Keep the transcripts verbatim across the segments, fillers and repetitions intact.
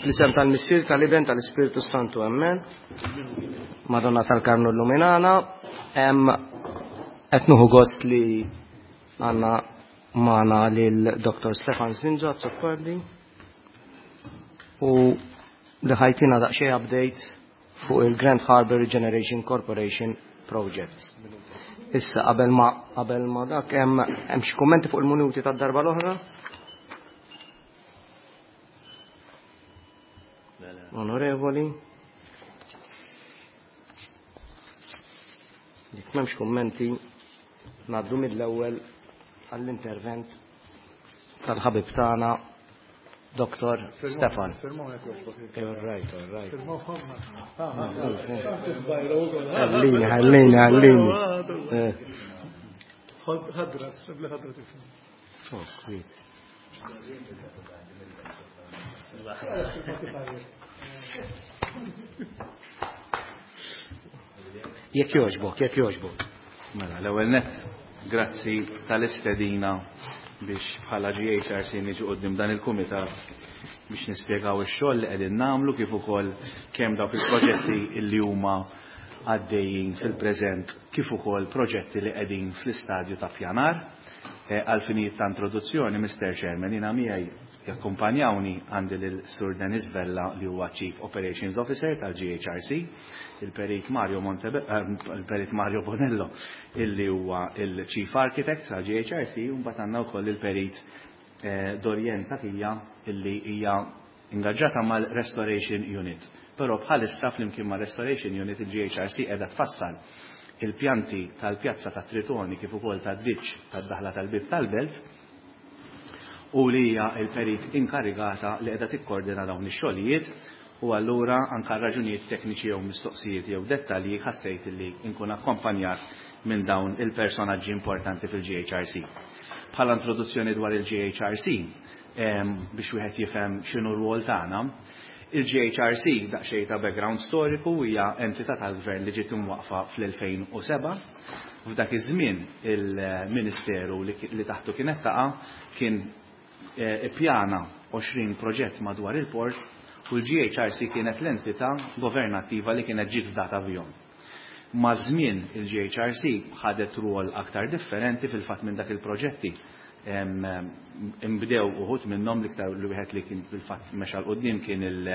Fl-isem tal-Missier, tal-Iben, tal-Ispirtu Santu, amen. Madonna tal-Karmnu Illuminana. Qed nieħu gost li għandna magħna lil Doktor Stefan Zrinzo Azzopardi u li ħa jtina daqsxejn update fuq il-Grand Harbour Regeneration Corporation Project. Issa qabel ma qabel ma dak hemm hemm xi kummenti fuq il-minuti tad-darba l-oħra? Onorevoli. Jekk m'hemmx kummenti, ngħaddu mill-ewwel għall-intervent tal-ħabib tagħna Doktor Stefan. All right, all right. Ħallini, ħallini, ħallini. Ħadra, ħadra tifhem. Oh, sweet. Jekk jogħġbok, jekk jogħġbok. Mela, l-ewwel nett, grazzi tal-istedina biex bħala G H R C niġu quddiem dan il-kumitat biex nispjegaw ix-xogħol li qegħdin nagħmlu kif ukoll kemm dawk il-proġetti li huma għaddejjin fil-preżent kif ukoll proġetti li qegħdin fl-istadju ta' pjanar. Għal finijiet ta' introduzzjoni, Mister Chairman, jiena miegħi jakkumpanjawni għandi lil Sur Denis Vella li huwa Chief Operations Officer tal-G H R C, il-Perit Mario Montebe-, il-Perit Mario Bonello illi huwa il-Chief Architect tal-G H R C, u mbagħad għandna wkoll il-Perit, eh, Dorien Tatija illi hija ingaġġata mal-Restoration Unit. Però bħalissa flimkien mal-Restoration Unit il-G H R C qiegħda tfassal il-pjanti tal-pjazza ta' Tritoni kif ukoll tad-ditx tad-daħla tal-bib tal-belt, u li hija l-perit inkarigata li qiegħda tikkordina dawn ix-xogħlijiet, u allura anke raġunijiet tekniċi jew mistoqsijiet jew dettalji ħassejt li nkun akkompanjat minn dawn il-personaġġi importanti fil-G H R C. Bħala introduzzjoni dwar il-G H R C, em, biex wieħed jifhem x'inhu r-rwol tagħna, il-G H R C daqsxejn ta' background storiku hija entità tal-gvern li ġiet imwaqfa fl-elfejn u seba'. F'dak iż-żmien il-Ministeru li ki-, li taħtu kienet taqa' kien, eh, ippjana għoxrin proġett madwar il-port, u l-G H R C kienet l-entità governattiva li kienet ġiet fdata bihom. Ma' żmien il-G H R C ħadet rwol aktar differenti, fil-fatt minn dak il-proġetti imbdew uħud minnhom, l-iktar li wieħed li kien fil-fatt mexa l quddiem kien il-,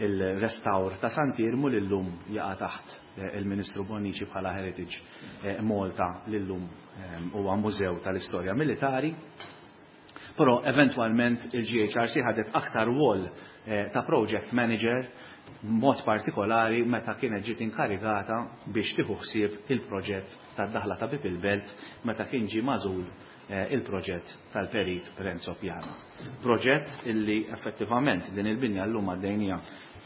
il-restawr ta' Sant'Iermu li llum jaqa' taħt, eh, il-Ministru Bonnici bħala Heritage, eh, Malta li llum, eh, huwa mużew tal-istorja militari. Però eventwalment il-G H R C ħadet aktar rwol, eh, ta' project manager, mod partikolari meta kienet ġiet inkarigata biex tieħu ħsieb il-proġett tad-daħla ta' Bib il-Belt meta kien ġie magħżul, eh, il-proġett tal-Perit Renzo Piano. Proġett illi effettivament din il-binja llum għaddejnija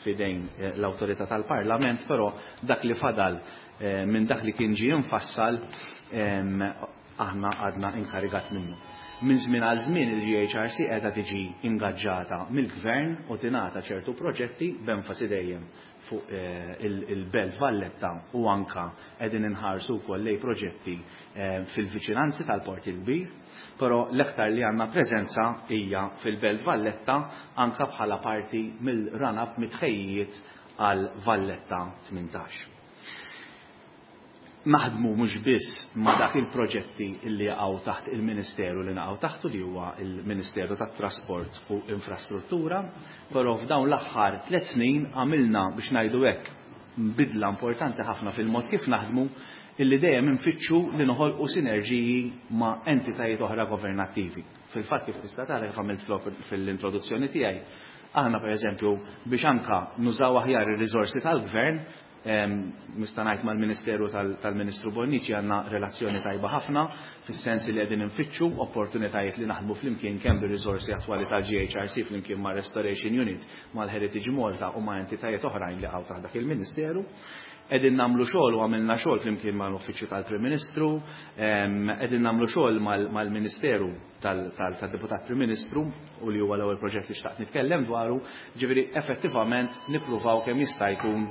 fidejn, eh, l-awtorità tal-Parlament, però dak li fadal, eh, minn dak li kien ġie infassal, ehm, aħna għadna inkarigat minnu. Minn żmien għal żmien il-G H R C qiegħda tiġi ingaġġata mill-Gvern u tingħata ċertu proġetti b'enfasi dejjem fuq, eh, il-, il-Belt Valletta, u anka qegħdin inħarsu wkoll lejn proġetti, eh, fil-viċinanzi tal-Port il-Kbir, però l-aktar li għandna preżenza hija fil-Belt Valletta anka bħala parti mill-run-up mitħejjiet għal Valletta tmintax. Naħdmu mhux biss ma' dak il-proġetti li jaqgħu taħt il-Ministeru li naqgħu taħtu, li huwa il-Ministeru tat-Trasport u Infrastruttura, però f'dawn l-aħħar tliet snin għamilna, biex ngħidu hekk, bidla importanti ħafna fil-mod kif naħdmu, illi dejjem infittxu li noħolqu sinerġiji ma' entitajiet oħra governattivi. Fil-fatt kif tista' tara kif għamilt fl-op-, fil-introduzzjoni tiegħi, aħna pereżempju biex anka nużaw aħjar ir-riżorsi tal-gvern, em, nista' ngħid mal-Ministeru tal-, tal-Ministru Bonnici għandna relazzjoni tajba ħafna, fis-sens li qegħdin infittxu opportunitajiet li naħdmu flimkien kemm bir-riżorsi attwali tal-G H R C flimkien ma' Restoration Unit, mal-Heritage Malta u ma' entitajiet oħrajn li għaw taħt dak il-Ministeru. Qegħdin nagħmlu xogħol u għamilna xogħol flimkien mal-Uffiċċju tal-Prim Ministru, em, qegħdin nagħmlu xogħol mal-, mal-Ministeru tal-, tal-, tad-Deputat Prim Ministru, u li huwa l-ewwel proġett li xtaqt nitkellem dwaru, ġifieri effettivament nippruvaw kemm jista' jkun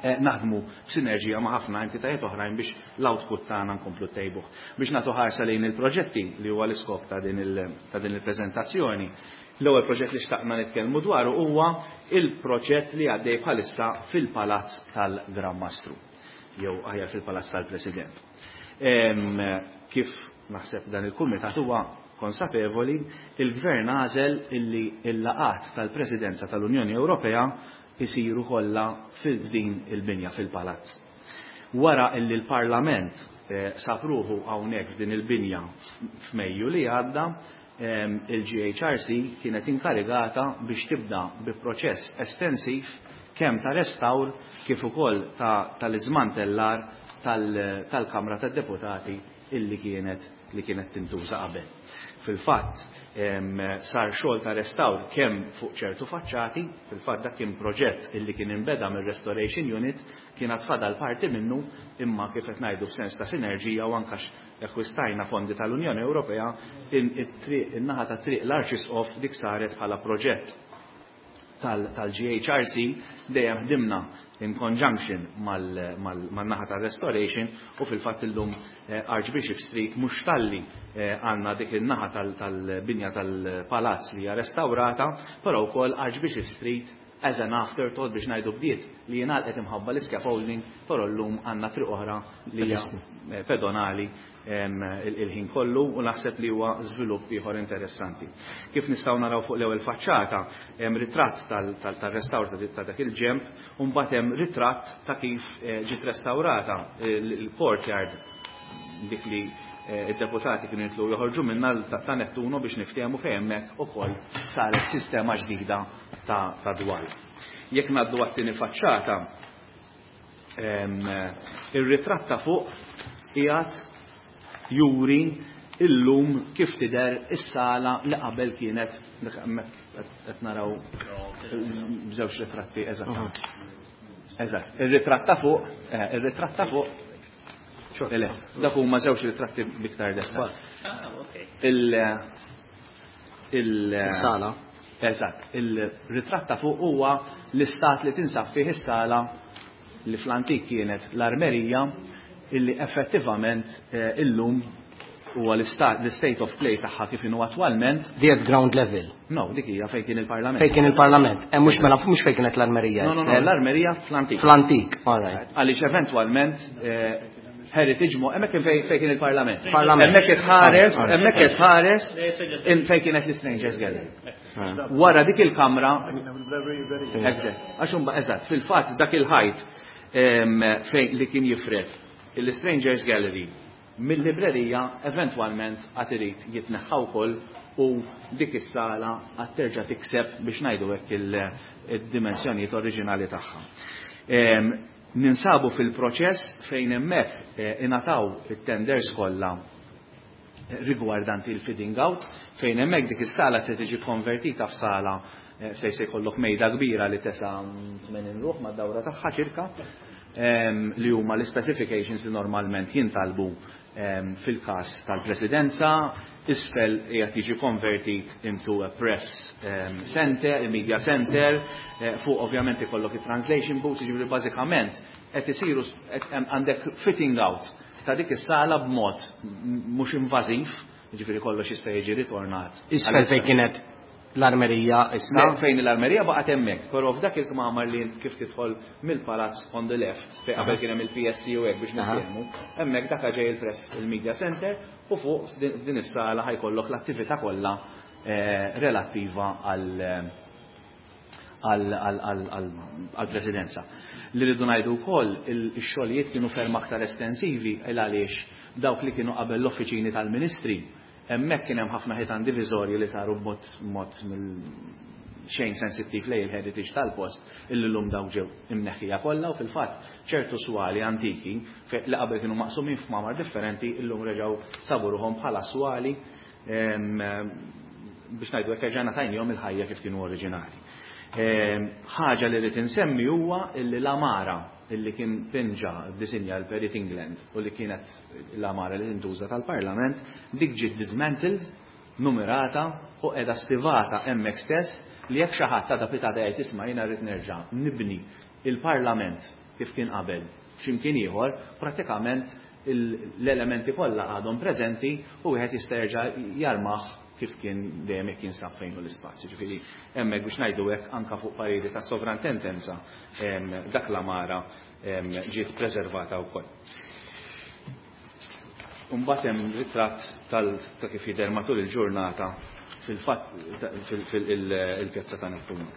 eh, naħdmu f'sinerġija ma' ħafna entitajiet oħrajn biex l-output tagħna nkomplu ntejbuh. Biex nagħtu ħarsa lejn il-proġetti li huwa l-iskop ta' din il-preżentazzjoni. L-ewwel proġett li xtaqna nitkellmu dwaru huwa il-proġett li għaddej bħalissa fil-Palazz tal-Gran Mastru, jew aħjar fil-Palazz tal-President. Kif naħseb dan il-kumitat huwa konsapevoli, il-Gvern għażel illi l-laqgħat tal-Presidenza tal-Unjoni Ewropea isiru kollha f'din il-binja fil-Palazz. Wara illi l-Parlament eh, sab ruħu hawnhekk f'din il-binja f'Mejju li għadda, il-G H R C kienet inkarigata biex tibda bi proċess estensiv kemm ta' restawr kif ukoll tal-iżmantellar tal-Kamra tad-Deputati illi kienet li kienet tintuża qabel. Fil-fatt, sar xogħol ta' restawr kemm fuq ċertu faċċati, fil-fatt dak kien proġett illi kien inbeda mir-Restoration Unit, kien fadal parti minnu, imma kif qed ngħidu f'sens ta' sinerġija u anke akkwistajna fondi tal-Unjoni Ewropea, in-naħa ta' Triq l-Arċisqof dik saret bħala proġett tal-G H R C, dejjem ħdimna in conjunction mal-naħa tal-restoration u fil-fatt illum eh, Archbishop Street mhux talli eh, għandna dik il-naħa tal-binja tal-palazz li hija restaurata, però wkoll Archbishop Street as an afterthought biex ngħidu bdiet li jingħalqet imħabba l-scaffolding, però llum għandna triq oħra li hija eh, pedonali il-ħin kollu u naħseb li huwa żvilupp ieħor interessanti. Kif nistgħu naraw fuq l-ewwel faċċata, hemm ritratt tal-restawr ta' dak il-ġemp u mbagħad hemm ritratt ta' kif eh, ġiet restawrata il-courtyard dik li eh, id-deputati kienu jitlu joħorġu minna ta' Nettuno biex niftehmu fejn hemmhekk ukoll saret sistema ġdida ta' dwal. Jekk ngħaddu għat-tieni faċċata, ir-ritratt ta' fuq qiegħed juri illum kif tidher is-sala li qabel kienet, qed naraw żewġ ritratti eżatt. Eżatt. Ir-ritratt ta' fuq, eh, ir-ritratt ta' fuq. Le, dak huma żewġ ritratti biktar dettal. Il il Is-sala. Eżatt, il-ritratt ta' fuq huwa l-istat li tinsab fih is-sala li fl-antik kienet l-armerija, illi effettivament eh, illum huwa l-state of play tagħha kif inhu attwalment. Di at ground level. No, dik hija fejn kien il-Parlament. Fejn kien il-Parlament. Eh, mhux mela mhux fejn kienet l-armerija. No, no, no, l-armerija fl-antik. Fl-antik, all right. Għaliex eventwalment eh, Heritage Mo, hemmhekk kien fejn kien il-Parlament. Parlament. Hemmhekk itħares, hemmhekk itħares fejn kienet l-Strangers Gallery. Wara dik il-kamra. Eżatt, għax eżatt, fil-fatt dak il-ħajt fejn li kien jifred il-Strangers Gallery mill-librerija eventwalment għad irid jitneħħa wkoll u dik is-sala għad terġa' tikseb biex ngħidu hekk il-dimensjonijiet oriġinali tagħha. Ninsabu fil-proċess fejn hemmhekk eh, ingħataw it-tenders kollha rigwardanti il-fitting out, fejn hemmhekk dik is-sala se tiġi konvertita f'sala eh, fejn se jkollok mejda kbira li tesa' tmenin ruħ mad-dawra tagħha ċirka, li huma l-specifications li normalment jintalbu fil-każ tal-presidenza. Isfel qiegħed jiġi konvertit into a press center, a media center, eh, fuq ovvjament ikollok il-translation booths, jiġifieri bażikament qed isiru għandek fitting out ta' dik is-sala b'mod mhux invażiv, jiġifieri kollox jista' jiġi ritornat. Isfel fejn kienet l-armerija issa? Fejn l-armerija baqgħet hemmhekk, però f'dak il-kmamar li kif tidħol mill-palazz on the left, fejn qabel kien hemm il-P S C u hekk biex nitkellmu, hemmhekk dak ġej il-press il-media center u fuq din is-sala ħa jkollok l-attività kollha eh, relattiva għal għal-presidenza. Li rridu ngħidu wkoll, ix-xogħlijiet kienu ferm aktar estensivi il għaliex dawk li kienu qabel l-offiċini tal-ministri, hemmhekk kien hemm ħafna ħitan diviżorji li saru b'mod mod xejn sensittiv lejn il-heritage tal-post, illi llum daw ġew imneħħija kollha u fil-fatt ċertu swali antiki li qabel kienu maqsumin f'kmamar differenti illum reġgħu sabu ruħhom bħala swali, biex ngħidu hekk erġajna tajnihom il-ħajja kif kienu oriġinali. Ħaġa li rrid insemmi huwa illi l-għamara illi kien pinġa disinja l-Perit England u li kienet l-għamara li tintuża tal-Parlament, dik ġiet dismantled, numerata u qiegħda stivata hemmhekk stess, li jekk xi ħadd ta' pitata jgħid, "Isma', jiena rrid nerġa' nibni il-Parlament kif kien qabel x'imkien ieħor, prattikament l-elementi kollha għadhom preżenti u wieħed jista' jerġa' jarmah kif kien dejjem jekk jinsab fejn hu l-ispazju. Ġifieri hemmhekk biex ngħidu hekk anke fuq pariri ta' sovrantendenza dak l-għamara ġiet preservata wkoll. Imbagħad hemm ritratt tal ta' kif jidher matul il-ġurnata fil-fatt fil-pjazza ta' Nettuno.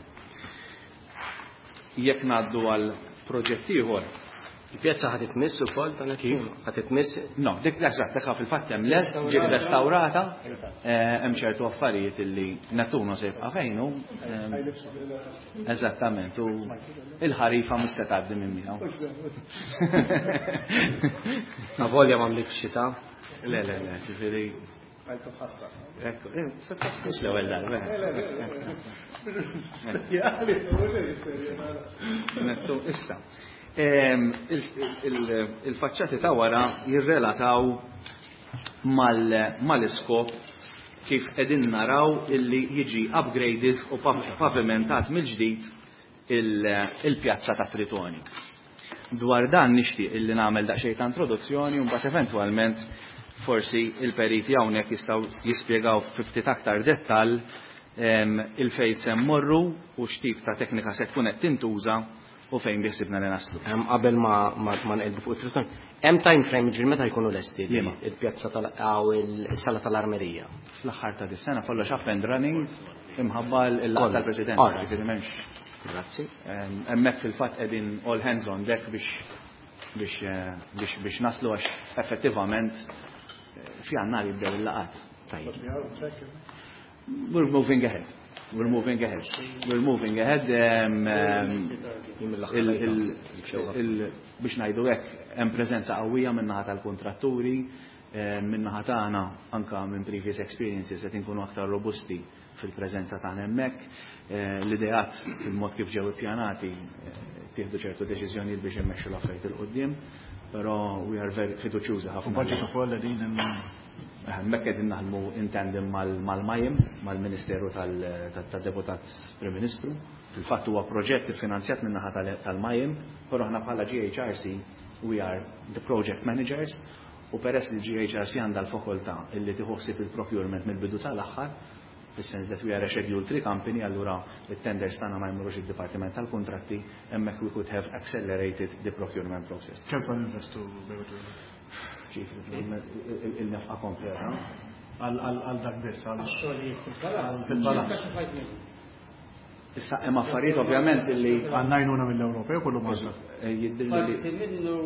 Jekk ngħaddu għal proġett ieħor. Il-pjazza ħad itmiss ukoll ta' Nettuno? Ħad itmiss? No, dik eżatt, dak fil-fatt hemm lest, ġiet restawrata, hemm ċertu affarijiet illi Nettuno se jibqa' fejnu. Eżattament, u il-ħarifa mhux se tgħaddi minn miegħu. Avolja m'għamlitx xita? Le, le, le, ġifieri. Ekku, mhux l-ewwel darba. Nettu, issa. Il-faċċati ta' wara jirrelataw mal-iskop kif qegħdin naraw illi jiġi upgraded u pavimentat mill-ġdid il-pjazza ta' Tritoni. Dwar dan nixtieq illi nagħmel daqsxejn ta' introduzzjoni u mbagħad eventwalment forsi il-periti hawnhekk jistgħu jispjegaw fi ftit aktar dettall il-fejn se mmorru u x'tip ta' teknika se tkun qed tintuża u fejn biħsibna li naslu. Qabel ma ma nqelbu fuq it-Triton, hemm time frame ġifieri meta jkunu lesti il-pjazza tal aw il-sala tal-armerija? Fl-aħħar ta' dis-sena kollox up and running imħabba l-laqgħa tal-Presidenza, ġifieri m'hemmx. Grazzi. Hemmhekk fil-fatt qegħdin all hands on deck biex biex biex biex naslu għax effettivament f'Jannar jibdew il-laqgħat. Tajjeb. We're moving ahead. We're moving ahead. We're moving ahead. Biex ngħidu hekk hemm preżenza qawwija min-naħa tal-kontratturi, min-naħa tagħna anke minn previous experiences qed inkunu aktar robusti fil-preżenza tagħna hemmhekk. L-ideat fil-mod kif ġew ippjanati tieħdu ċertu deċiżjonijiet biex immexxu l-affarijiet il quddiem, però we are very fiduċjużi ħafna. Budget ukoll qegħdin hemmhekk qegħdin naħdmu in tandem mal-Majim, mal-Ministeru tad-Deputat Prim Ministru. Fil-fatt huwa proġett iffinanzjat min-naħa tal-Majim, però aħna bħala G H R C we are the project managers u peress li G H R C għandha l-fakultà illi tieħu ħsieb il-procurement mill-bidu tal-aħħar, fis-sens that we are a Schedule three company, allura it-tenders tagħna ma jmurux id-Dipartiment tal-Kuntratti, hemmhekk we could have accelerated the procurement process. Kemm sa ninvestu bejn? Il-nefqa kompleta. Għal dak biss, għal fil-palazz. Issa hemm affarijiet ovvjament illi għandna għajnuna mill-Ewropew kollu Malta. Jidhirli li parti minnu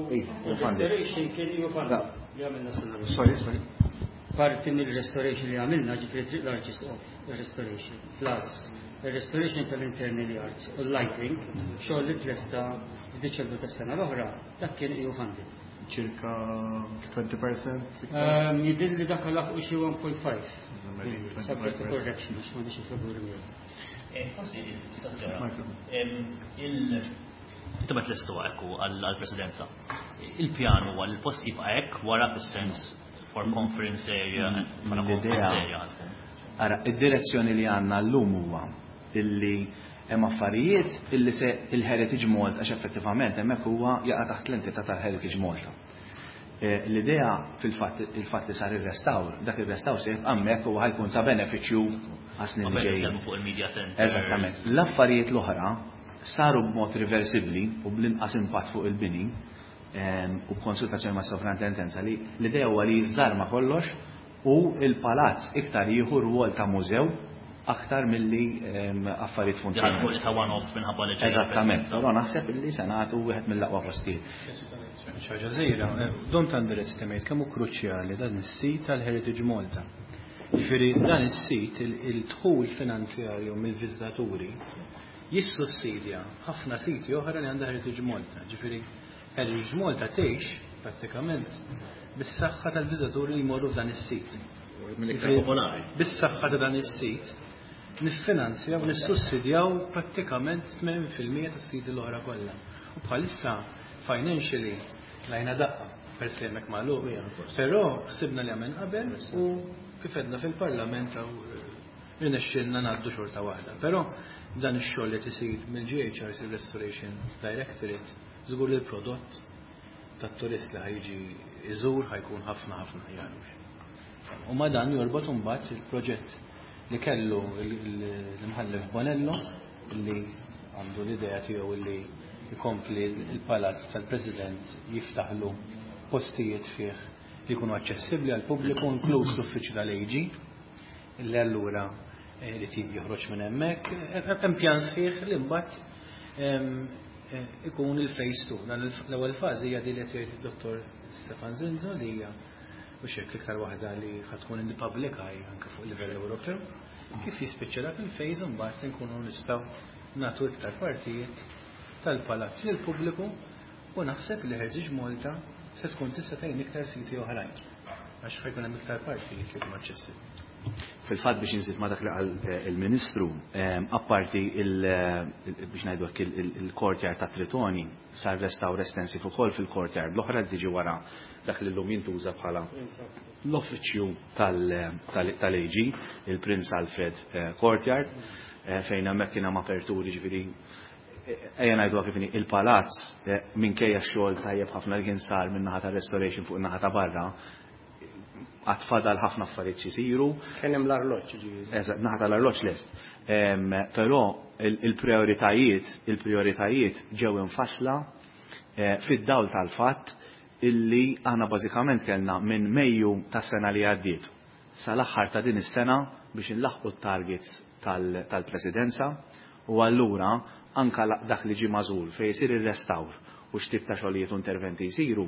restoration kien ju li għamilna sena. Sorry, sorry. Parti mill-restoration li għamilna, ġifieri triq l-Arċisqof restoration, plus il-restoration tal-internal yards u l-lighting, xogħol li tlesta f'Diċembru tas-sena l-oħra, dak kien E U funded. Circa twenty percent? Jidhirli dak laħqu xi one point five. Subject to correction, għax m'għandix il-figuri miegħu. Forsi istazzjona. Intom qed lestu hekk għall-Presidenza. Il-pjan huwa li l-post jibqa' hekk wara fis-sens for conference area, bħala conference area. Ara, id-direzzjoni li għandna llum huwa illi hemm affarijiet illi se il-Heritage Malta għax effettivament hemmhekk huwa jaqa' taħt l-entità tal-Heritage Malta. L-idea fil-fatt il-fatt li sar ir-restawr, dak ir-restawr se jibqa' hemmhekk u ħajkun ta' benefiċċju għas-snin li ġejjin. Fuq il-media center. Eżattament. L-affarijiet l-oħra saru b'mod reversibbli u bl-inqas impatt fuq il-bini u b'konsultazzjoni mas sovrintendenza li l-idea huwa li jiżżarma kollox u l-palazz iktar jieħu rwol ta' mużew aktar milli affarijiet funzjonali. Dak issa one-off minħabba li ġej. Eżattament, però naħseb illi se nagħtu wieħed mill-aqwa postijiet. Xi ħaġa żgħira, don't underestimate kemm hu kruċjali dan is-sit tal-Heritage Malta. Ġifieri dan is-sit il-dħul finanzjarju mill-viżitaturi jissussidja ħafna siti oħra li għandha Heritage Malta. Ġifieri Heritage Malta tgħix prattikament bis-saħħa tal-viżitaturi li jmorru f'dan is-sit. Mill-iktar popolari. Bis-saħħa ta' dan is-sit niffinanzjaw, nissussidjaw prattikament tmenin fil-mija tas-siti l-oħra kollha. U bħalissa financially lajna daqqa peress li hemmhekk magħluq. Però ħsibna li għamel qabel u kif għedna fil-Parlament hawn irnexxielna ngħaddu xorta waħda. Però Dan ix-xogħol li tisir mill-G H R C Restoration Directorate, żgur li l-prodott tat-turist li ħa jiġi iżur ħa jkun ħafna ħafna aħjar. U ma dan jorbot imbagħad il-proġett li kellu l-imħallef Bonello, li għandu l-idea tiegħu li jkompli il-palazz tal-President, jiftaħlu postijiet fih li jkunu aċċessibbli għal pubbliku, inkluż l-uffiċċju tal-A G, li allura eh, li joħroġ minn hemmhekk. Hemm pjan sħiħ li mbagħad eh, ikun il-phase two. Dan l-ewwel fażi hija din li qed jgħid id-Dottor Stefan Zinzo, li hija u xek l-iktar waħda li ħa tkun in the public eye anke fuq livell Ewropew. Kif jispiċċa dak il-phase, mbagħad nkunu nistgħu nagħtu iktar partijiet tal-palazz lil pubbliku u naħseb li Heritage Malta se tkun tista' tgħin iktar siti oħrajn, għax ħa jkun hemm iktar partijiet li jkunu aċċessibbli. Fil-fatt, biex nżid ma dak li qal eh, il-Ministru, eh, apparti eh, biex ngħidu hekk il-courtyard ta' Tritoni, sar restawr estensiv ukoll fil-courtyard l-oħra li tiġi wara dak li llum jintuża bħala l-uffiċċju tal-A G, il-Prince Alfred Courtyard, fejn hemmhekk kien hemm aperturi. Ġifieri ejja ngħidu kif il-palazz, minkejja x-xogħol tajjeb ħafna li kien sar minn naħa ta' restoration fuq in-naħa ta' barra, għad fadal ħafna affarijiet xisiru. Kien hemm l-arloġġ, ġifieri. Eżatt, naħa tal-arloġġ lest. Però il-prioritajiet, il-prioritajiet ġew infassla eh, fid-dawl tal-fatt illi aħna bażikament kellna minn Mejju tas-sena li għaddiet sal-aħħar ta' din is-sena biex inlaħqu t-targets tal-presidenza u allura anka dak li ġie magħżul fejn jsir ir-restawr u x'tip ta' xogħlijiet u interventi jsiru,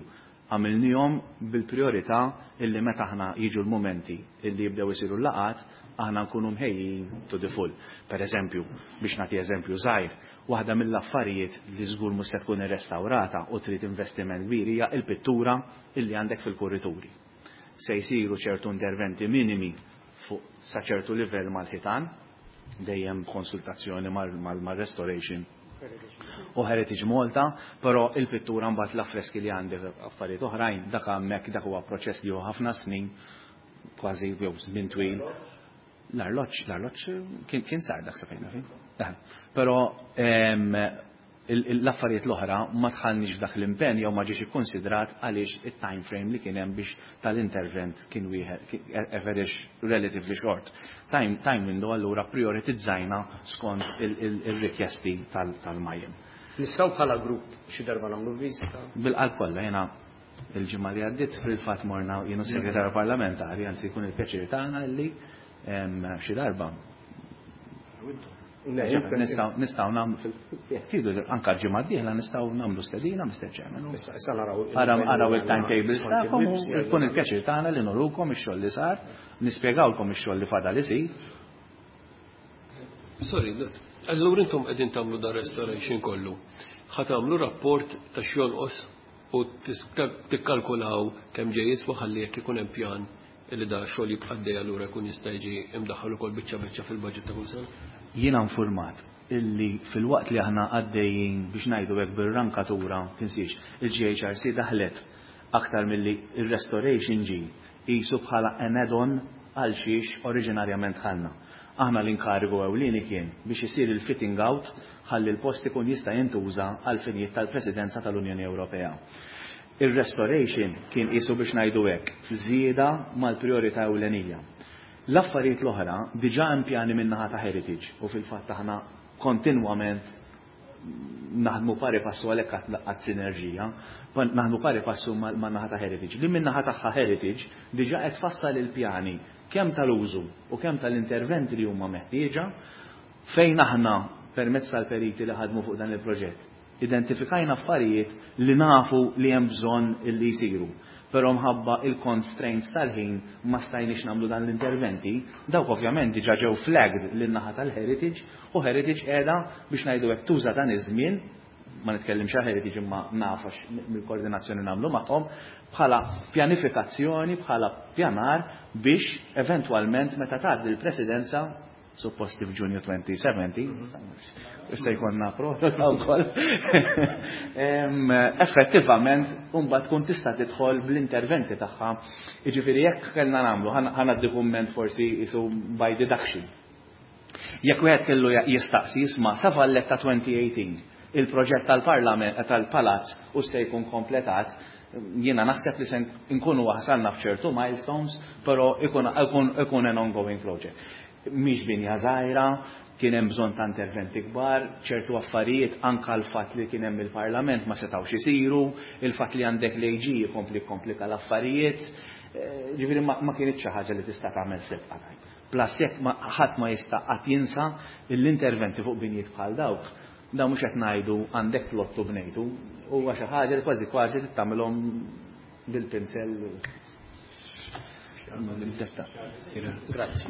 għamilnihom bil-priorità illi meta aħna jiġu l-momenti illi jibdew isiru l-laqat, aħna nkunu mħejjin to the full. Per eżempju, biex nagħti eżempju żgħir, waħda mill-affarijiet li żgur mhux se tkun irrestawrata u trid investiment kbir hija il-pittura illi għandek fil-kurrituri. Se jsiru ċertu interventi minimi fuq sa ċertu livell mal-ħitan, dejjem konsultazzjoni mal-restoration u Heritage Malta, però il-pittura, mbagħad l-affreski li għandi, affarijiet oħrajn, dak hemmhekk dak huwa proċess li hu ħafna snin, kważi jew żmien twil. L-arloġġ, l-arloġġ kien, kien sar dak sa fejna fin. Però l-affarijiet l-oħra ma dħalniex f'dak l-impenn jew ma ġiex ikkonsidrat għaliex it-time frame li kien hemm biex tal-intervent kien wieħed very relatively short Time, time window, allura prioritizzajna skont il-rikjesti tal-M A I M. Nistgħu bħala grupp xi darba nagħmlu vista? Bil-qalb kollha, jiena il-ġimgħa li għaddiet fil-fatt morna jienu segretarju parlamentari, anzi jkun il-pjaċir tagħna li xi darba nistgħu nagħmlu, tridu anka ġimgħa d-dieħla nistgħu nagħmlu stedina, Mister Chairman. Issa naraw. Araw il-timetables tagħkom u jkun il-pjaċir tagħna li nurukom ix-xogħol li sar, nispjegawlkom ix-xogħol li fadal isir. Sorry, allura intom qegħdin tagħmlu dan restoration kollu. Ħa tagħmlu rapport ta' x'jonqos u tikkalkulaw kemm ġej jiswa, ħalli jekk ikun hemm pjan illi da xogħol jibqa' għaddej, allura jkun jista' jiġi imdaħħal ukoll biċċa biċċa fil-budget ta' kull sena? Jiena informat illi fil-waqt li aħna għaddejjin biex ngħidu hekk bir-rankatura, tinsiex, il-G H R C daħlet aktar milli il-restoration ġi qisu bħala an add-on għal xiex oriġinarjament ħalna. Aħna l-inkarigu ewlieni kien biex isir il-fitting out ħalli l-post ikun jista' jintuża għal finijiet tal-Presidenza tal-Unjoni Ewropea. Il-restoration kien qisu biex ngħidu hekk żieda mal-priorità ewlenija. L-affarijiet l-oħra diġà hemm pjani min-naħa ta' Heritage u fil-fatt aħna kontinwament naħdmu pari passu, għalhekk għad sinerġija, naħdmu pari passu man-naħa ta' Heritage. Li min-naħa tagħha Heritage diġà qed tfassal il-pjani kemm tal-użu u kemm tal-interventi li huma meħtieġa, fejn aħna permezz tal-periti li ħadmu fuq dan il-proġett identifikajna affarijiet li nafu li hemm bżonn li jsiru. Però mħabba il-constraints tal-ħin ma stajniex nagħmlu dan l-interventi, dawk ovvjament diġà ġew flagged lin-naħa tal-Heritage u Heritage qiegħda biex ngħidu hekk tuża dan iż-żmien, ma nitkellimx għal Heritage imma nafax mill-koordinazzjoni nagħmlu magħhom, bħala pjanifikazzjoni, bħala pjanar biex eventwalment meta tgħaddi l-presidenza, supposti f'Ġunju elfejn u sbatax, issa jkollna proroga wkoll. Effettivament, mbagħad tkun tista' tidħol bl-interventi tagħha. Jiġifieri jekk kellna nagħmlu, ħa nagħti kumment forsi qisu by deduction. Jekk wieħed kellu jistaqsi jisma' sa Valletta twenty eighteen il-proġett tal-Parlament tal-Palazz u se jkun kompletat, jiena naħseb li se nkunu wasalna f'ċertu milestones, però ikun, ikun, ikun an ongoing project. Mhix binja żgħira, kien hemm bżonn ta' interventi kbar, ċertu affarijiet, anka l-fatt li kien hemm il-Parlament, ma setgħux isiru, il-fatt li għandek l-A G jkompli komplika l-affarijiet, eh, ġifieri ma, ma kienx xi ħaġa li tista' tagħmel fil-qataj. Plus jekk ħadd ma jista' qatt jinsa l-interventi fuq binjiet bħal dawk, da mhux qed ngħidu għandek plottu bnejtu, huwa xi ħaġa li kważi kważi tagħmilhom bil-pinsel. Grazzi.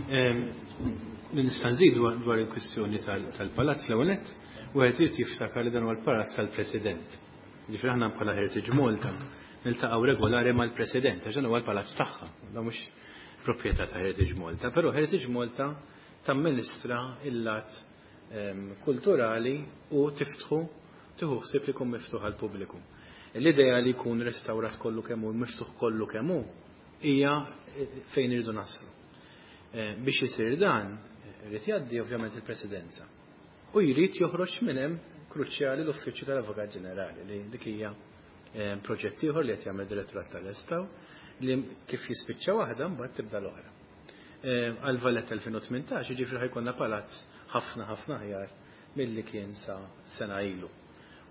Nista' nżid dwar il-kwistjoni tal-palazz. L-ewwel nett, wieħed irid jiftakar li dan huwa l-palazz tal-President. Ġifieri aħna bħala Heritage Malta niltaqgħu regolari mal-President għax dan huwa l-palazz tagħha. Da mhux proprjetà ta' Heritage Malta, però Heritage Malta tamministra il-lat kulturali u tiftħu, tieħu ħsieb li jkun miftuħ għall-pubbliku. L-idea li jkun restawrat kollu kemm hu, miftuħ kollu kemm hu, hija fejn irridu naslu. Eh, biex isir dan, irid jgħaddi ovvjament il-Presidenza. U jrid joħroġ minn hemm, kruċjali, l-Uffiċċju tal-Avukat Ġenerali, li dik hija eh, proġett ieħor li qed jagħmel direttorat tal-Restawr, li kif jispiċċa waħda mbagħad tibda l-oħra. Eh, għal Valletta elfejn u tmintax, jiġifieri, ħa jkollna palazz ħafna ħafna aħjar milli kien sa sena ilu.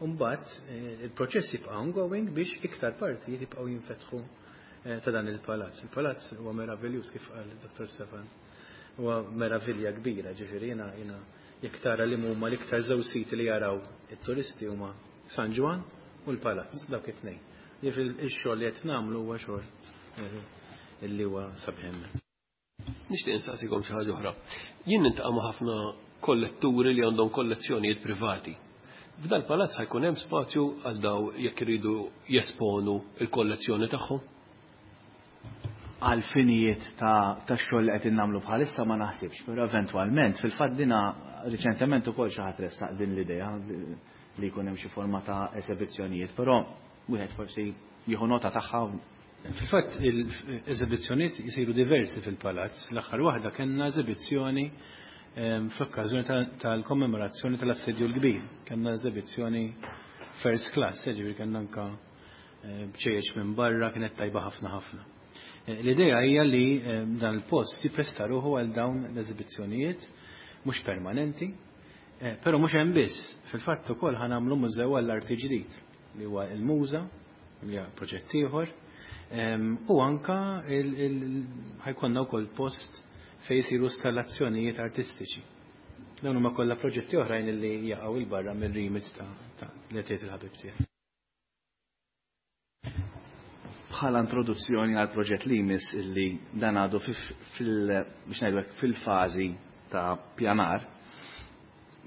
Mbagħad il-proċess jibqa' ongoing biex iktar partijiet jibqgħu jinfetħu ta' dan il-palazz. Il-palazz huwa meraviljuż, kif qal Dottor Stefan. Huwa meravilja kbira, ġifieri jiena jiena jekk tara li huma l-iktar żewġ siti li jaraw it-turisti, huma San Ġwann u l-palazz, dawk it-tnejn. Ġifieri ix-xogħol li qed nagħmlu huwa xogħol illi huwa sabiħ. Nixtieq insaqsikom xi ħaġa oħra. Jien niltaqa' ma' ħafna kolletturi li għandhom kollezzjonijiet privati. F'dal palazz ħa jkun hemm spazju għal daw jekk iridu jesponu il-kollezzjoni tagħhom? Għal finijiet ta' ta' xogħol li qed innagħmlu bħalissa ma naħsibx, però eventwalment, fil-fatt dina riċentement ukoll xi ħadd ressaq din l-idea li jkun hemm xi forma ta' esebizzjonijiet, però wieħed forsi jieħu nota tagħha. Fil-fatt il-eżibizzjonijiet jisiru diversi fil-palazz. L-aħħar waħda kellna eżibizzjoni fl-okkażjoni tal-kommemorazzjoni tal-Assedju l-Kbir. Kellna eżibizzjoni first class, ġifieri kellna anka bċejjeċ minn barra, kienet tajba ħafna ħafna. L-idea hija li dan il-post jippresta ruħu għal dawn l-eżibizzjonijiet mhux permanenti, però mhux hemm biss. Fil-fatt ukoll ħa nagħmlu mużew għall-arti ġdid li huwa il-Muża, li huwa proġett ieħor, u anka ħa jkollna wkoll post fejn jsiru installazzjonijiet artistiċi. Dawn huma kollha proġetti oħrajn li jaqgħu 'il barra mir-remit ta' li qed il-ħabib tiegħek. Bħala introduzzjoni għal proġett li jmiss, illi dan għadu fil biex ngħidu fil-fażi ta' pjanar,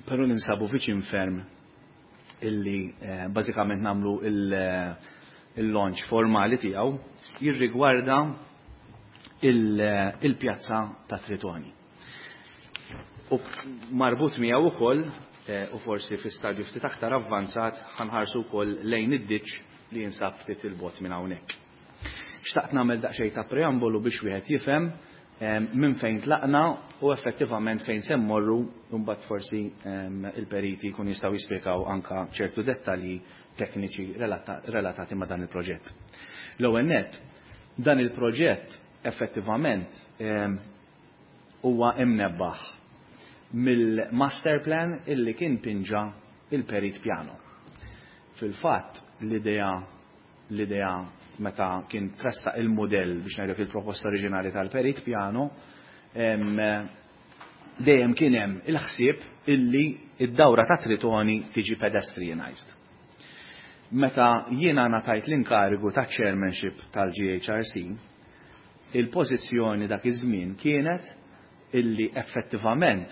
però ninsabu viċin ferm illi eh, bażikament nagħmlu il-launch formali tiegħu, jirrigwarda il-pjazza ta' Tritoni. U marbut miegħu ukoll, eh, u forsi fi stadju ftit aktar avvanzat, ħa nħarsu wkoll lejn id-ditch li jinsab ftit 'il bogħod minn hawnhekk. Xtaqt nagħmel daqsxejn ta' preambolu biex wieħed jifhem minn fejn tlaqna u effettivament fejn se mmorru, mbagħad forsi il-periti jkun jistgħu jispjegaw anka ċertu dettalji tekniċi relatati ma' dan il-proġett. L-ewwel nett, dan il-proġett effettivament huwa imnebbaħ mill-master plan illi kien pinġa il-Perit Piano. Fil-fatt l-idea l-idea meta kien tressaq il-modell, biex ngħidlek, il-proposta oriġinali tal-Perit Piano, dejjem kien hemm il-ħsieb illi id-dawra ta' Tritoni tiġi pedestrianized. Meta jiena ngħatajt l-inkarigu ta' chairmanship tal-G H R C, il-pożizzjoni dak iż-żmien kienet illi effettivament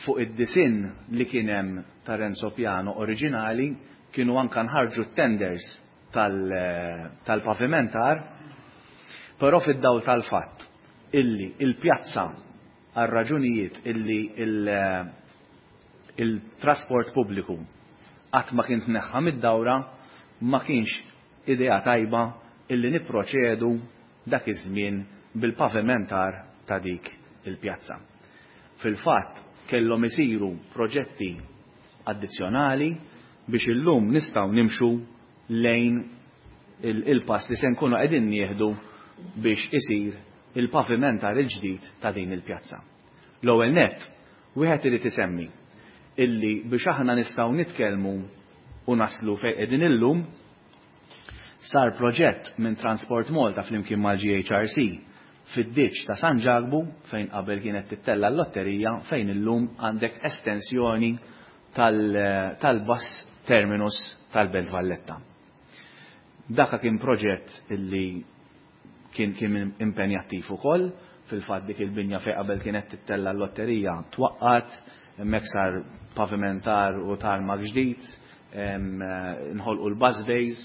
fuq id-disinn li kien hemm ta' Renzo Piano oriġinali kienu anka nħarġu tenders tal-pavimentar, però fid-dawl tal-fatt illi il-pjazza, għal raġunijiet illi il-trasport pubbliku qatt ma kien tneħħa mid-dawra, ma kienx idea tajba illi niproċedu dak iż-żmien bil-pavimentar ta' dik il-pjazza. Fil-fatt, Kellhom isiru proġetti addizzjonali biex illum nistgħu nimxu lejn il-pass li se nkunu qegħdin nieħdu biex isir il-pavimentar il-ġdid ta' din il-pjazza. L-ewwel nett, wieħed irid isemmi illi biex aħna nistgħu nitkellmu u naslu fejn qegħdin illum, sar proġett minn Transport Malta flimkien mal-G H R C fid-ditx ta' San Ġakbu fejn qabel kienet tittella l-lotterija, fejn illum għandek estensjoni tal-bus terminus tal-Belt Valletta. Daka kien proġett illi kien, kien impenjattiv ukoll, fil-fatt dik il-binja fejn qabel kienet tittella l-lotterija twaqqat, hemmhekk sar pavimentar u tarmak ġdid, nħolqu l-bus bays.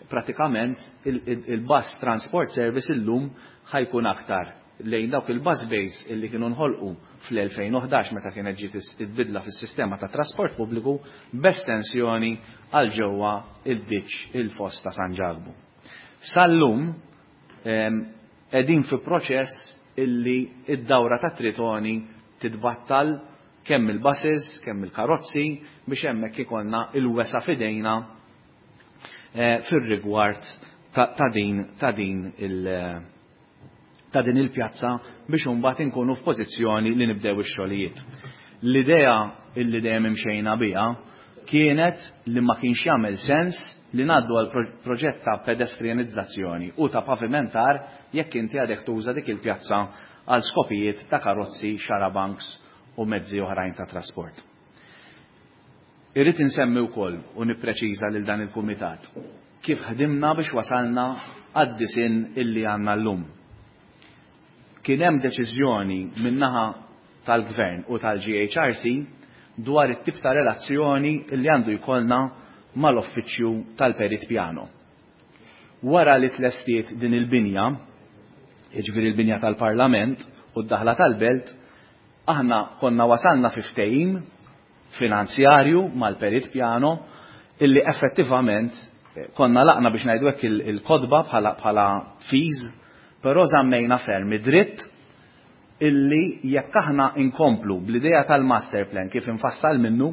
Pratikament il-bus transport service illum ħajkun aktar lejn dawk il-bus bays illi kienu nħolqu fl-elfejn u ħdax meta kienet ġiet il-bidla fis-sistema ta' trasport pubbliku b'estensjoni għal ġewwa il-ditx il-foss ta' San Ġakbu. Sal-lum qegħdin fi proċess illi id-dawra ta' Tritoni titbattal kemm il-buses, kemm il-karozzi biex hemmhekk ikollna il-wesa f'idejna fir-rigward ta' din ta' din il ta' din il-pjazza biex imbagħad inkunu f'pożizzjoni li nibdew ix-xogħlijiet. L-idea illi dejjem imxejna biha kienet li ma kienx jagħmel sens li ngħaddu għal proġett ta' pedestrianizzazzjoni u ta' pavimentar jekk inti għadek tuża dik il-pjazza għal skopijiet ta' karozzi, xarabanks u mezzi oħrajn ta' trasport. Irrid insemmi wkoll u nippreċiża lil dan il-kumitat kif ħdimna biex wasalna għad-disinn illi għandna llum. Kien hemm deċiżjoni min-naħa tal-Gvern u tal-G H R C dwar it-tip ta' relazzjoni illi għandu jkollna mal-uffiċċju tal-Perit Piano. Wara li tlestiet din il-binja, jiġifieri l-binja tal-Parlament u d-daħla tal-Belt, aħna konna wasalna fi ftehim finanzjarju mal-Perit Piano illi effettivament konna laqna biex ngħidu hekk il-kodba bħala bħala fees, però żammejna ferm id-dritt illi jekk aħna inkomplu bl-idea tal-master plan kif infassal minnu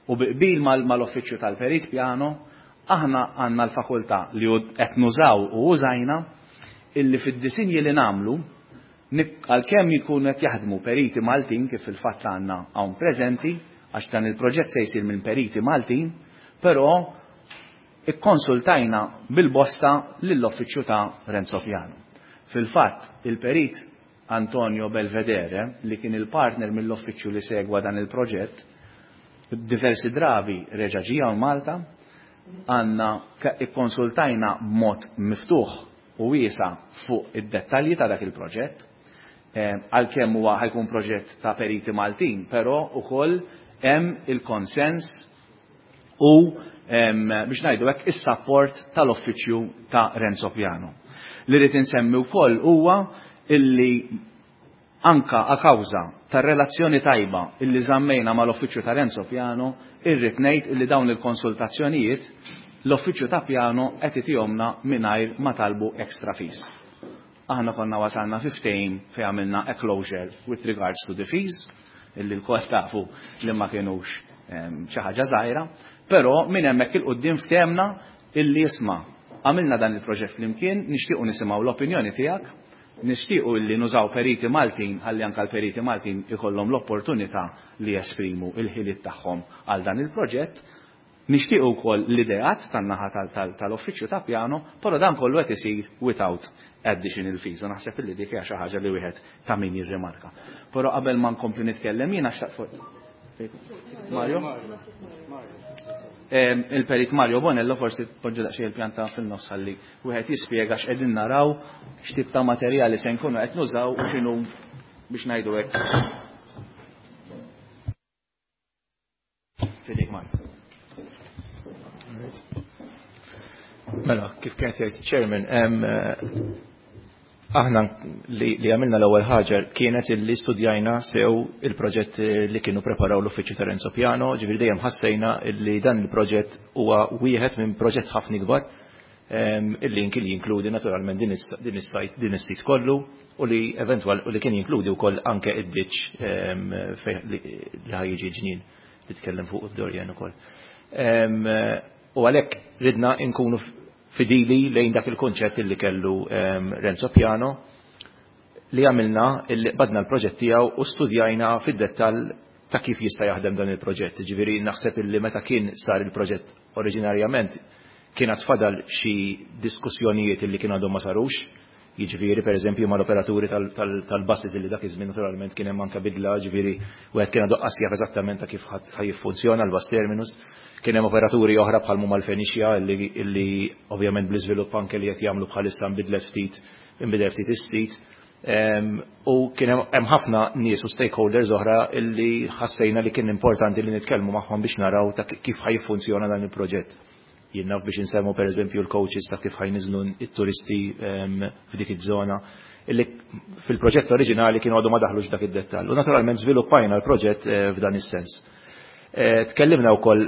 u biqbil mal-uffiċċju tal-Perit Piano, aħna għandna l-fakultà li qed nużaw u użajna illi fid-disinji li nagħmlu għalkemm jkunu qed jaħdmu periti Maltin kif fil-fatt għandna hawn preżenti, għax dan il-proġett se jsir minn periti Maltin, però ikkonsultajna bil-bosta lill-uffiċċju ta' Renzo Piano. Fil-fatt, il-perit Antonio Belvedere, li kien il-partner mill-uffiċċju li segwa dan il-proġett, diversi drabi reġa' ġie hawn Malta, għandna ikkonsultajna b'mod miftuħ u wiesa' fuq id-dettalji ta' dak il-proġett, għalkemm huwa ħajkun proġett ta' periti Maltin, però ukoll hemm il-konsens u biex ngħidu hekk is-support tal-uffiċċju ta' Renzo Piano. Li rrid insemmi wkoll huwa illi anka a kawża tar-relazzjoni tajba illi żammejna mal-uffiċċju ta' Renzo Piano, irrid ngħid illi dawn il-konsultazzjonijiet l-uffiċċju ta' Piano qed itihomna mingħajr ma talbu extra fees. Aħna konna wasalna fi ftehim fejn għamilna a closure with regards to the fees, illi l-kol tafu li ma kienux xi ħaġa żgħira, però minn hemmhekk il-quddiem ftehemna illi isma' għamilna dan il-proġett flimkien, nixtiequ nisimgħu l-opinjoni tiegħek, nixtiequ illi nużaw periti Maltin ħalli anke l-periti Maltin ikollhom l-opportunità li jesprimu il-ħiliet tagħhom għal dan il-proġett, nixtiequ wkoll l-ideat tan-naħa tal-uffiċċju ta' Piano, però dan kollu qed isir without additional fees. U naħseb illi dik hija xi ħaġa li wieħed ta' min jirrimarka. Però qabel ma nkompli nitkellem jiena xtaqt fuq Mario? Il-perit Mario Bonello forsi poġġu daqsxejn il-pjanta fil-nofs ħalli wieħed jispjega x'qegħdin naraw, x'tip ta' materjali se nkunu qed nużaw u x'inhu biex ngħidu hekk. Fidejk Mario. Mela, kif kienet jgħid chairman, aħna li għamilna l-ewwel ħaġa kienet illi studjajna sew il-proġett li kienu preparaw l-uffiċċju ta' Renzo Piano, ġifieri dejjem ħassejna illi dan il-proġett huwa wieħed minn proġett ħafna ikbar Il-link li jinkludi naturalment din is-sajt din is-sit kollu u li eventwal u li kien jinkludi wkoll anke id-ditch li ħajjiġi ġnien li tkellem fuq id-Dorjan ukoll. U għalhekk ridna nkunu fidili lejn dak il-konċett li kellu Renzo Piano li għamilna illi badna l-proġett tiegħu u studjajna fid-dettall ta' kif jista' jaħdem dan il-proġett. Ġifieri naħseb illi meta kien sar il-proġett oriġinarjament kien fadal xi diskussjonijiet illi kienu għadhom ma sarux. Jiġifieri pereżempju mal-operaturi tal-buses illi dak iż-żmien naturalment kien hemm anke bidla, ġifieri wieħed kien għadu qas jaf eżattament ta' kif ħajjiffunzjona l-bus terminus. Kien hemm operaturi oħra bħal huma l-Fenicia illi ovvjament bl-iżvilupp anke li qed jagħmlu bħalissa nbidlet ftit inbidel ftit is-sit. U kien hemm ħafna nies u stakeholders oħra illi ħassejna li kien importanti li nitkellmu magħhom biex naraw ta' kif ħajfunzjona dan il-proġett. Jien naf biex insemmu pereżempju l-coaches ta' kif ħajniżlu it-turisti f'dik iż-żona illi fil-proġett oriġinali kienu għadu ma daħlux dak id-dettall. U naturalment żviluppajna l-proġett f'dan is-sens. Tkellimna wkoll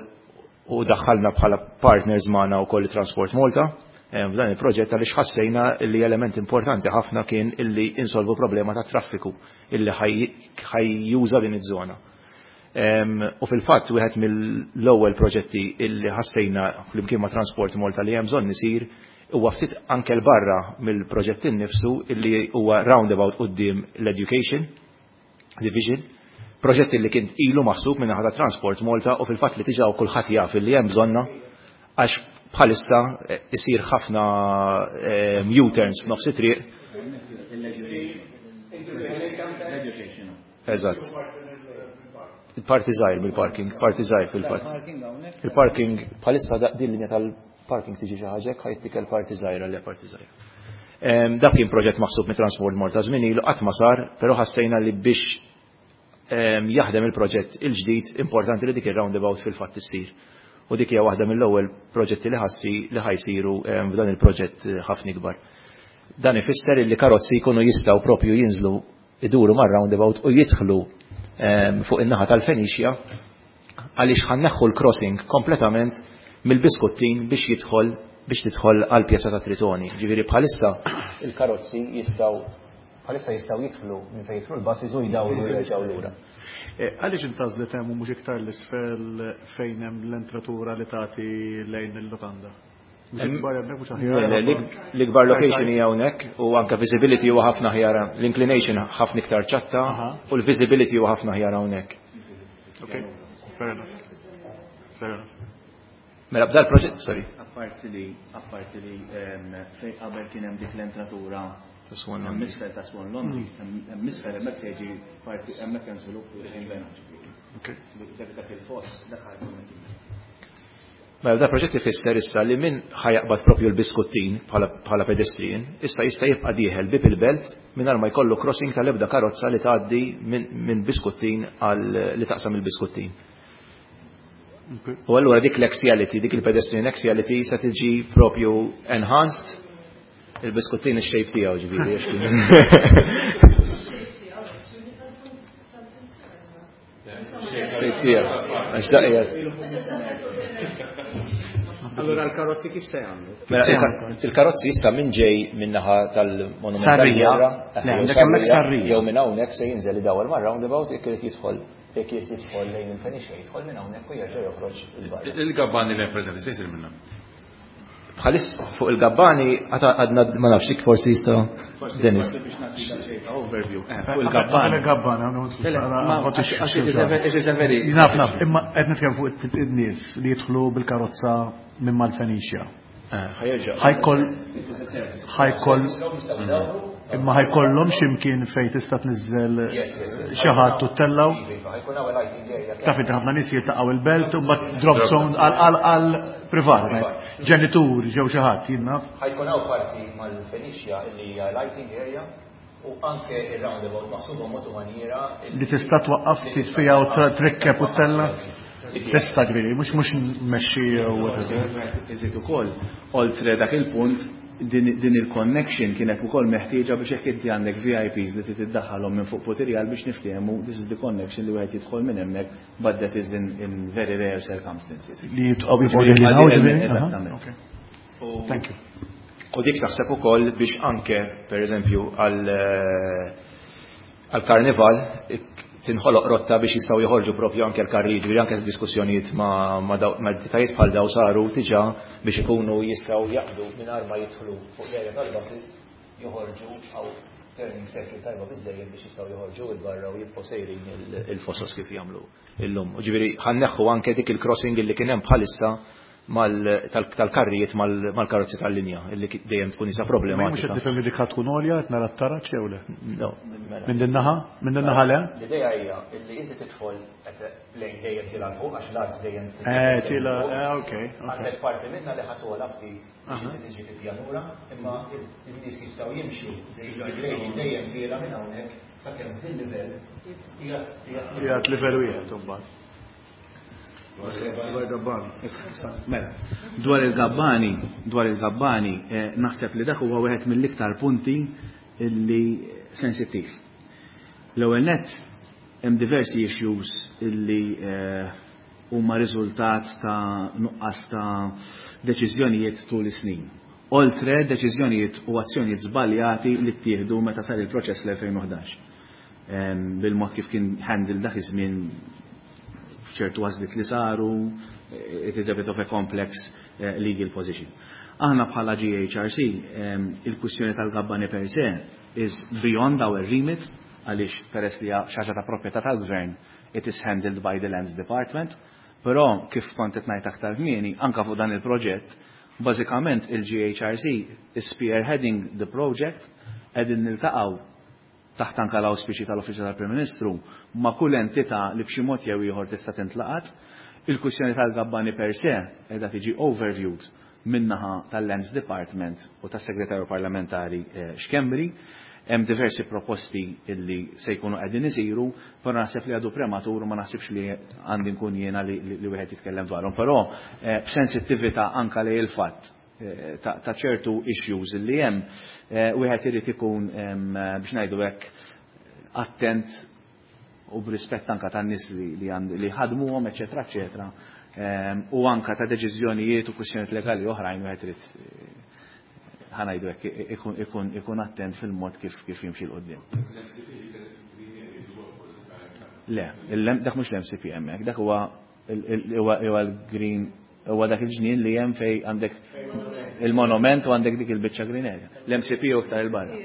u daħħalna bħala partners magħna wkoll Transport Malta f'dan il-proġett għaliex ħassejna li element importanti ħafna kien illi insolvu problema ta' traffiku illi ħajjuża din iż-żona. U fil-fatt wieħed mill-ewwel proġetti illi ħassejna flimkien ma' Transport Malta li hemm bżonn isir huwa ftit anke l barra mill-proġett innifsu illi huwa roundabout quddiem l-Education Division, proġett illi kien ilu maħsub minn naħa ta' Transport Malta u fil-fatt li diġà kulħadd jaf illi hemm bżonna għax bħalissa isir ħafna U-turns f'nofs it-triq. Eżatt. Il-parti żgħir mill-parking, parti żgħir fil-fatt. Il-parking bħalissa din linja tal-parking tiġi xi ħaġa hekk ħajtikel parti żgħira li parti żgħira. Dak kien proġett maħsub mit Transport Malta żmien ilu qatt ma sar, però ħassejna li biex jaħdem il-proġett il-ġdid importanti li dik ir-roundabout fil-fatt issir. U dik hija waħda mill-ewwel proġetti li ħassi li ħajsiru f'dan il-proġett ħafna ikbar. Dan ifisser li karozzi jkunu jistgħu propju jinżlu iduru mar-roundabout u jidħlu fuq in-naħa tal-Fenicia għaliex ħanneħħu l-crossing kompletament mill-Biskuttin biex jidħol biex tidħol għal pjazza ta' Tritoni. Ġifieri bħalissa il-karozzi jistgħu bħalissa jistgħu jidħlu minn fejn jidħlu l-buses u jdawru jerġgħu lura. Għaliex intgħażlet hemm u mhux iktar l-isfel fejn hemm l-entratura li tagħti lejn il-lukanda? L-ikbar location hija hawnhekk u anke visibility huwa ħafna ħjar, l-inclination ħafna iktar ċatta u l-visibility huwa ħafna ħjar hawnhekk. Okay, fair enough. Fair enough. Mela b'dal proġett, sorry. Apparti li apparti li fejn qabel kien hemm dik l-entratura ta' Swan Laundry. Misfel ta' Swan Laundry, hemm misfel hemmhekk se jiġi parti hemmhekk hemm żvilupp li ħinbena. Okay. Dak il-post dak ħajkun. Mela da proġett ifisser issa li min ħajaqbad propju l-Biskuttin bħala pedestrian, issa jista' jibqa' dieħel bib il-belt mingħajr ma jkollu crossing tal-ebda karozza li tgħaddi minn Biskuttin għal li taqsam il-Biskuttin. U allura dik l-axiality, dik il-pedestrian axiality se tiġi propju enhanced il-Biskuttin ix-shape tiegħu ġifieri. Shape tiegħu. Għax daqqa. Allora l-karozzi kif se jagħmlu? Il-karozzi issa minn ġej min-naħa tal-Monument Sarrija. Le, għandek hemmhekk Sarrija. Jew minn hawnhekk se jinżel idawwar mar-roundabout jekk irid jidħol jekk irid jidħol lejn il-Fenicia jidħol minn hawnhekk u jerġa' joħroġ il-barra. Il-gabbani li hemm preżenti se jsir minnha. Bħalissa fuq il-gabbani għadna ma nafx dik forsi jista' Dennis. Overview. Fuq il-gabbani. Il-gabbani, Naf, naf, imma qed nitkellem fuq in-nies li jidħlu bil-karozza minn mal-Fenicia. Ħajkoll ħajkoll imma ħajkollhom x'imkien fejn tista' tniżżel xi ħadd u tellgħu. Taf inti ħafna nies jiltaqgħu il-belt u mbagħad drop zone għal għal privat. Ġenituri ġew xi ħadd jien naf. Ħajkun hawn parti mal-Fenicia li hija lighting area u anke ir-roundabout maħsuba mod u maniera li tista' twaqqaf titfija u trikkeb u tella. Tista' ġifieri, mhux mhux mmexxi jew whatever. Iżid ukoll, oltre dak il-punt, din il-connection kienet ukoll meħtieġa biex jekk inti għandek V I Ps li trid iddaħħalhom minn fuq Putirjal biex niftehmu this is the connection li wieħed jidħol minn hemmhekk, but that is in, in very rare circumstances. Li jitqgħu jibqgħu jeħlin hawn, ġifieri? Eżattament. Thank you. U dik taħseb ukoll biex anke, per eżempju, għal karnival tinħoloq rotta biex jistgħu joħorġu propju anke l-karri, ġifieri anke diskussjonijiet ma' ma' entitajiet bħal daw saru diġà biex ikunu jistgħu jaqbdu mingħajr ma jidħlu fuq l-area tal-buses, joħorġu għaw turning circle tajba biżejjed biex jistgħu joħorġu 'il barra u jibqgħu sejrin il-fosos kif jagħmlu illum. U ġifieri ħa nneħħu anke dik il-crossing illi kien hemm bħalissa tal-karrijiet mal-karozzi tal-linja illi dejjem tkun isa Mhux qed problematika. Nifhem li dik ħa tkun għolja, qed nara t-taraġ jew le? No, mela. Minn din naħa? Minn din naħa le? L-idea hija illi inti tidħol qed lejn dejjem tiela' fuq għax l-art dejjem Eh, tiela', eh, okej, okej. Għandek parti minna li ħa togħla ftit biex inti tiġi fi pjanura, imma il-nies jistgħu jimxu dejjem dejjem tiela' minn hawnhekk sakemm fil-livell qiegħed Qiegħed livell wieħed imbagħad. Dwar Gabbani. Mela, dwar il-Gabbani, dwar il-Gabbani, eh, naħseb li dak huwa wieħed mill-iktar punti illi sensittiv. L-ewwel net hemm diversi issues illi eh, huma riżultat ta' nuqqas ta' deċiżjonijiet tul is-snin. Oltre deċiżjonijiet u azzjonijiet żbaljati li ttieħdu meta sar il-proċess l-elfejn u ħdax. Em, Bil-mod kif kien handle dak iż-żmien, f'ċertu għażliet li saru, it is a bit of a complex eh, legal position. Aħna bħala G H R C, em, il-kwistjoni tal-Gabbani per se is beyond our remit, għaliex peress li hija xi ħaġa ta' proprjetà tal-gvern, it is handled by the Lands Department, però kif kont qed ngħid aktar kmieni, anka fuq dan il-proġett, bażikament il-G H R C is spearheading the project, qegħdin niltaqgħu taħt anka l-awspiċi tal-Uffiċċju tal-Prim Ministru ma' kull entità li b'xi mod jew ieħor tista' tintlaqat. Il-kwistjoni tal-Gabbani per se qiegħda tiġi overviewed min-naħa tal-Lands Department u tas-Segretarju Parlamentari eh, Schembri. Hemm diversi proposti illi se jkunu qegħdin isiru, però naħseb li għadu prematur u ma naħsibx li għandi nkun jiena li, li, li wieħed jitkellem dwarhom. Però eh, b'sensittività anka li il-fatt eh, ta' ta' ċertu issues li hemm, eh, wieħed irid ikun em, biex ngħidu hekk attent u b'rispett anka tan-nies li li għandu li ħadmuhom, eċetera, eċetera, em, u anka ta' deċiżjonijiet u kwistjonijiet legali oħrajn, wieħed irid eh, ħa ngħidu hekk ikun ikun ikun attent fil-mod kif kif jimxi 'l quddiem. Le, il- dak mhux l-M C P hemmhekk, dak huwa il- il- huwa huwa l-green, huwa dak il-ġnien li hemm fej għandek il-monument u għandek dik il-biċċa green area. L-M C P u iktar 'il barra.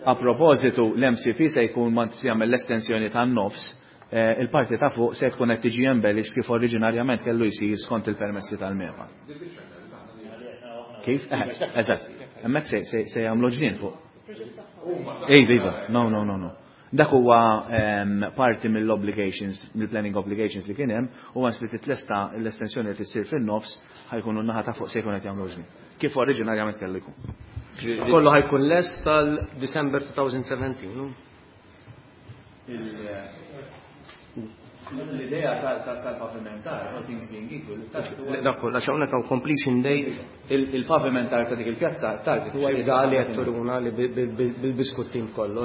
A propositu, l-M C P se jkun ma jagħmel l-estensjoni tan-nofs, eh, il-parti ta' fuq se tkun qed tiġi embellished kif oriġinarjament kellu jsir skont il-permessi tal-MEPA. Kif? Eh, eżatt. Hemmhekk se se se jagħmlu ġnien fuq. Iva, iva, no, no, no, no. Dak huwa em, parti mill-obligations, mill-planning obligations li kien hemm, u once li titlesta l-estensjoni li tissir fin-nofs, ħa jkunu n-naħa ta' fuq se jkun qed jagħmlu ġnien. Kif oriġinarjament kellu jkun. Kollu ħa jkun lest tal-December elfejn u sbatax, no? L-idea tal-pavimentar, all things being equal, Dak kollha għax hawnhekk hawn completion date. Il-pavimentar ta' dik il-pjazza target huwa Da li qed turuna li bil-biskuttin kollu.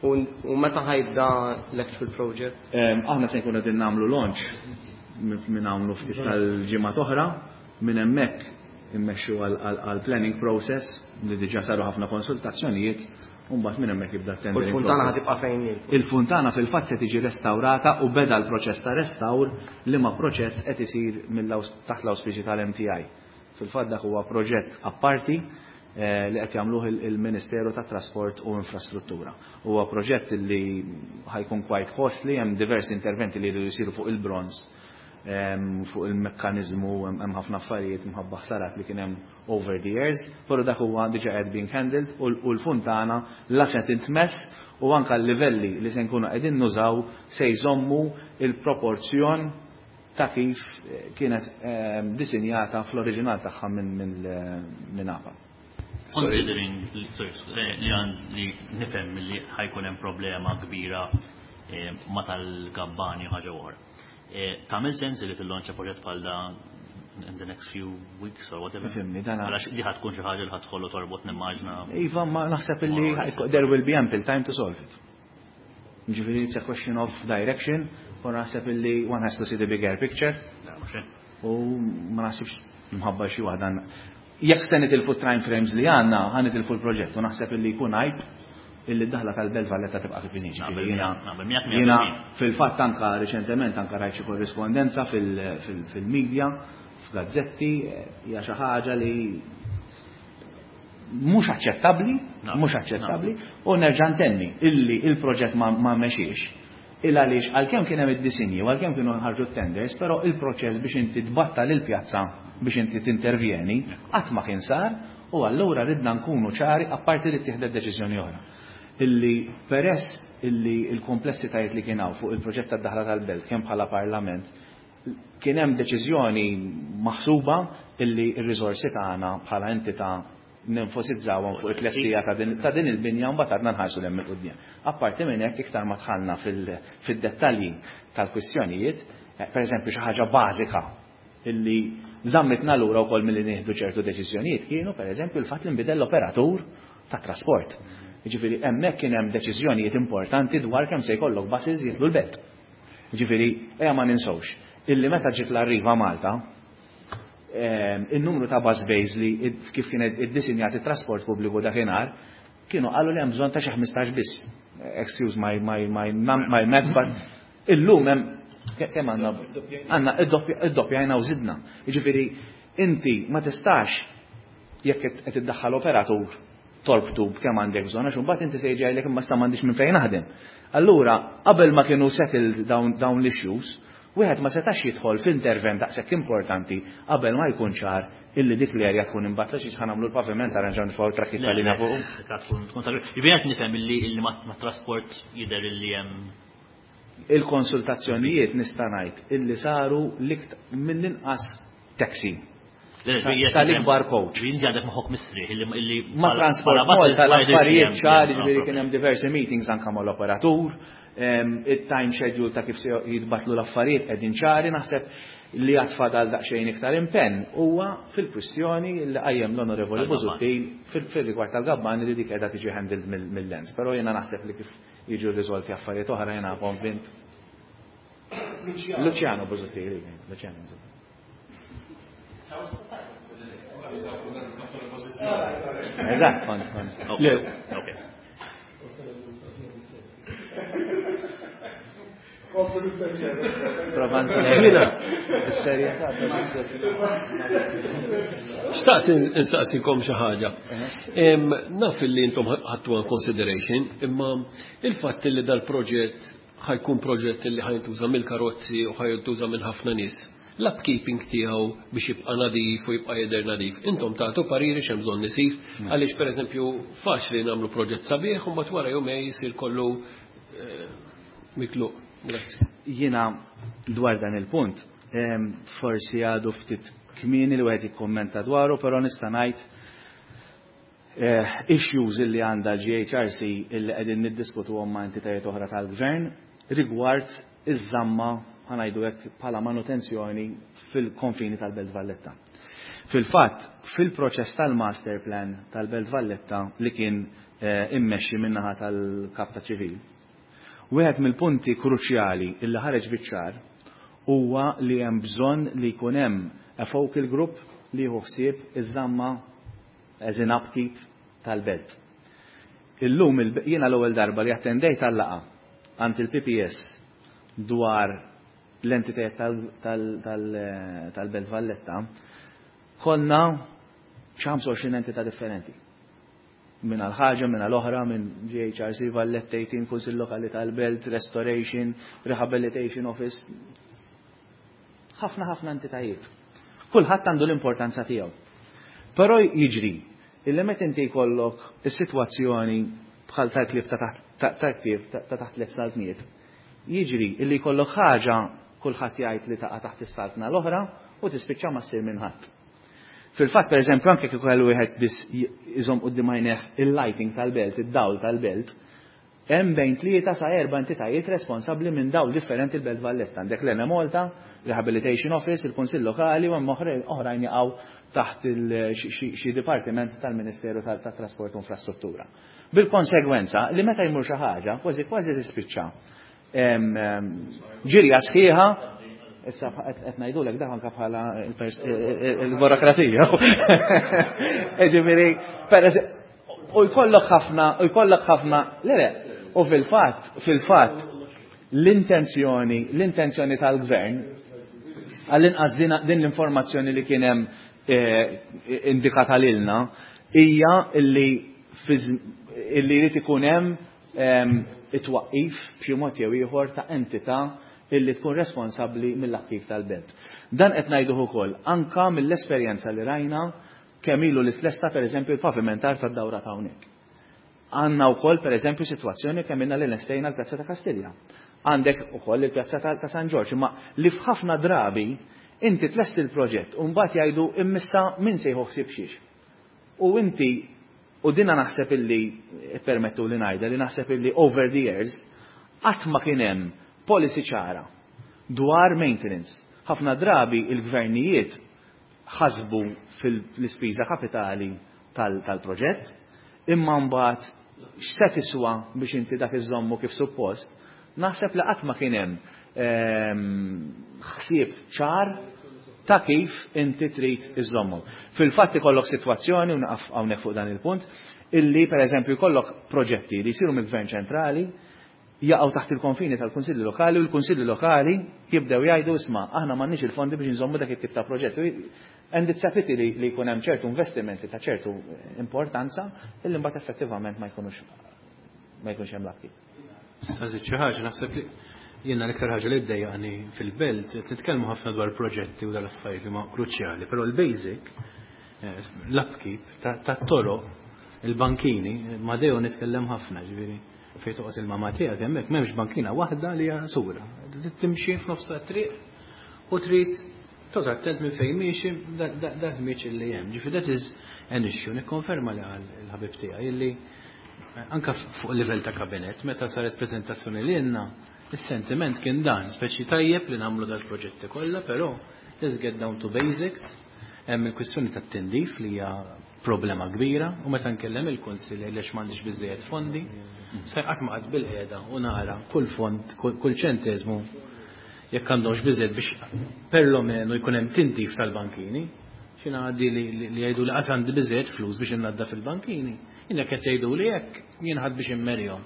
U u meta ħa jibda l-actual project? Em, Aħna se nkunu qegħdin nagħmlu launch minn hawn ftit tal-ġimgħa oħra, minn hemmhekk immexxu għal planning process li diġà saru ħafna konsultazzjonijiet, u mbagħad minn hemmhekk jibda U t-tendering l-funtana process. ħa tibqa' fejn hi? Il-funtana fil-fatt se tiġi restaurata u beda l-proċess ta' restawr, li ma proġett qed isir mill-aws- taħt l-awspiċi tal-M T I. Fil-fatt dak huwa proġett apparti eh, li qed jagħmluh il- il-Ministeru tat Trasport u Infrastruttura. Huwa proġett li ħa jkun quite costly, hemm diversi interventi li jridu jsiru fuq il-bronz, em, fuq il-mekkanizmu, hemm hemm ħafna affarijiet mħabba ħsarat li kien hemm over the years, però dak huwa diġà qed being handled u l- u l-funtana la se tintmess u anka l-livelli li se nkunu qegħdin nużaw se jżommu il-proporzjon ta' kif eh, kienet eh, disinjata fl-oriġinal tagħha minn minn minn A P A. Considering li sorry, eh, li għand li nifhem li ħa jkun hemm problema kbira eh, ma tal-Gabbani u ħaġa oħra. Eh, Tagħmel sens li tillonċa proġett bħal da in the next few weeks or whatever? Fimni, dan Għalax li ħa tkun xi ħaġa li ħa tħollu torbot nimmaġna. Iva, ma naħseb illi there will be ample time to solve it. Ġifieri it's a question of direction, u naħseb illi one has to see the bigger picture, Mhux hekk? U ma naħsibx mħabba xi waħda. Jekk se nitilfu time frames li għandna, ħa nitilfu l-proġett u naħseb illi jkun għajb illi d-daħla tal-Belt Valletta tibqa' kif inhi. Jiena fil-fatt anka riċentement anka rajt xi korrispondenza fil-medja, f'gazzetti, hija xi ħaġa li mhux aċċettabbli, mhux aċċettabbli, u nerġa' ntenni illi il-proġett ma mexiex. Il għaliex għalkemm kien hemm id-disinji u għalkemm kienu ħarġu t-tenders, però il-proċess biex inti tbattal il-pjazza biex inti tintervjeni qatt ma kien sar, u allura ridna nkunu ċari apparti li ttieħdet deċiżjoni oħra. Illi peress illi l-komplessitajiet li kien hawn fuq il-proġett tad-daħla tal-Belt kemm bħala Parlament kien hemm deċiżjoni maħsuba illi r-riżorsi tagħna bħala entità nenfosizzawhom fuq it-tlestija ta' din il-binja u mbagħad għadna nħarsu 'l hemm il-quddiem. Apparti minn hekk iktar ma dħalna fid-dettalji tal-kwistjonijiet, pereżempju xi ħaġa bażika illi żammitna lura wkoll milli nieħdu ċertu deċiżjonijiet kienu pereżempju l-fatt li nbidel l-operatur tat-trasport. Jiġifieri hemmhekk kien hemm deċiżjonijiet importanti dwar kemm se jkollok buses jitlu l-belt. Jiġifieri ejja ma ninsewx illi meta ġiet l-Arriva Malta il-numru ta' bus bays li kif kien iddisinjat it-trasport pubbliku dakinhar kienu qalu li hemm bżonn ta' xi ħmistax biss. Excuse my my my my maths, but illum hemm kemm għandna għandna iddoppjajna u żidna. Jiġifieri inti ma tistax jekk qed iddaħħal operatur torbtu b'kemm għandek bżonn għax imbagħad inti se jiġi jgħidlek imma sta m'għandix minn fejn naħdem. Allura qabel ma kienu settled dawn dawn l-issues, wieħed ma setax jidħol f'intervent daqshekk importanti qabel ma jkun ċar illi dik l-erja tkun imbattla xi ħa nagħmlu l-paviment arranġaw nifgħu trakkiet tal-linja fuq. Jiġifieri qed nifhem illi ma trasport jidher illi hemm il-konsultazzjonijiet nista' ngħid illi saru mill-inqas taxi. Sal-ikbar coach. Inti għandek moħħok mistrieħ illi ma Transport Malta l-affarijiet ċari, ġifieri kien hemm diversi meetings anke mal-operatur, it-time schedule ta' kif se jitbatlu l-affarijiet qegħdin ċari, naħseb li għad fadal daqsxejn iktar impenn huwa fil-kwistjoni li qajjem l-Onorevoli Busuttil fil-rigward tal-Gabbani li dik qiegħda tiġi handled mill-lens. Però jiena naħseb li kif jiġu riżolti affarijiet oħra jiena konvint. Luciano Busuttil, Luciano Busuttil. Eżatt, kont, kont. Ok. Xtaqt insaqsikom xi ħaġa. Naf li intom ħadtu consideration, imma il-fatt li dal-proġett ħajkun proġett li ħajntuża mill-karozzi u ħajntuża minn ħafna nies. L-upkeeping tiegħu biex jibqa' nadif u jibqa' jidher nadif. Intom tagħtu pariri x'hemm bżonn isir, għaliex pereżempju faċli nagħmlu proġett sabiħ u mbagħad wara jumej jsir kollu mikluq. Grazzi. Jiena dwar dan il-punt, forsi għadu ftit kmieni li wieħed jikkommenta dwaru, però nista' ngħid issues illi għandha G H R C illi qegħdin niddiskutuhom ma' entitajiet oħra tal-gvern rigward iż-żamma ħanajdu hekk bħala manutenzjoni fil-konfini tal-Belt Valletta. Fil-fatt, fil-proċess tal-master plan tal-Belt Valletta li kien immexxi min-naħa tal-Kap ta' Ċivil, wieħed mill-punti kruċjali illi ħareġ biċ-ċar huwa li hemm bżonn li jkun hemm a focal group li jieħu ħsieb iż-żamma as in upkeep tal-belt. Illum jiena l-ewwel darba li attendejt għal-laqgħa għand il-P P S dwar l-entitajiet tal-Belt Valletta, konna xi ħamsa u għoxrin entità differenti. Minn għal-ħaġa, minn għal-oħra, minn G H R C, Valletta eighteen, Kunsill Lokali tal-Belt, Restoration, Rehabilitation Office. Ħafna, ħafna entitajiet. Kulħadd għandu l-importanza tiegħu. Però jiġri, illi meta inti jkollok is-sitwazzjoni bħal tal-klieb ta' taħt ta' taħt tliet saltniet, jiġri illi jkollok ħaġa kulħadd jgħid li taqa' taħt is-saltna l-oħra u tispiċċa ma ssir minn ħadd. Fil-fatt, pereżempju, anke kieku kellu wieħed biss iżomm quddiem għajnejh il-lighting tal-belt, id-dawl tal-belt, hemm bejn tlieta sa erba' entitajiet responsabbli minn dawl differenti l-Belt Valletta. Għandek l-Ene Malta, Rehabilitation Office, il-Kunsill Lokali u hemm oħrajn jaqgħu taħt xi dipartiment tal-Ministeru tat-Trasport u Infrastruttura. Bil-konsegwenza li meta jmur xi ħaġa, kważi kważi tispiċċa ġirja sħiħa, Issa qed ngħidulek dak anke bħala il-burokrazija. Ġifieri, u jkollok ħafna, u jkollok ħafna, le le, u fil-fatt, fil-fatt, l-intenzjoni, l-intenzjoni tal-gvern, għall-inqas din l-informazzjoni li kien hemm indikata lilna, hija illi illi jrid ikun hemm it-twaqqif b'xi mod jew ieħor ta' entità illi tkun responsabbli mill-attiv tal-belt. Dan qed ngħiduh ukoll anka mill-esperjenza li rajna kemm ilu li tlesta pereżempju l-pavimentar tad-dawra ta' hawnhekk. Għandna wkoll pereżempju sitwazzjoni kemm ilna li lestejna l-Pjazza ta' Kastilja. Għandek ukoll il-Pjazza ta' San Ġorġ, imma li f'ħafna drabi inti tlest il-proġett u mbagħad jgħidu immissa min se jieħu ħsieb xiex. U inti u dina naħseb illi permettu li ngħidha li naħseb illi over the years qatt ma kien hemm policy ċara dwar maintenance. Ħafna drabi il-gvernijiet ħasbu fil-ispiża kapitali tal-proġett, imma mbagħad x'se tiswa biex inti dak iżommu kif suppost, naħseb li qatt ma kien hemm ħsieb ċar ta' kif inti trid iżommu. Fil-fatt ikollok sitwazzjoni, u naqaf hawnhekk fuq dan il-punt, illi pereżempju jkollok proġetti li jsiru mill-Gvern ċentrali jaqgħu taħt il-konfini tal-Kunsilli Lokali u l-Kunsilli Lokali jibdew jgħidu isma' aħna m'għandniex il-fondi biex nżommu dak it-tip ta' proġett. And it's a pity li jkun hemm ċertu investimenti ta' ċertu importanza illi mbagħad effettivament ma jkunux ma jkunx hemm l-aktiv. Nżid xi ħaġa, naħseb li jiena l-iktar ħaġa li ddejjaqni fil-belt, nitkellmu ħafna dwar proġetti u dal-affarijiet li huma kruċjali, però l-basic, l-upkeep tat-toroq, il-bankini, ma dejjem nitkellem ħafna, ġifieri fejn toqgħod il-mama tiegħek hemmhekk m'hemmx bankina waħda li hija sura. Timxi f'nofs tat-triq u trid toqgħod attent minn fejn miexi dak miexi li hemm. Ġifieri that is an issue. Nikkonferma li qal il-ħabib tiegħi illi anke fuq livell ta' kabinet meta saret preżentazzjoni lilna, is-sentiment kien dan, speċi tajjeb li nagħmlu dal-proġetti kollha, però let's get down to basics. Hemm il-kwistjoni tat-tindif li hija problema kbira u meta nkellem il-kunsill għaliex m'għandix biżejjed fondi, se qatt ma qatt bil-qiegħda u nara kull fond, kull ċenteżmu jekk għandhomx biżejjed biex perlomeno jkun hemm tindif tal-bankini. Xi ngħaddi li jgħidu li qatt għandi biżejjed flus biex innaddaf il-bankini. Jien jekk qed jgħidu li hekk jien ħadd biex immerihom.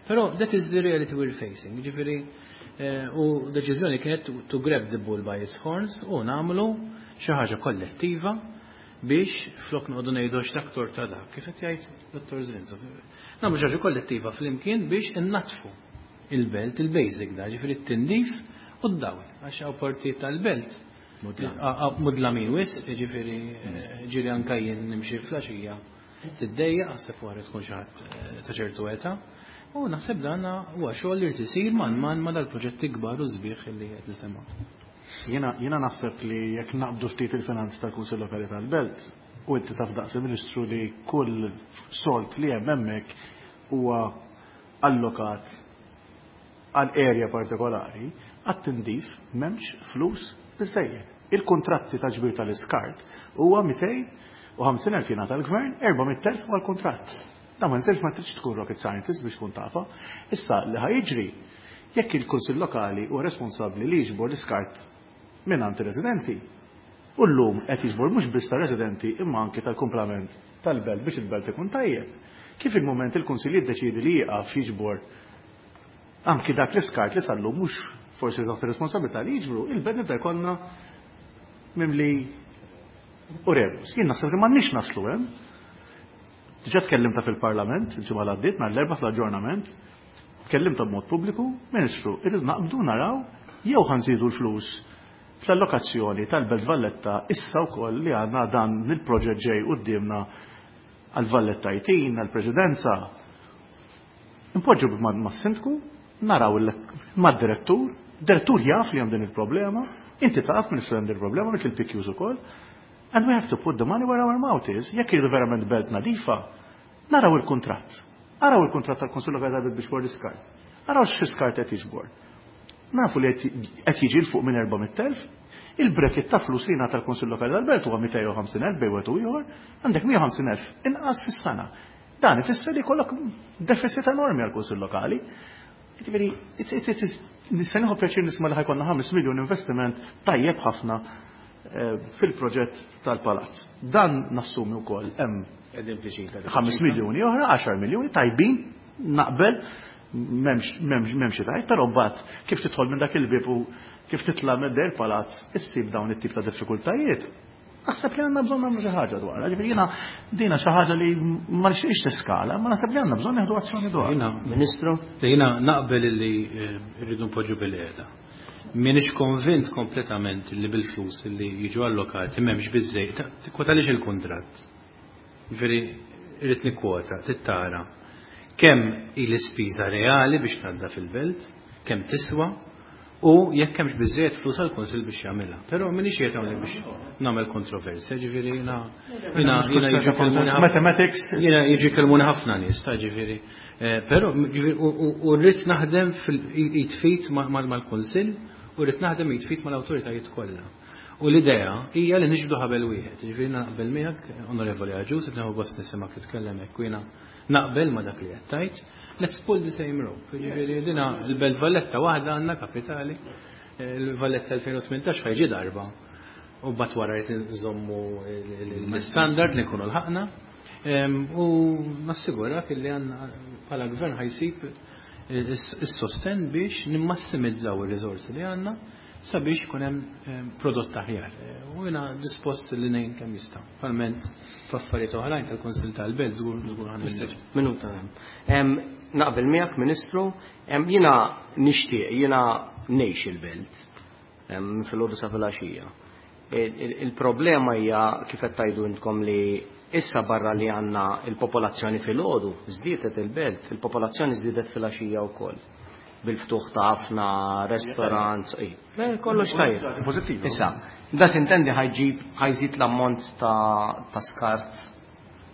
Però that is the reality we're facing. Ġifieri u deċiżjoni kienet to grab the bull by its horns u nagħmlu xi ħaġa kollettiva biex flok noqogħdu ngħidu x'daktor ta' dak, kif qed jgħid Dottor Zrinzo. Nagħmlu xi ħaġa kollettiva flimkien biex innatfu il-belt, il-basic da, ġifieri t-tindif u d-dawl, għax hawn partijiet tal-belt mudlamin wisq, ġifieri ġieli anke jien nimxi flaxija tiddejjaq, naħseb wara tkun xi ħadd ta' ċertu età. U naħseb dan huwa xogħol li jrid isir man man ma dal-proġetti kbar u sbieħ li qed nisimgħu. Jiena naħseb li jekk naqbdu ftit il-finanzi tal-Kunsill Lokali tal-Belt u inti taf daqs il-Ministru li kull solt li hemm hemmhekk huwa allokat għal area partikolari, għat-tindif m'hemmx flus biżejjed. Il-kontratti ta' ġbir tal-iskart huwa mitejn u ħamsin elf jingħata l-gvern, erba' mitt elf huwa l-kuntratt. Da ma nżelx ma tridx tkun rocket scientist biex tkun tafa. Issa li ħajġri jekk il-Kunsill Lokali huwa responsabbli li jiġbor l-iskart mingħand ir-residenti. U llum qed jiġbor mhux biss tar-residenti imma anke tal-kumplament tal-belt biex il-belt ikun tajjeb. Kif il-mument il-Kunsill jiddeċiedi li jieqaf jiġbor anki dak l-iskart li sallum mhux forsi taħt ir-responsabilità li jiġbru, il-belt nibda jkollna mimli u rebus. Jien naħseb li m'għandniex naslu hemm. Diġà tkellimta fil-Parlament, il-ġimgħa li għaddiet, nhar l-Erbgħa fl-aġġornament, tkellimta b'mod pubbliku, Ministru, irrid naqbdu naraw jew ħanżidu l-flus fl-allokazzjoni tal-Belt Valletta issa wkoll li għandna dan il-proġett ġej quddiemna għal-Valletta jtin, għall-Presidenza. Impoġġu mas-sindku, naraw mad-direttur, direttur jaf li hemm din il-problema, inti taf Ministru hemm din il-problema, mhux il-P Qs ukoll. And we have to put the money where our mouth is. Jekk irridu verament belt nadifa, naraw il-kuntratt. Araw il-kuntratt tal-Kunsill Lokali tal-Belt biex l-iskart. Araw x'iskart qed jiġbor. Nafu li qed jiġi l fuq minn erba' mitt elf, il-bracket ta' flus li jingħata l-Kunsill Lokali tal-Belt huwa mitejn u ħamsin elf bejn wieħed u ieħor, għandek mija u ħamsin elf inqas fis-sena. Dan ifisser li jkollok deficit enormi għall-Kunsill Lokali. Ġifieri, it, it, it is Nista' nieħu pjaċir nisma' li ħa jkollna ħames miljun investiment tajjeb ħafna fil-proġett tal-palazz. Dan nassumi wkoll hemm ħames miljuni oħra, għaxar miljuni tajbin, naqbel, m'hemmx m'hemmx tajt, però mbagħad kif tidħol minn dak il-bieb u kif titla' minn der palazz issib dawn it-tip ta' diffikultajiet. Naħseb li għandna bżonn nagħmlu xi ħaġa dwarha. Ġifieri jiena dina xi ħaġa li ma nixtieqx tiskala, ma naħseb li għandna bżonn nieħdu azzjoni dwar. Ministru? Jiena naqbel li rridu npoġġu bil-qiegħda. M'iniex konvint kompletament li bil-flus li jiġu allokati m'hemmx biżejjed. Tikkwota għaliex il-kuntratt. Ġifieri irrid nikkwota, tittara kemm hi l-ispiża reali biex tgħadda fil-belt, kemm tiswa, u jekk hemmx biżejjed flus għall-Kunsill biex jagħmilha. Però m'iniex qiegħed hawnhekk biex nagħmel kontroversja, ġifieri jiena jiena jiena jiġi kelmuni Mathematics. Jiena jiġi kelmuni ħafna nies ta' ġifieri. Però u rrid naħdem fil-id mal-Kunsill u rrid naħdem id fit mal-awtoritajiet kollha. U l-idea hija li niġbdu ħabel wieħed. Ġifieri naqbel miegħek, Onorevoli Agius, qed nieħu gost nisimgħek titkellem hekk u jiena naqbel ma dak li qed tgħid. Let's pull the same rope. Ġifieri dina l-Belt Valletta waħda għandna kapitali. Il-Valletta elfejn u tmintax ħa jiġi darba. U mbagħad wara jrid nżommu l-standard li nkunu lħaqna. U nassigurak li għandna bħala gvern ħajsib is-sosten biex nimmassimizzaw ir-riżorsi li għandna sabiex ikun hemm prodott aħjar. U jiena dispost li ngħin kemm jista'. Palment f'affarijiet oħrajn tal-Kunsill tal-Belt żgur żgur ħa Minuta. Naqbel miegħek, Ministru, jiena nixtieq, jiena ngħix il-belt fil-għodu sa filgħaxija. Il-problema hija kif qed tgħidu intkom li issa barra li għandna il-popolazzjoni fil-għodu żdiedet il-belt, il-popolazzjoni żdiedet fil-għaxija wkoll. Bil-ftuħ ta' ħafna restaurants, kollox tajjeb. Pożittiv. Issa, da sintendi ħajġib ħajżid l-ammont ta' skart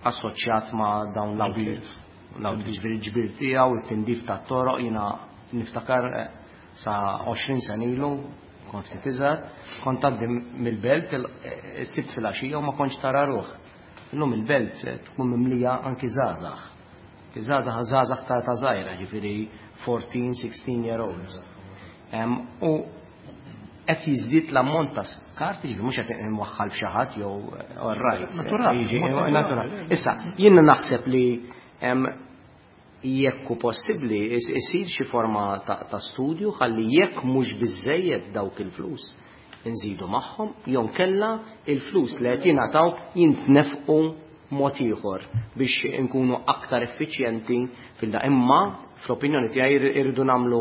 assoċjat ma' dawn l-outlets. L-outlets ġifieri ġbir tiegħu, it-tindif tat-toroq, jiena niftakar sa għoxrin sena ilu, kont ftit iżgħar, kont tgħaddi mill-belt is-Sibt filgħaxija u ma kontx tara ruħ. Illum il-belt tkun mimlija anki żgħażagħ. Żgħażagħ żgħażagħ ta' ta' żgħira, ġifieri fourteen, sixteen year olds. U qed jiżdied l-ammont ta' skart, ġifieri mhux qed imwaħħal f'xi ħadd jew all right. Naturali. Naturali. Issa, jien naħseb li jekk hu possibbli isir xi forma ta' studju ħalli jekk mhux biżejjed dawk il-flus inżidu magħhom jew kellha il-flus li qed jingħataw jintnefqu mod ieħor biex inkunu aktar effiċjenti fil-da. Imma fl-opinjoni tiegħi irridu nagħmlu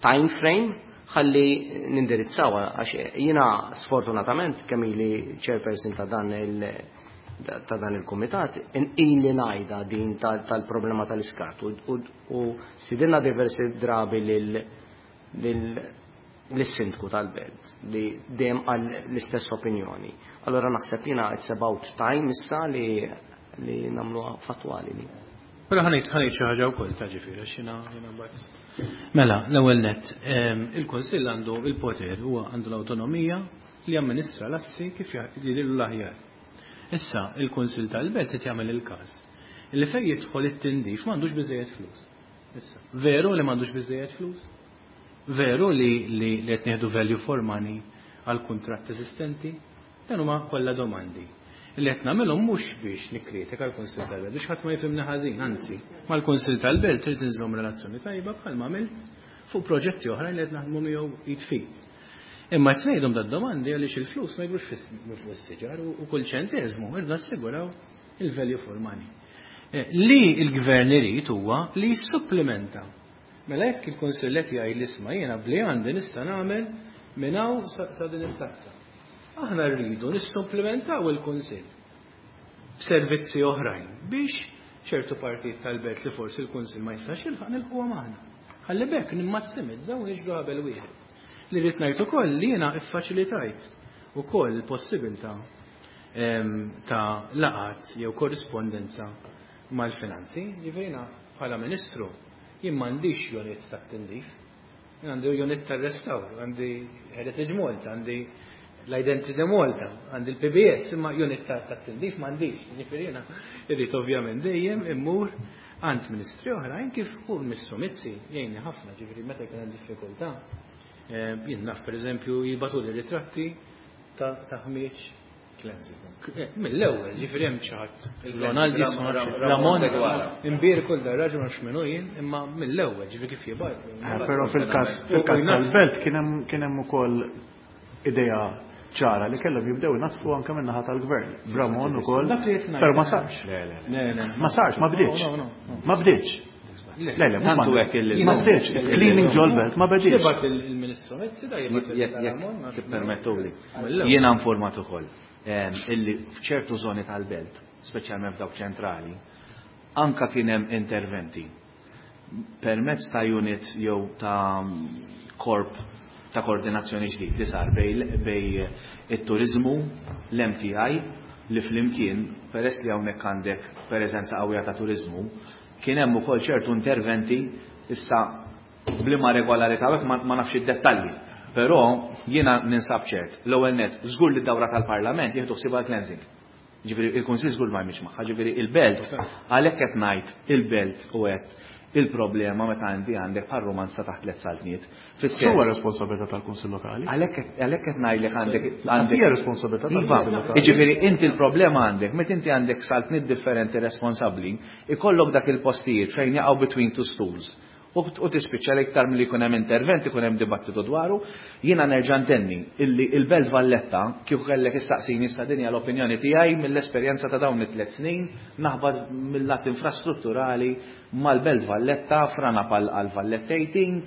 time frame ħalli nindirizzaw, għax jiena sfortunatament kemm ili chairperson ta' dan il ta' dan il-kumitat ili ngħidha din tal-problema tal-iskart u stidilna diversi drabi lil l-sindku tal-belt li dejjem għal l-istess opinjoni. Allora naħseb jiena it's about time issa li li nagħmluha fattwali li. Però ħanejt ħanejt xi ħaġa wkoll ta' ġifieri għax jiena jiena mbagħad. Mela, l-ewwel nett, il-Kunsill għandu il-poter, huwa għandu l-awtonomija li jamministra l-assi kif jidhirlu l-aħjar. Issa, il-Kunsill tal-Belt qed jagħmel il-każ li fejn jidħol it-tindif m'għandux biżejjed flus. Issa, veru li m'għandux biżejjed flus? Veru li li qed nieħdu value for money għal kuntratt eżistenti? Dan huma kollha domandi li qed nagħmilhom mhux biex nikkritika l-Kunsill tal-Belt, biex ħadd ma jifhimni ħażin, anzi, mal-Kunsill tal-Belt trid inżomm relazzjoni tajba bħalma għamilt fuq proġetti oħrajn li qed naħdmu miegħu id fit. Imma qed ngħidhom dad-domandi għaliex il-flus ma jgrux fuq is-siġar u kull ċenteżmu irdu nassiguraw il-value for money. Li l-gvern irid huwa li jissupplementa. Mela jekk il-Kunsill qed jgħid li isma' jiena bli għandi nista' nagħmel minn hawn sa din it-tazza. Aħna rridu nissupplementaw il-Kunsill b'servizzi oħrajn biex ċertu partijiet tal-belt li forsi l-Kunsill ma jistax jilħaq nilħquha aħna. Ħalli b'hekk nimmassimizzaw u niġbdu qabel wieħed. Li rrid ngħid ukoll li jiena ffaċilitajt ukoll il-possibilità ta' laqat jew korrispondenza mal-finanzi. Ġifieri bħala Ministru jien m'għandix unit tat-tindif, jien għandi unit tar-restawr, għandi Heritage Malta, għandi l-Identity Malta, għandi l-P B S, imma unit tat-tindif m'għandix. Ġifieri jiena irrid ovvjament dejjem immur għand ministri oħrajn kif u l-Ministru Mizzi jgħinni ħafna, ġifieri meta jkun hemm diffikultà. Jien naf pereżempju jibgħatuli ritratti ta' ħmieġ. Mill-ewwel, ġifieri hemm xi ħadd. Ronaldi, Ramon, imbierku l dar-raġel ma nafx min hu jien, imma mill-ewwel, ġifieri kif jibgħat. Però fil-każ fil-każ tal-belt kien hemm kien hemm ukoll idea ċara li kellhom jibdew inaddfu anke min-naħa tal-gvern. B'Ramon ukoll, però ma sarx. Ma sarx, ma bdietx. Ma bdietx. Le, le, Tantu hekk il- ma bdietx. Cleaning ġol-belt ma bdietx. Jibgħat il-Ministru Mizzi da jibgħat il-Ramon. Tippermettuli. Jiena informat ukoll illi f'ċertu żoni tal-belt, speċjalment f'dawk ċentrali, anka kien hemm interventi permezz ta' unit jew ta' korp ta' koordinazzjoni ġdid li sar bej, bej it-turizmu, l-M T I, li flimkien, peress li hawnhekk għandek preżenza qawwija ta' turizmu, kien hemm ukoll ċertu interventi issa bliema regolarità hekk ma, ma nafx id-dettalji. Però jiena ninsab ċert, l-ewwel net, żgur li d-dawra tal-Parlament jieħdu ħsieb għall-cleansing. Ġifieri il-Kunsill żgur ma jmix magħha, ġifieri il-belt, għalhekk qed ngħid il-belt u qed il-problema meta għandi għandek bħal romanz ta' taħt tliet saltniet. Fis-sens. Huwa responsabilità tal-Kunsill Lokali. Għalhekk għalhekk qed ngħidlek għandek għandek Hija responsabilità Iva, tal-Kunsill Lokali. Jiġifieri inti l-problema għandek meta inti għandek saltniet differenti responsabbli, ikollok dak il-postijiet fejn jaqgħu between two stools. U, u tispiċċa li iktar milli jkun hemm intervent, ikun hemm dibattitu dwaru, jiena nerġa' ntenni illi il-Belt Valletta kieku kellek issaqsini issa din hija l-opinjoni tiegħi mill-esperjenza ta' dawn it-tliet snin naħbad mill-lat infrastrutturali mal-Belt Valletta frana pal għal Valletta eighteen,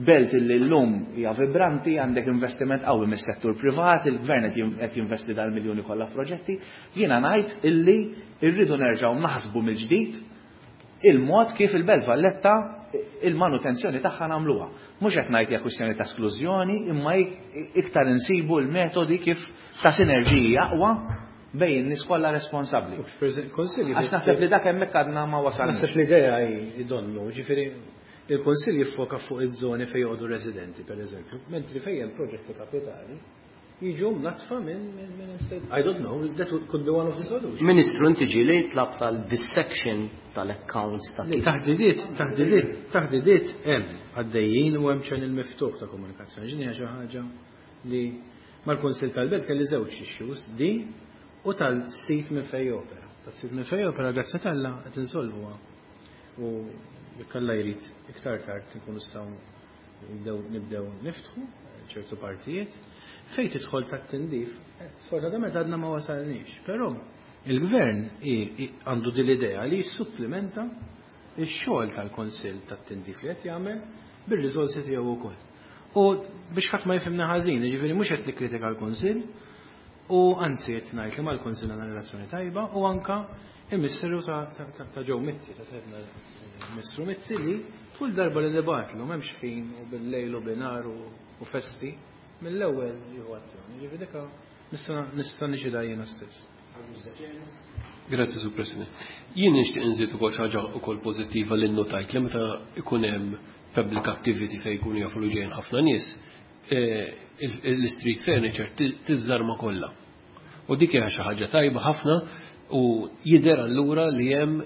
belt illi llum hija vibranti, għandek investiment qawwi mis-settur privat, il-gvern qed jin-, qed jinvesti dal-miljuni kollha f'proġetti, jiena ngħid illi rridu nerġgħu naħsbu mill-ġdid il-mod kif il-Belt Valletta il-manutenzjoni tagħha nagħmluha. Mhux qed ngħid hija kwistjoni ta' esklużjoni, imma ik-, iktar insibu l-metodi kif ta' sinerġiji aqwa bejn in-nies kollha responsabbli. Konsilji Għax naħseb li dak hemmhekk għadna ma wasalniex. Naħseb l-idea hi donnu, ġifieri il-Kunsill jiffoka fuq iż-żoni fejn joqogħdu residenti, pereżempju, mentri fejn hemm proġetti kapitali jiġu mnatfa minn, minn, minn estate. I don't know, that could be one of the solutions. Ministru, inti ġieli tlab tal-dissection tal-accounts ta' Le, kif? Taħdidiet, taħdidiet, taħdidiet hemm għaddejjin u hemm channel miftuħ ta' komunikazzjoni. Ġini hija xi ħaġa li mal-Kunsill tal-Belt kelli żewġ issues, di u tal-sit minn fejn opera. Tas-sit minn fejn opera, grazzi t'Alla, qed insolvuha. U jekk Alla jrid iktar tard nkunu nistgħu nibdew, nibdew niftħu ċertu partijiet. Fejn tidħol tat-tindif, eh, sfortunatament għadna ma wasalniex, però il-gvern i-, i-, għandu din l-idea li jissupplimenta x-xogħol tal-Kunsill tat-tindif li qed jagħmel bir-riżorsi tiegħu wkoll. U biex ħadd ma jifhimna ħażin, jiġifieri mhux qed nikkritika l-Kunsill, u anzi qed ngħid li mal-Kunsill għandna relazzjoni tajba u anka il-Ministeru ta', ta', ta', ta' Joe Mizzi, ta' sahibna il-Ministru Mizzi li kull darba li nibatlu m'hemmx ħin u bil-lejl u binhar u, u festi, mill-ewwel jieħu azzjoni. Ġifieri dik nista', nista' nixhidha jiena stess. Grazzi, Sur President. Jien nixtieq inżid ukoll xi ħaġa ukoll pożittiva li nnotajt li meta ikun hemm public activity fejn jkunu jafu li ġejjin ħafna nies, eh, il-, il-street furniture ti-, tiżżarma kollha. U dik hija xi ħaġa tajba ħafna u jidher allura li hemm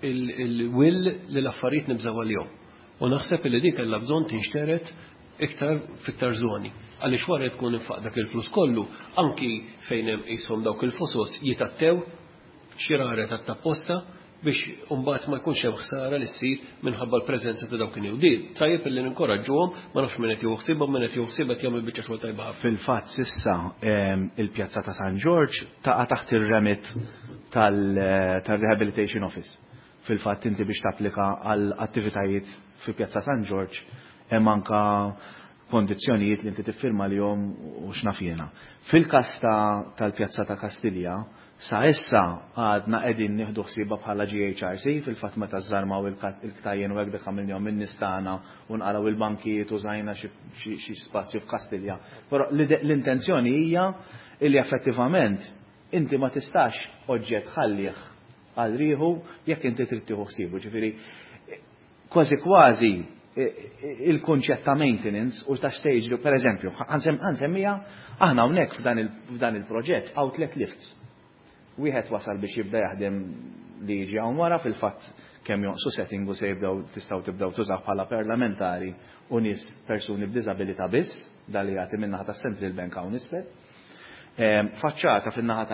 il-, il-will li l-affarijiet nibżgħu għalihom. U naħseb li dik kellha bżonn tinxteret iktar fiktar żoni. Għaliex wara tkun infaq dak il-flus kollu, anki fejn hemm qishom dawk il-fosos jitattew xi rare tat-tapposta biex imbagħad ma jkunx hemm ħsara li ssir minħabba l-preżenza ta' dawk in-nies. Di tajjeb illi ninkoraġġuhom, ma nafx min qed jieħu ħsiebhom, min qed jieħu ħsieb qed jagħmel biċċa xogħol tajba ħafna. Fil-fatt s'issa, ehm, il-pjazza ta' San Ġorġ taqa' taħt ir-remit tal-, tal-Rehabilitation Office. Fil-fatt inti biex tapplika għal attivitajiet fi pjazza San Ġorġ hemm anka kondizzjonijiet li inti tiffirma lihom u x'naf jiena. Fil-każ ta', tal-pjazza ta' Kastilja, sa issa għadna qegħdin nieħdu ħsiebha bħala G H R C, fil-fatt meta żarmaw il-kat-, il-ktajjen u hekk dak għamilnihom min-nies tagħna u nqalgħu il-bankijiet u żajna xi, xi, xi spazju f'Kastilja. Però l-ide-, l-intenzjoni hija li effettivament inti ma tistax oġġett ħallih għal rieħu jekk inti trid tieħu ħsiebu. Ġifieri kważi kważi il-kunċett ta' maintenance u ta' stage, per eżempju, ħansemmija, aħna hawnhekk f'dan il-, f'dan il-proġett hawn tliet lifts. Wieħed wasal biex jibda jaħdem li jiġi hawn wara, fil-fatt kemm jonqsu setting u se jibdew tistgħu tibdew tużaw bħala parlamentari u nies persuni b'diżabilità biss, dal li jagħti min-naħa tas-Central Bank hawn isfel. Faċċata fin-naħa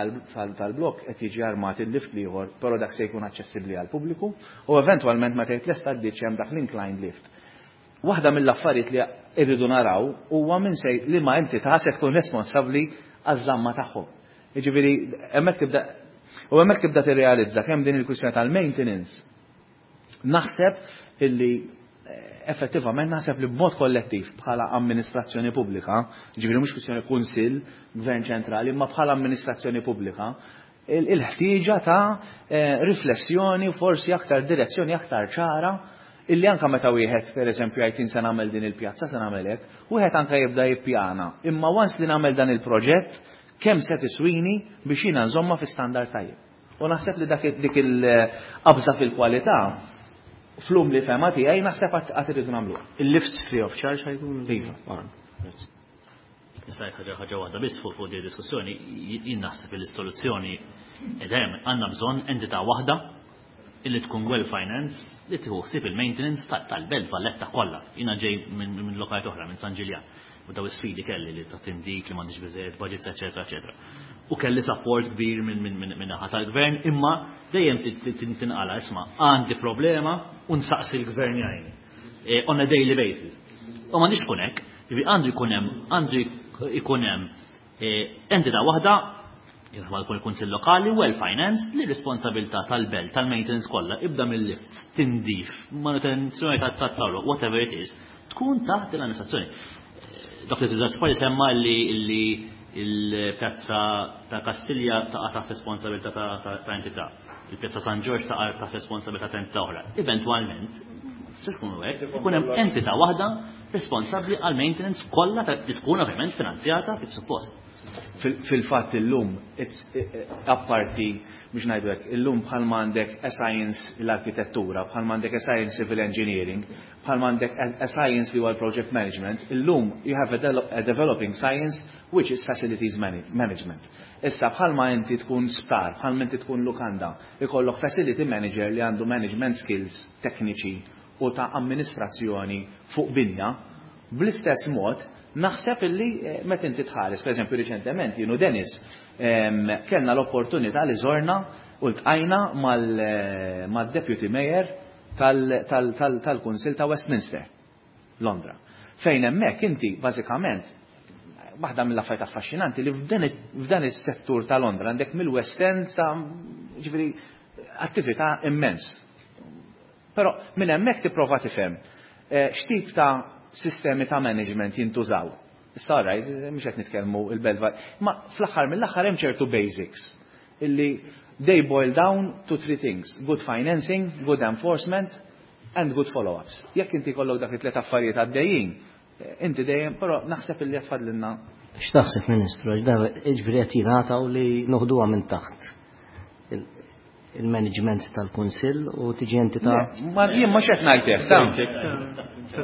tal-blok qed jiġi armat il-lift ieħor, però dak se jkun aċċessibbli għall-pubbliku u eventwalment meta jitlesta d-ditch hemm dak l-inclined lift. Waħda mill-affarijiet li rridu naraw huwa minn se li ma entità se tkun responsabbli għaż-żamma tagħhom. Jiġifieri hemmhekk tibda u hemmhekk tibda tirrealizza kemm din il-kwistjoni tal-maintenance naħseb illi effettivament naħseb li b'mod kollettiv bħala amministrazzjoni pubblika, ġifieri mhux kwistjoni kunsill, gvern ċentrali, imma bħala amministrazzjoni pubblika, il-ħtieġa ta' riflessjoni u forsi aktar direzzjoni aktar ċara illi anka meta wieħed pereżempju jgħid se nagħmel din il-pjazza se nagħmel hekk, wieħed anka jibda jippjana. Imma once li nagħmel dan il-proġett, kemm se tiswini biex jiena nżomma fi standard tajjeb. U naħseb li dak dik il-qabża fil-kwalità flum li fema tiegħi naħseb qatt irridu nagħmluha. Il-lifts free of charge ħajkun? Iva. Issa ħaġa ħaġa waħda biss fuq fuq di diskussjoni, jien naħseb li s-soluzzjoni qed hemm, għandna bżonn entità waħda illi tkun well financed li tieħu ħsieb il-maintenance tal-Belt Valletta kollha. Jiena ġej minn lokalità oħra, minn San Ġiljan, u daw is-sfidi kelli li ta' tindik li m'għandix biżejjed budgets, eċetera, eċetera. U kelli support kbir minn minn minn naħa tal-gvern, imma dejjem tinqala isma' għandi problema u nsaqsi l-gvern jgħinni on a daily basis. U m'għandix tkun hekk, għandu jkun hemm għandu jkun hemm entità waħda ma jkun il-Kunsill Lokali well financed li responsabilità tal-belt tal-maintenance kollha ibda mill-lifts, tindif, manutenzjoni tat-toroq, whatever it is, tkun taħt l-amministrazzjoni. Dak li Zidar semma li il-pjazza ta' Kastilja taqa' taħt responsabilità ta' entità, il-pjazza San Ġorġ taqa' taħt responsabilità ta' entità oħra. Eventwalment, se tkun hekk, ikun hemm entità waħda responsabbli għal maintenance kollha li tkun ovvjament finanzjata kif suppost. Fil-fatt illum, apparti biex ngħidu hekk, illum bħalma għandek a science l-arkitettura, bħalma għandek a science civil engineering, bħalma għandek a science li huwa l-project management, illum you have a developing science which is facilities management. Issa bħalma inti tkun sptar, bħalma inti tkun lukanda, ikollok facility manager li għandu management skills tekniċi u ta' amministrazzjoni fuq binja, bl-istess mod naħseb illi meta inti tħares, pereżempju riċentement jien u Dennis kellna l-opportunità li żorna u ltqajna mal-Deputy Mayor tal-Kunsill ta' Westminster, Londra. Fejn hemmhekk inti bażikament waħda mill-affarijiet affaxxinanti li f'dan is-settur ta' Londra għandek mill-West End sa ġifieri attività immens. Però minn hemmhekk tipprova tifhem x'tip ta' sistemi ta' management jintużaw. Issa rajt, mhux qed nitkellmu il-Belva, ma fl-aħħar mill-aħħar hemm ċertu basics illi they boil down to three things: good financing, good enforcement and good follow-ups. Jekk inti kollok dak it-tliet affarijiet għaddejjin, inti dejjem, però naħseb illi qed fadlilna. X'taħseb Ministru, għax da ġifieri qed jingħataw li noħduha minn taħt il-management tal-Kunsill u tiġi entità. Ma jien mhux qed ngħid hekk, ta'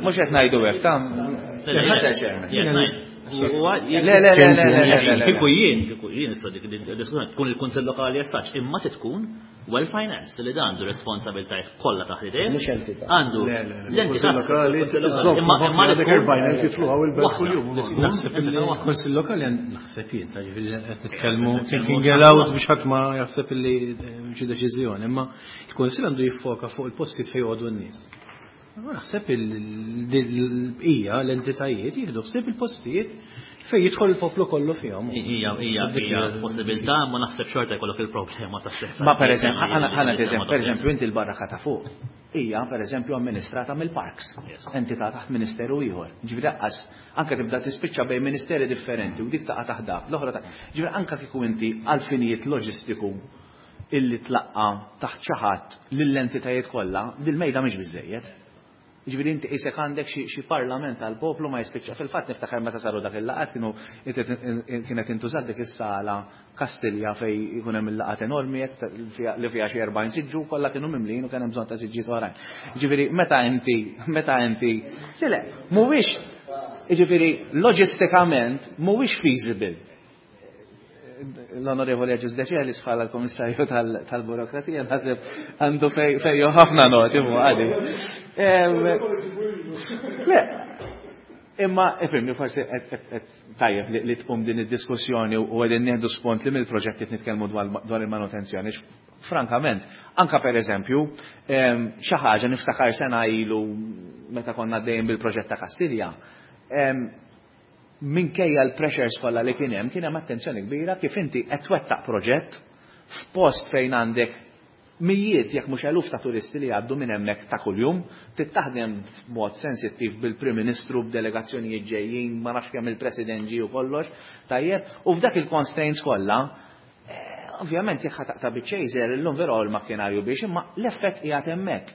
mhux qed ngħidu hekk, ta' Le, le, le, le, le. Kieku jien, kieku jien issa dik id-diskussjoni tkun il-Kunsill Lokali as such, imma tkun well financed li dan għandu responsabiltajiet kollha taħt idejh. Mhux entità. Għandu l-entità lokali, imma imma għandek erbgħin elf jitluha il-belt kuljum. Naħseb li l-Kunsill Lokali naħseb jien, ta' ġifieri qed nitkellmu thinking aloud biex ħadd ma jaħseb li xi deċiżjoni, imma il-Kunsill għandu jiffoka fuq il-postijiet fejn joqogħdu n-nies. Naħseb il-bqija l-entitajiet jieħdu ħsieb il-postijiet fejn jidħol il-poplu kollu fihom. Hija hija hija possibilità, ma naħseb xorta jkollok il-problema ta' stess. Ma pereżempju, ħana pereżempju inti l-barraka ta' fuq hija pereżempju amministrata mill-parks, entità taħt ministeru ieħor. Ġifieri laqqas anke tibda tispiċċa bejn ministeri differenti u dik taqa' taħt dak, l-oħra ta' ġifieri anke kieku inti għal finijiet loġistiku illi tlaqqa taħt xi ħadd lill-entitajiet kollha, dil-mejda mhix biżejjed. Ġifieri inti qisek għandek xi parlament tal-poplu ma jispiċċa. Fil-fatt niftakar meta saru dak il-laqat kienu kienet intużat dik is-sala Kastilja fej ikun hemm il-laqat enormi li fiha xi erbgħin siġġu kollha kienu mimlin u kien hemm bżonn ta' siġġiet oħrajn. Ġifieri meta inti meta inti le mhuwiex ġifieri loġistikament mhuwiex feasible. L-Onorevoli Agius Decelis bħala l-Komissarju tal-Burokrazija naħseb għandu fejju ħafna noti mu għadi. Le, imma ifhimni forsi tajjeb li tqum din id-diskussjoni u qegħdin nieħdu spont li mill-proġetti qed nitkellmu dwar il-manutenzjoni. Frankament, anka per eżempju, xi ħaġa niftakar sena ilu meta konna għaddejjin bil-proġett ta' Kastilja, minkejja l-pressures kollha li kien hemm, kien hemm attenzjoni kbira kif inti qed twettaq proġett f'post fejn għandek mijiet jekk mhux eluf ta' turisti li jgħaddu minn hemmhekk ta' kuljum, tittaħdem b'mod sensittiv bil-Prim Ministru b'delegazzjonijiet ġejjin, ma nafx kemm il-President ġie u kollox, tajjeb, u f'dak il-constraints kollha, ovvjament jekk ħa taqta' biċ-chaser illum vera l-makkinarju biex, imma l-effett qiegħed hemmhekk.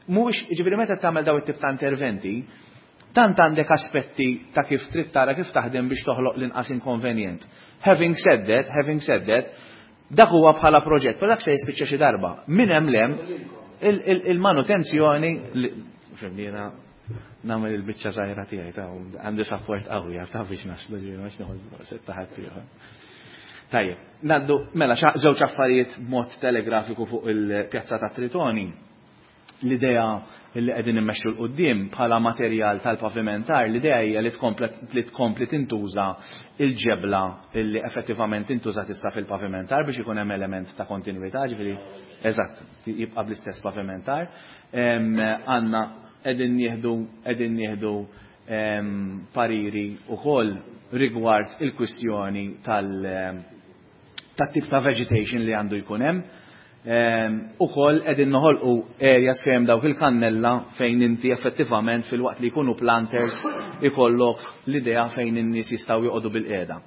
Mhuwiex, jiġifieri meta tagħmel dawn it-tip ta' interventi, tant għandek aspetti ta' kif trid tara kif taħdem biex toħloq l-inqas inkonvenjent. Having said that, having said that, dak huwa bħala proġett, però dak se jispiċċa xi darba. Min hemm lem il-manutenzjoni, fimni jiena nagħmel il-biċċa żgħira tiegħi ta' għandi support qawwi ta' biex naslu ġifieri ma nieħu setta ħadd ieħor. Tajjeb, ngħaddu mela żewġ affarijiet b'mod telegrafiku fuq il-Pjazza ta' Tritoni. L-idea li qegħdin immexxu l quddiem bħala materjal tal-pavimentar, l-idea hija li tkompli tintuża il-ġebla li effettivament intużat issa fil-pavimentar biex ikun hemm element ta' kontinwità, ġifieri eżatt, jibqa' bl-istess pavimentar. Għandna qegħdin nieħdu qegħdin nieħdu pariri wkoll rigward il-kwistjoni tal tat-tip ta' vegetation li għandu jkun hemm. Ukoll qegħdin noħolqu areas fejn dawk il-kannella fejn inti effettivament fil-waqt li jkunu planters ikollok l-idea fejn in-nies jistgħu joqogħdu bil-qiegħda.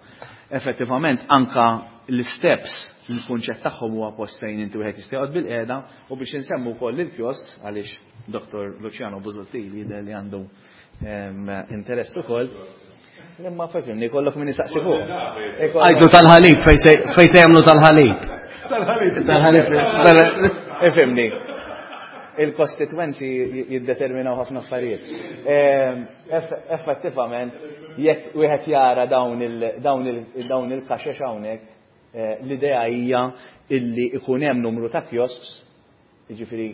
Effettivament anka l-steps il-kunċett tagħhom huwa post fejn inti wieħed jista' joqgħod bil-qiegħda u biex insemmu wkoll il-kiosks għaliex Dottor Luciano Busuttil jidher li għandu interess ukoll. Imma fehimni kollok min isaqsi fuq. Għajdu tal-ħalib fejn se jagħmlu tal-ħalib. Tal-ħalib. Tal-ħalib. Ifhimni. Il-kostitwenzi jiddeterminaw ħafna affarijiet. Effettivament, jekk wieħed jara dawn il-kaxex hawnhekk, l-idea hija illi ikun hemm numru ta' kiosks, jiġifieri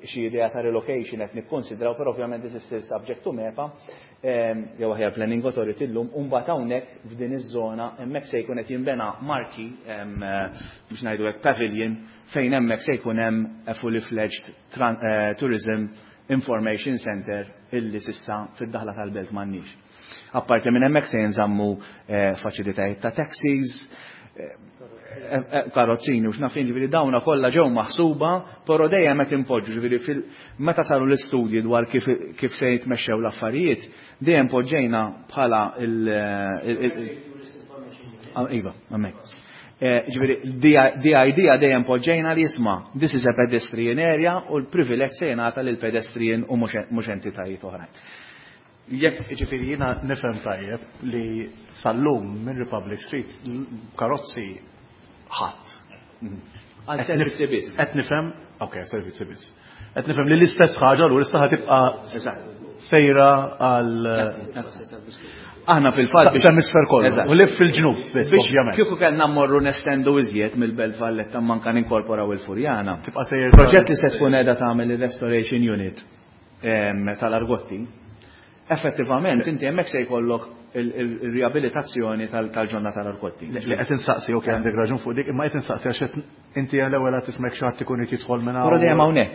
xi idea ta' relocation qed nikkonsidraw, però ovvjament this is still subject to MEPA, jew aħjar Planning Authority llum, u mbagħad hawnhekk f'din iż-żona hemmhekk se jkun qed jinbena marki biex ngħidu hekk pavilion fejn hemmhekk se jkun hemm a fully fledged tourism information center illi sissa fid-daħla tal-belt m'għandniex. Apparti minn hemmhekk se jinżammu faċilitajiet ta' taxis, karozzini u x'nafin, ġifieri dawna kollha ġew maħsuba, però dejjem qed impoġġu, ġifieri meta saru l-istudji dwar kif kif se jitmexxew l-affarijiet, dejjem poġġejna bħala il iva, hemmhekk. Ġifieri the idea dejjem poġġejna li jisma' this is a pedestrian area u l-privileġġ se jingħata lil pedestrian u mhux entitajiet oħrajn. Jekk ġifieri jiena nifhem tajjeb li sal-lum minn Republic Street karozzi ħadd. Għal servizzi biss. Qed nifhem, okej, servizzi biss. Qed nifhem li l-istess ħaġa l issa ħatibqa' sejra għal Aħna fil-fatt biex hemisfer kollu. U lif fil-ġnub biss, ovvjament. Kieku kellna mmorru nestendu iżjed mill-Belt Valletta manka ninkorporaw il-Furjana. Tibqa' sejjer. Proġett li se tkun qiegħda tagħmel ir-restoration unit tal-Argotti. Effettivament inti hemmhekk se jkollok il-riabilitazzjoni tal-ġonna tal-Argotti. Li qed insaqsi, okej, għandek raġun fuq dik, imma qed insaqsi għax qed inti l-ewwel qed tismek xi ħadd ikun irid jidħol minn hawn. Però dejjem hawnhekk.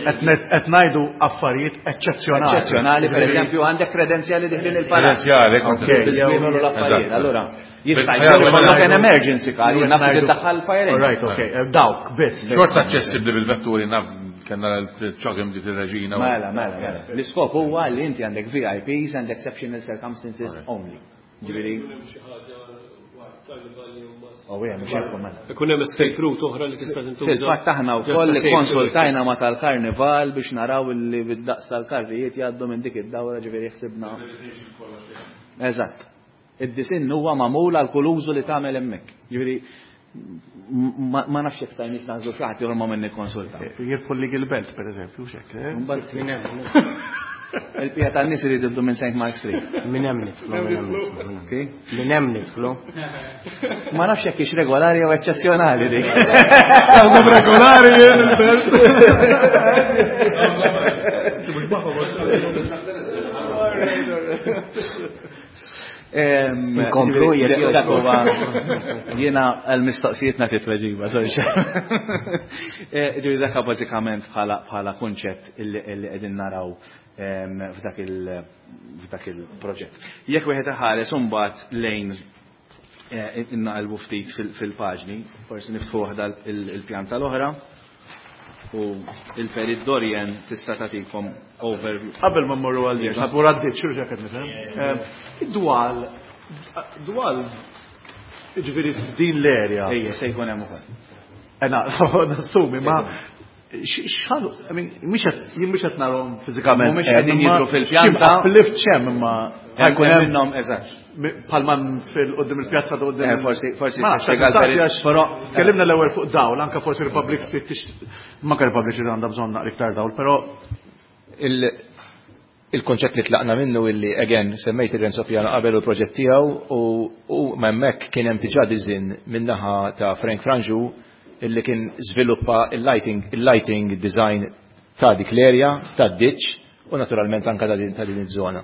Qed ngħidu affarijiet eċċezzjonali. Eċċezzjonali, pereżempju għandek kredenzjali diħlin il-palazz. Kredenzjali, Biżwienu l-affarijiet. Allura, jista' jkollok an emergency car, jien naf li tiddaħħal fire engine. Right, okej, dawk biss. Xorta aċċessibbli bil-vetturi naf kellna l-ċogim dik ir-reġina. Mela, mela, mela. L-iskop huwa li inti għandek V I Ps and exceptional circumstances only. Ġifieri. Oh, yeah, mhux hekk, mela. Ikun hemm escape route oħra li tista' tintuża. Fil-fatt aħna wkoll ikkonsultajna ma' tal-karnival biex naraw li bid-daqs tal-karrijiet jgħaddu minn dik id-dawra, ġifieri ħsibna. Eżatt. Id-disinn huwa magħmul għal kull użu li tagħmel hemmhekk. Ġifieri Ma nafx jekk stajniex nażlu xi ħadd ieħor ma minn nikkonsulta. Jirbħu l Belt pereżempju, x'hekk. Il-pija tan-nies irid jibdu minn Saint Mark Street. Minn hemm nidħlu, minn hemm nidħlu. Minn hemm nidħlu. Ma nafx jekk hix regolari jew eċċezzjonali dik. Għandhom regolari jien il-belt. Inkomplu jekk dak huwa jiena għall-mistoqsijiet nagħti tweġiba, sorry. Ġifieri dak bażikament bħala kunċett illi qegħdin naraw f'dak il f'dak il-proġett. Jekk wieħed iħares imbagħad lejn innaqalbu ftit fil-paġni, forsi niftħu waħda il-pjanta l-oħra u il-Perit Dorian tista' tagħtikom overview. Qabel ma mmorru għal dik, ħadmur għad-ditch, xi qed nifhem. Id-dwal, dwal, ġifieri f'din l-area. Ejja, se jkun hemm ukoll. Ena, nassumi, ma x'ħalu, I mean, mhix qed jien mhux qed narhom fiżikament. Mhumiex qegħdin jidhru fil-pjanta. Xi uplift x'hemm imma ħajkun hemm minnhom eżatt. Bħalma fil-qudiem il-pjazza ta' qudiem. Eh, forsi forsi Ma nafx, spjega l-perit, għax però tkellimna l-ewwel fuq dawl, anke forsi Republic Street tix manka Republic Street għandha bżonn naqra iktar dawl, però il-konċett li tlaqna minnu illi again semmejt il-Renzo Piano qabel u l-proġett tiegħu u u hemmhekk kien hemm diġà design min-naħa ta' Frank Franġu illi kien żviluppa il-lighting il-lighting design ta' dik l-area, ta' ditch u naturalment anka ta' din ta' din iż-żona.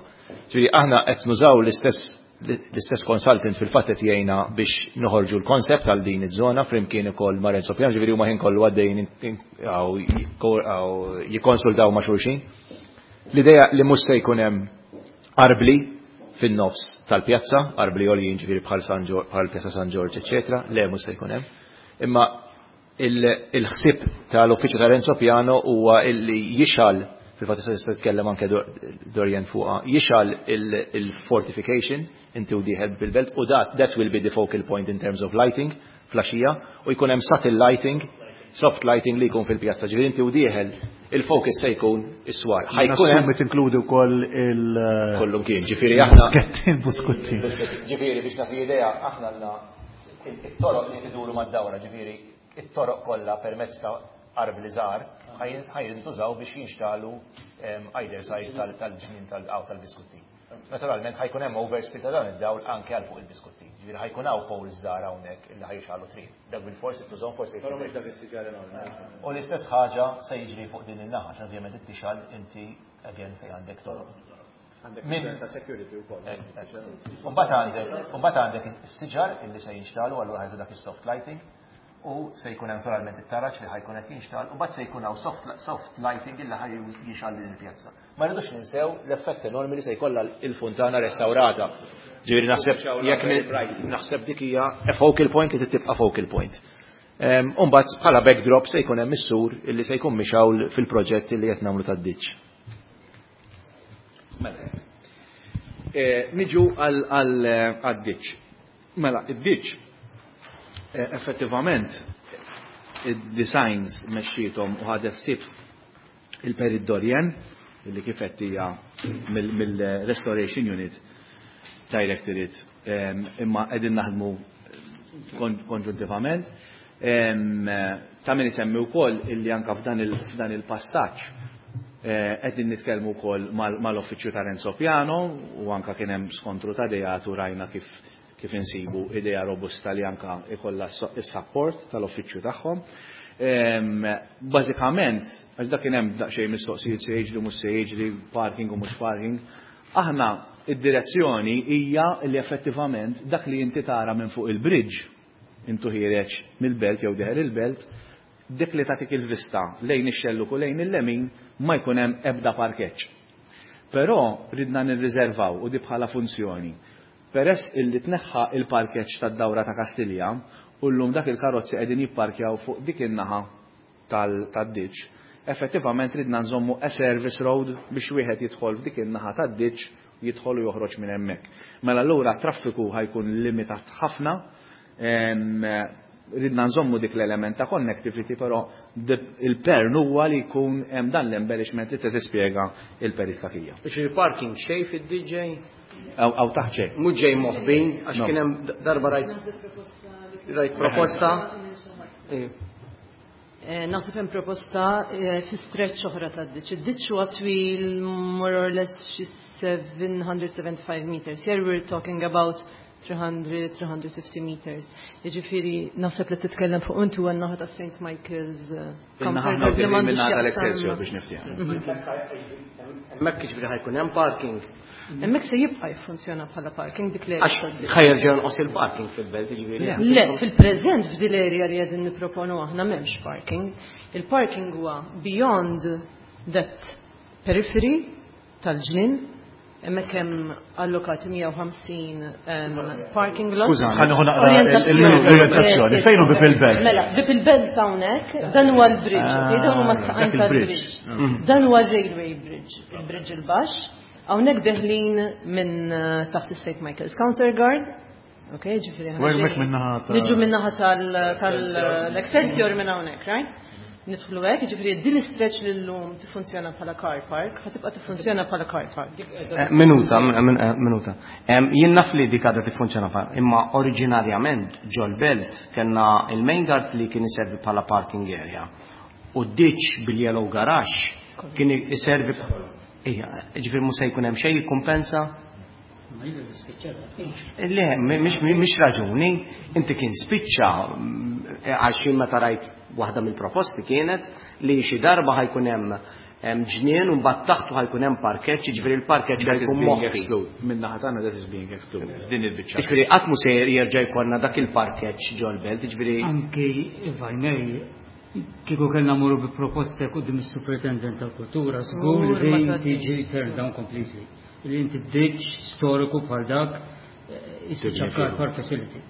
Ġifieri aħna qed nużaw l-istess l-istess consultant fil-fatt qed jgħinna biex noħorġu l-koncept għal din iż-żona flimkien ukoll ma' Renzo Piano, ġifieri huma ħin kollu għaddejjin jikkonsultaw ma' xulxin. L-idea li mhux se jkun hemm arbli fin-nofs tal-pjazza, arbli għoljin ġifieri bħal San Ġorġ, bħal Pjazza San Ġorġ, eċċetera, le mhux se jkun hemm. Imma il-ħsieb tal-uffiċċju ta' Renzo Piano huwa illi jixgħal, fil-fatt issa tista' titkellem anke Dorian fuqha, jixgħal il-fortification inti u dieħel bil-belt u that, that will be the focal point in terms of lighting flaxija u jkun hemm subtle lighting, soft lighting li jkun fil-pjazza, ġifieri inti u dieħel il-focus se jkun is-swar. Ħajkun hemm tinkludi wkoll il- Kollu kien, ġifieri aħna Buskettin, buskuttin. Ġifieri biex nagħti idea aħna għandna it-toroq li tiduru mad-dawra, ġifieri it-toroq kollha permezz ta' arbli żgħar ħajintużaw biex jinxtalu either side tal-ġnien tal-qaw tal-biskutti. Naturalment ħajkun hemm overspill ta' dan id-dawl anke għal fuq il-biskutti. Ġifieri ħajkun hawn poles żgħar hawnhekk illi ħajxalu triq. Dak bil-forsi tużhom forsi. Però mhux dak is-siġar enormi. U l-istess ħaġa se jiġri fuq din in-naħa, għax ovvjament ittixal inti again fejn għandek toroq. Għandek Min- ta' security wkoll. Mbagħad għandek, mbagħad għandek is-siġar illi se jinxtalu allura ħajtu dak is-soft lighting u se jkun hemm naturalment it-taraġ li ħajkun qed jinxtal u mbagħad se jkun hawn soft, soft lighting illi ħaj jixgħal din il-pjazza. Ma rridux ninsew l-effett enormi li se jkollha il-funtana restaurata. Ġifieri naħseb jekk naħseb dik hija a focal point li tibqa' focal point. U mbagħad bħala backdrop se jkun hemm is-sur illi se jkun mixgħul fil-proġett illi qed nagħmlu tad-ditch. Mela. Eh, niġu għal-ditch. Mela, id-ditch eh, effettivament id-designs mexxietom u ħadet ħsieb il-Perit Dorian illi kif qed hija mill-Restoration Unit Directorate imma qegħdin naħdmu konġuntivament. Ta' min isemmi wkoll illi anka f'dan il-passaġġ qegħdin nitkellmu wkoll mal-uffiċċju ta' Renzo Piano u anka kien hemm skontru ta' ideat u rajna kif kif insibu idea robusta li anka ikollha is-support tal-uffiċċju tagħhom. Bażikament, għax dak kien hemm daqsxejn mistoqsijiet se jiġri mhux se jiġri, parking u mhux parking, aħna id-direzzjoni hija li effettivament dak li inti tara minn fuq il-bridge, intu ħiereġ mill-belt jew deħel il-belt, dik li tagħtik il-vista lejn ix-xelluk u lejn il-lemin ma jkun hemm ebda parkeġġ. Però ridna nirriservaw u di bħala funzjoni. Peress illi tneħħa il-parkeġġ tad-dawra ta' Kastilja u llum dak il-karozzi qegħdin jipparkjaw fuq dik in-naħa tad-ditch, effettivament ridna nżommu a service road biex wieħed jidħol f'dik in-naħa tad-ditch, jidħol u joħroġ minn hemmhekk. Mela allura traffiku ħajkun limitat ħafna, Ridna nżommu dik l-element ta' connectivity, però il-pern huwa li jkun hemm dan l-embellishment li tispjega il-Perit Cachia. Biex il-parking xejn fid-D J? Aw taħt xejn. Mhux ġej moħbin, għax kien hemm darba rajt rajt proposta. Eh, naħseb hemm proposta eh, fi stretch oħra tad-ditch. Id-ditch huwa twil more or less xi seven hundred seventy-five meters. Here we're talking about three hundred, three hundred fifty meters. Jiġifieri naħseb li titkellem fuq intu għan-naħa ta' Saint Michael's eh, Minnaħa tal-Excelsior biex niftiehem. Hemmhekk jiġifieri ħa jkun hemm parking. Hemmhekk se jibqa' jiffunzjona bħala parking dik l Għax ħa jerġa' jonqos il-parking fil-belt, jiġifieri. Le, fil-preżent f'dil area li qegħdin nipproponu aħna m'hemmx parking. Il-parking huwa beyond that periphery tal-ġnien. Hemmhekk hemm allokati mija u ħamsin um, parking lot. Ħa nieħu naqra l-orientazzjoni. Fejn hu Bieb il-Belt? Mela, Bieb il-Belt hawnhekk, dan huwa l-bridge, okay? Dan huma s-saqajn Dak il-bridge. tal-bridge. Dan huwa railway bridge, il-bridge il-baxx. Hawnhekk deħlin minn uh, taħt is-Saint Michael's Counter Guard. Ok, ġifieri U hemmhekk min-naħa ta' Niġu min-naħa tal-Excelsior minn hawnhekk, right? Nidħlu hekk, ġifieri din l-stretch li llum tiffunzjona bħala car park, ħa tibqa' tiffunzjona bħala car park. Eh, Minuta, min- eh, minuta. Em, Jien naf li dik għadha tiffunzjona bħala, imma oriġinarjament ġol-belt kellna il-main guard li kien iservi bħala parking area. U d-ditch bil-yellow garage kien iservi. Ija, ġifieri mhux se jkun hemm xejn jikkumpensa? Ma jidher li spiċċata. Le, mhix mhix raġuni, inti kien spiċċa mm, għax jien meta rajt waħda mill-proposti kienet li xi darba ħa jkun hemm hemm ġnien u mbagħad taħtu ħa jkun hemm parkeġġ, jiġifieri l-parkeġġ That is ħa jkun being moħbi. excluded. Minnaħa tagħna that is being excluded. Din il-biċċa. Jiġifieri qatt mhu se jerġa' jkollna dak il-parkeġġ ġol-belt, jiġifieri Anki, if I may, kieku kellna mmorru bi proposta quddiem is-Superintendent tal-Kultura, żgur li Żgur ma din tgħaddix. tiġi turned down completely. Li inti ditch storiku bħal dak, eh, jispiċċa car park facility.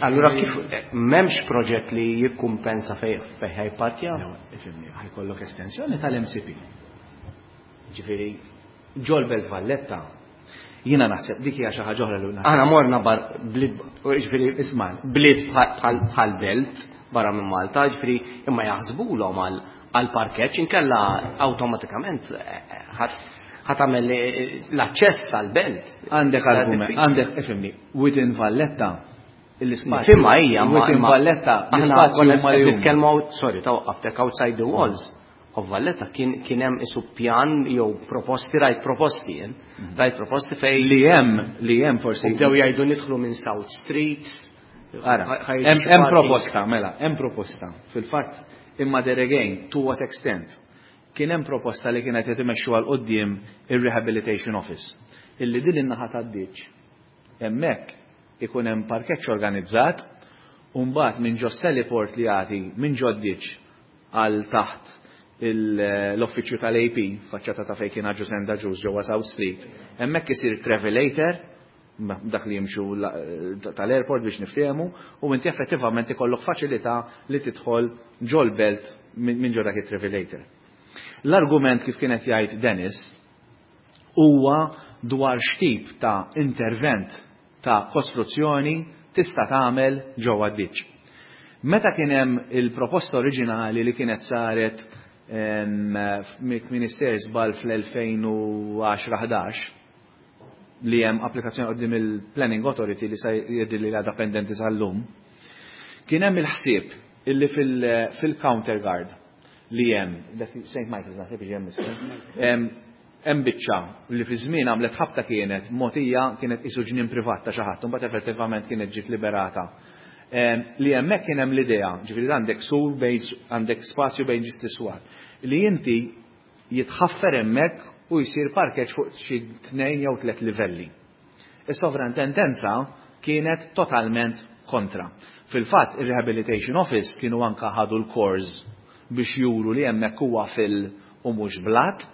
Allura kif eh, m'hemmx proġett li jikkumpensa fej fej ħa jipparkja? Ifhimni, ħa jkollok estensjoni tal-M C P. Ġifieri, ġol-Belt Valletta, jiena naħseb dik hija xi ħaġa oħra li naħseb. Aħna morna bar bliet, ġifieri Isma' bliet bħal bħal belt barra minn Malta, ġifieri imma jaħsbulhom għal għal parkeġġ, inkella awtomatikament eh, ħadd ħa tagħmel eh, l-aċċess għal belt. Għandek argument, Diffiċli. għandek, ifhimni, within Valletta, l-ispazju. Fimma hija, ma Within imma- Valletta, aħna l-ispazju konna huma qed li huma. nitkellmu out- sorry, ta' waqqaftek, outside the walls of Valletta kien kien hemm isu pjan jew proposti, rajt proposti jien, rajt proposti fej Li hemm, li hemm forsi. U bdew jgħidu nidħlu minn South Street. Ara, ħa- ħa jiġi hemm xi hemm parking. proposta, mela, hemm proposta. Fil-fatt, imma there again, to what extent? Kien hemm proposta li kienet qed imexxu għal quddiem ir-Rehabilitation Office. Illi din in-naħa tad-ditch. Hemmhekk ikun hemm parkeġġ organizzat u mbagħad minn ġo heliport li jagħti minn ġo ditch għal taħt il- l-uffiċċju tal-A P, faċċata ta' fejn kien Agius and Agius ġewwa South Street. Hemmhekk isir travelator, ma- dak li jimxu la- tal-airport biex niftehmu, u inti effettivament ikollok faċilità li tidħol ġol belt minn min ġo dak it-travelator. L-argument kif kienet jgħid Dennis huwa dwar x'tip ta' intervent ta' kostruzzjoni tista' tagħmel ġewwa d-ditch. Meta kien hemm il-proposta oriġinali li kienet saret Minister żball fl-elfejn u għaxra ħdax, li hemm applikazzjoni qudiem il-Planning Authority li sa jidher li għadha pendenti sal-lum, kien hemm il-ħsieb illi fil-counter guard li hemm dak Saint Michael's naħseb jiġi hemm issa, hemm hemm biċċa li fi żmien għamlet ħabta kienet mogħtija, kienet isu ġnien privat ta' xi ħadd, imbagħad effettivament kienet ġiet liberata. Em, Li hemmhekk kien hemm l-idea, ġifieri għandek sur bejn għandek spazju bejn ġist iswar, li inti jitħaffer hemmhekk u jsir parkeġġ fuq xi tnejn jew tliet livelli. Is-sovrintendenza kienet totalment kontra. Fil-fatt, il-Rehabilitation Office kienu anka ħadu l-cores biex juru li hemmhekk huwa fil u mhux blat.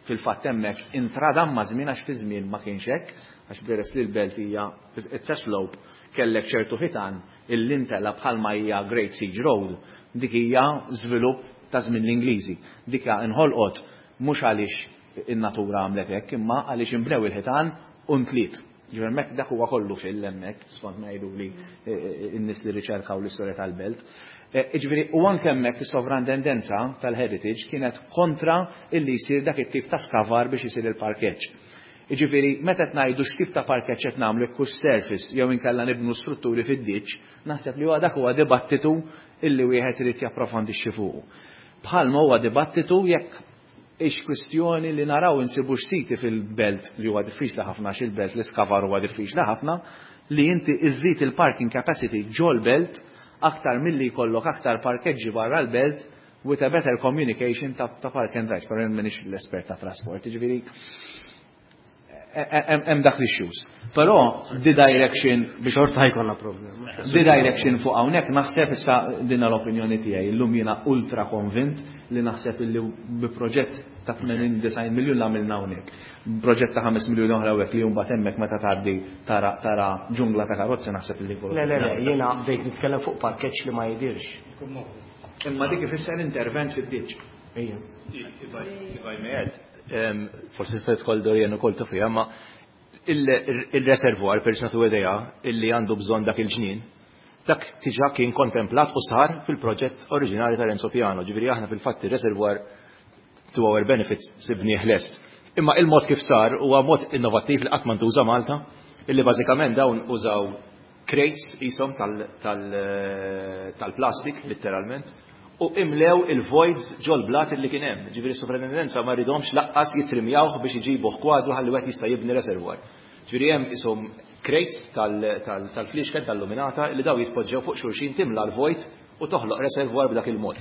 Fil-fatt hemmhekk intradam ma' żmien għax fi żmien ma kienx hekk, għax peress li l-belt hija it's a slope, kellek ċertu ħitan illi intela bħalma hija Great Siege Road. Dik hija żvilupp ta' żmien l-Ingliżi. Dika inħolqot mhux għaliex in-natura għamlet hekk, imma għaliex imbnew il-ħitan u ntliet. Ġifieri hemmhekk dak huwa kollu fil hemmhekk skont ma jgħidu li n-nies li riċerkaw l-istorja tal-belt. Ġifieri u anke hemmhekk is-sovrantendenza tal-heritage kienet kontra illi jsir dak it-tip ta' skavar biex isir il-parkeġġ. Jiġifieri meta qed ngħidu x'tip ta' parkeġġ qed nagħmlu jekk hux surface jew inkella nibnu strutturi fid-ditch, naħseb li huwa dak huwa dibattitu illi wieħed irid japprofondixxi fuqu. Bħalma huwa dibattitu jekk ix kwistjoni li naraw insibux siti fil-belt li huwa diffiċli ħafna għax il-belt l-iskavar huwa diffiċli ħafna li inti iżżid il-parking capacity ġol-belt aktar milli jkollok aktar parkeġġi barra l-belt with a better communication ta', ta park and rides, però m'iniex l-espert ta' trasport, jiġifieri hemm dak l-issues. Però the direction biex xorta ħajkollna problema. The direction fuq hawnhekk naħseb issa din l-opinjoni tiegħi. Illum jiena ultra konvint li naħseb illi bi proġett ta' tmenin disgħin miljun l għamilna hawnhekk. Proġett ta' ħames miljun oħra hawnhekk li mbagħad hemmhekk meta tgħaddi tara tara ġungla ta' karozzi naħseb illi Le le le, jiena bdejt nitkellem fuq parkeġġ li ma jidirx. Imma dik ifisser intervent fid-ditch. Ejja. If I may add, forsi tista' tidħol Dorian ukoll ta' fiha, ma il-reservoir per nagħtu idea illi għandu bżonn dak il-ġnien, dak diġà kien kontemplat u sar fil-proġett oriġinali ta' Renzo Piano, ġifieri aħna fil-fatt il-reservoir to our benefit sibnieh lest. Imma il-mod kif sar huwa mod innovattiv li qatt ma ntuża Malta, illi bażikament dawn użaw crates ishom tal-plastik, letteralment, u imlew il-voids ġol-blat illi kien hemm. Ġifieri s-sovrintendenza ma ridhomx laqqas jitrimjawh biex iġibuh kwadru ħalli wieħed jista' jibni reservoir. Ġifieri hemm ishom crates tal-flixken tal-luminata li daw jitpoġġew fuq xulxin timla l-vojt u toħloq reservoir b'dak il-mod.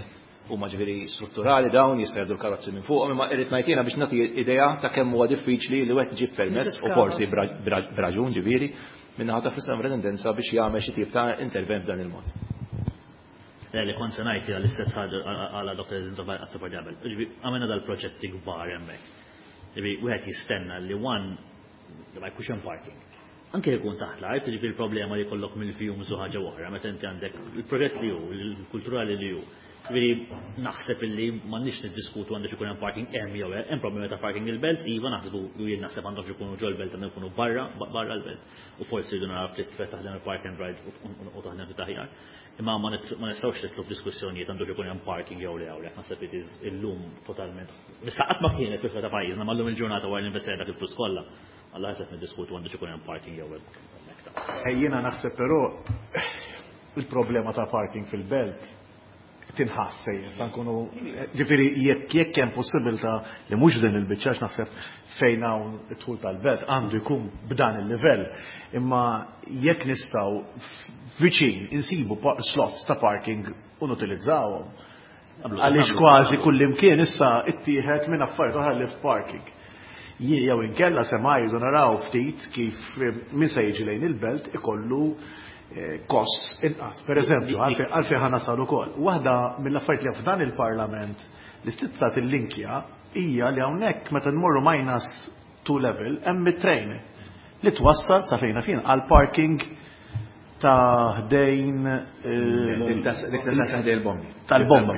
Huma ġifieri strutturali dawn jista' jgħaddu l-karozzi minn fuqhom, imma irrid ngħid jiena biex nagħti idea ta' kemm huwa diffiċli li wieħed iġib permess u forsi b'raġun ġifieri min-naħa ta' sovrintendenza biex jagħmel xi tip ta' intervent f'dan il-mod. Le, li kont se ngħid hija l-istess ħaġa għala Doktor Azzopardi qabel. Ġifieri għamilna dal-proġetti kbar hemmhekk. Ġifieri wieħed jistenna li one li ma jkunx hemm parking. Anke jkun taħt l-art, ġifieri il-problema li jkollok mill-fumes u ħaġa oħra, meta inti għandek il-proġett li hu, il-kulturali li hu. Ġifieri naħseb illi m'għandniex niddiskutu għandux ikun hemm parking hemm jew hemm problemi ta' parking il-belt, iva naħsbu u jien naħseb għandhom ikunu ġol-belt għandhom ikunu barra barra l-belt. U forsi jridu naraw ftit kif taħdem il-park and ride u taħdem ftit aħjar. Imma ma nistgħux nidħlu f'diskussjonijiet għandux ikun hemm parking jew le hawnhekk, naħseb it is illum totalment. Issa qatt ma kienet fil ta' pajjiżna, ma llum il-ġurnata wara l-investejna dak il-flus kollha. Alla ħaseb niddiskutu għandux ikun hemm parking jew hekk. Jiena naħseb però il-problema ta' parking fil-belt tinħass sejjer, sa nkunu ġifieri jekk jekk hemm possibilità li mhux din il-biċċa naħseb fejn hawn id-dħul tal-belt għandu jkun b'dan il-livell. Imma jekk nistgħu viċin insibu slots ta' parking u nutilizzawhom. Għaliex kważi kullimkien issa ittieħed minn affarijiet oħra li f'parking. Jew inkella se ma jridu naraw ftit kif min se jiġi lejn il-belt ikollu kost inqas. Per eżempju, għalfejn ħa nasal ukoll. Waħda mill-affarijiet li f'dan il-Parlament li stizza tillinkja hija li hawnhekk meta nmorru minus two level hemm it-train li twassal sa fejna fin għal parking ta' ħdejn Dik ta' ħdejn il-bombi. Tal-bombi.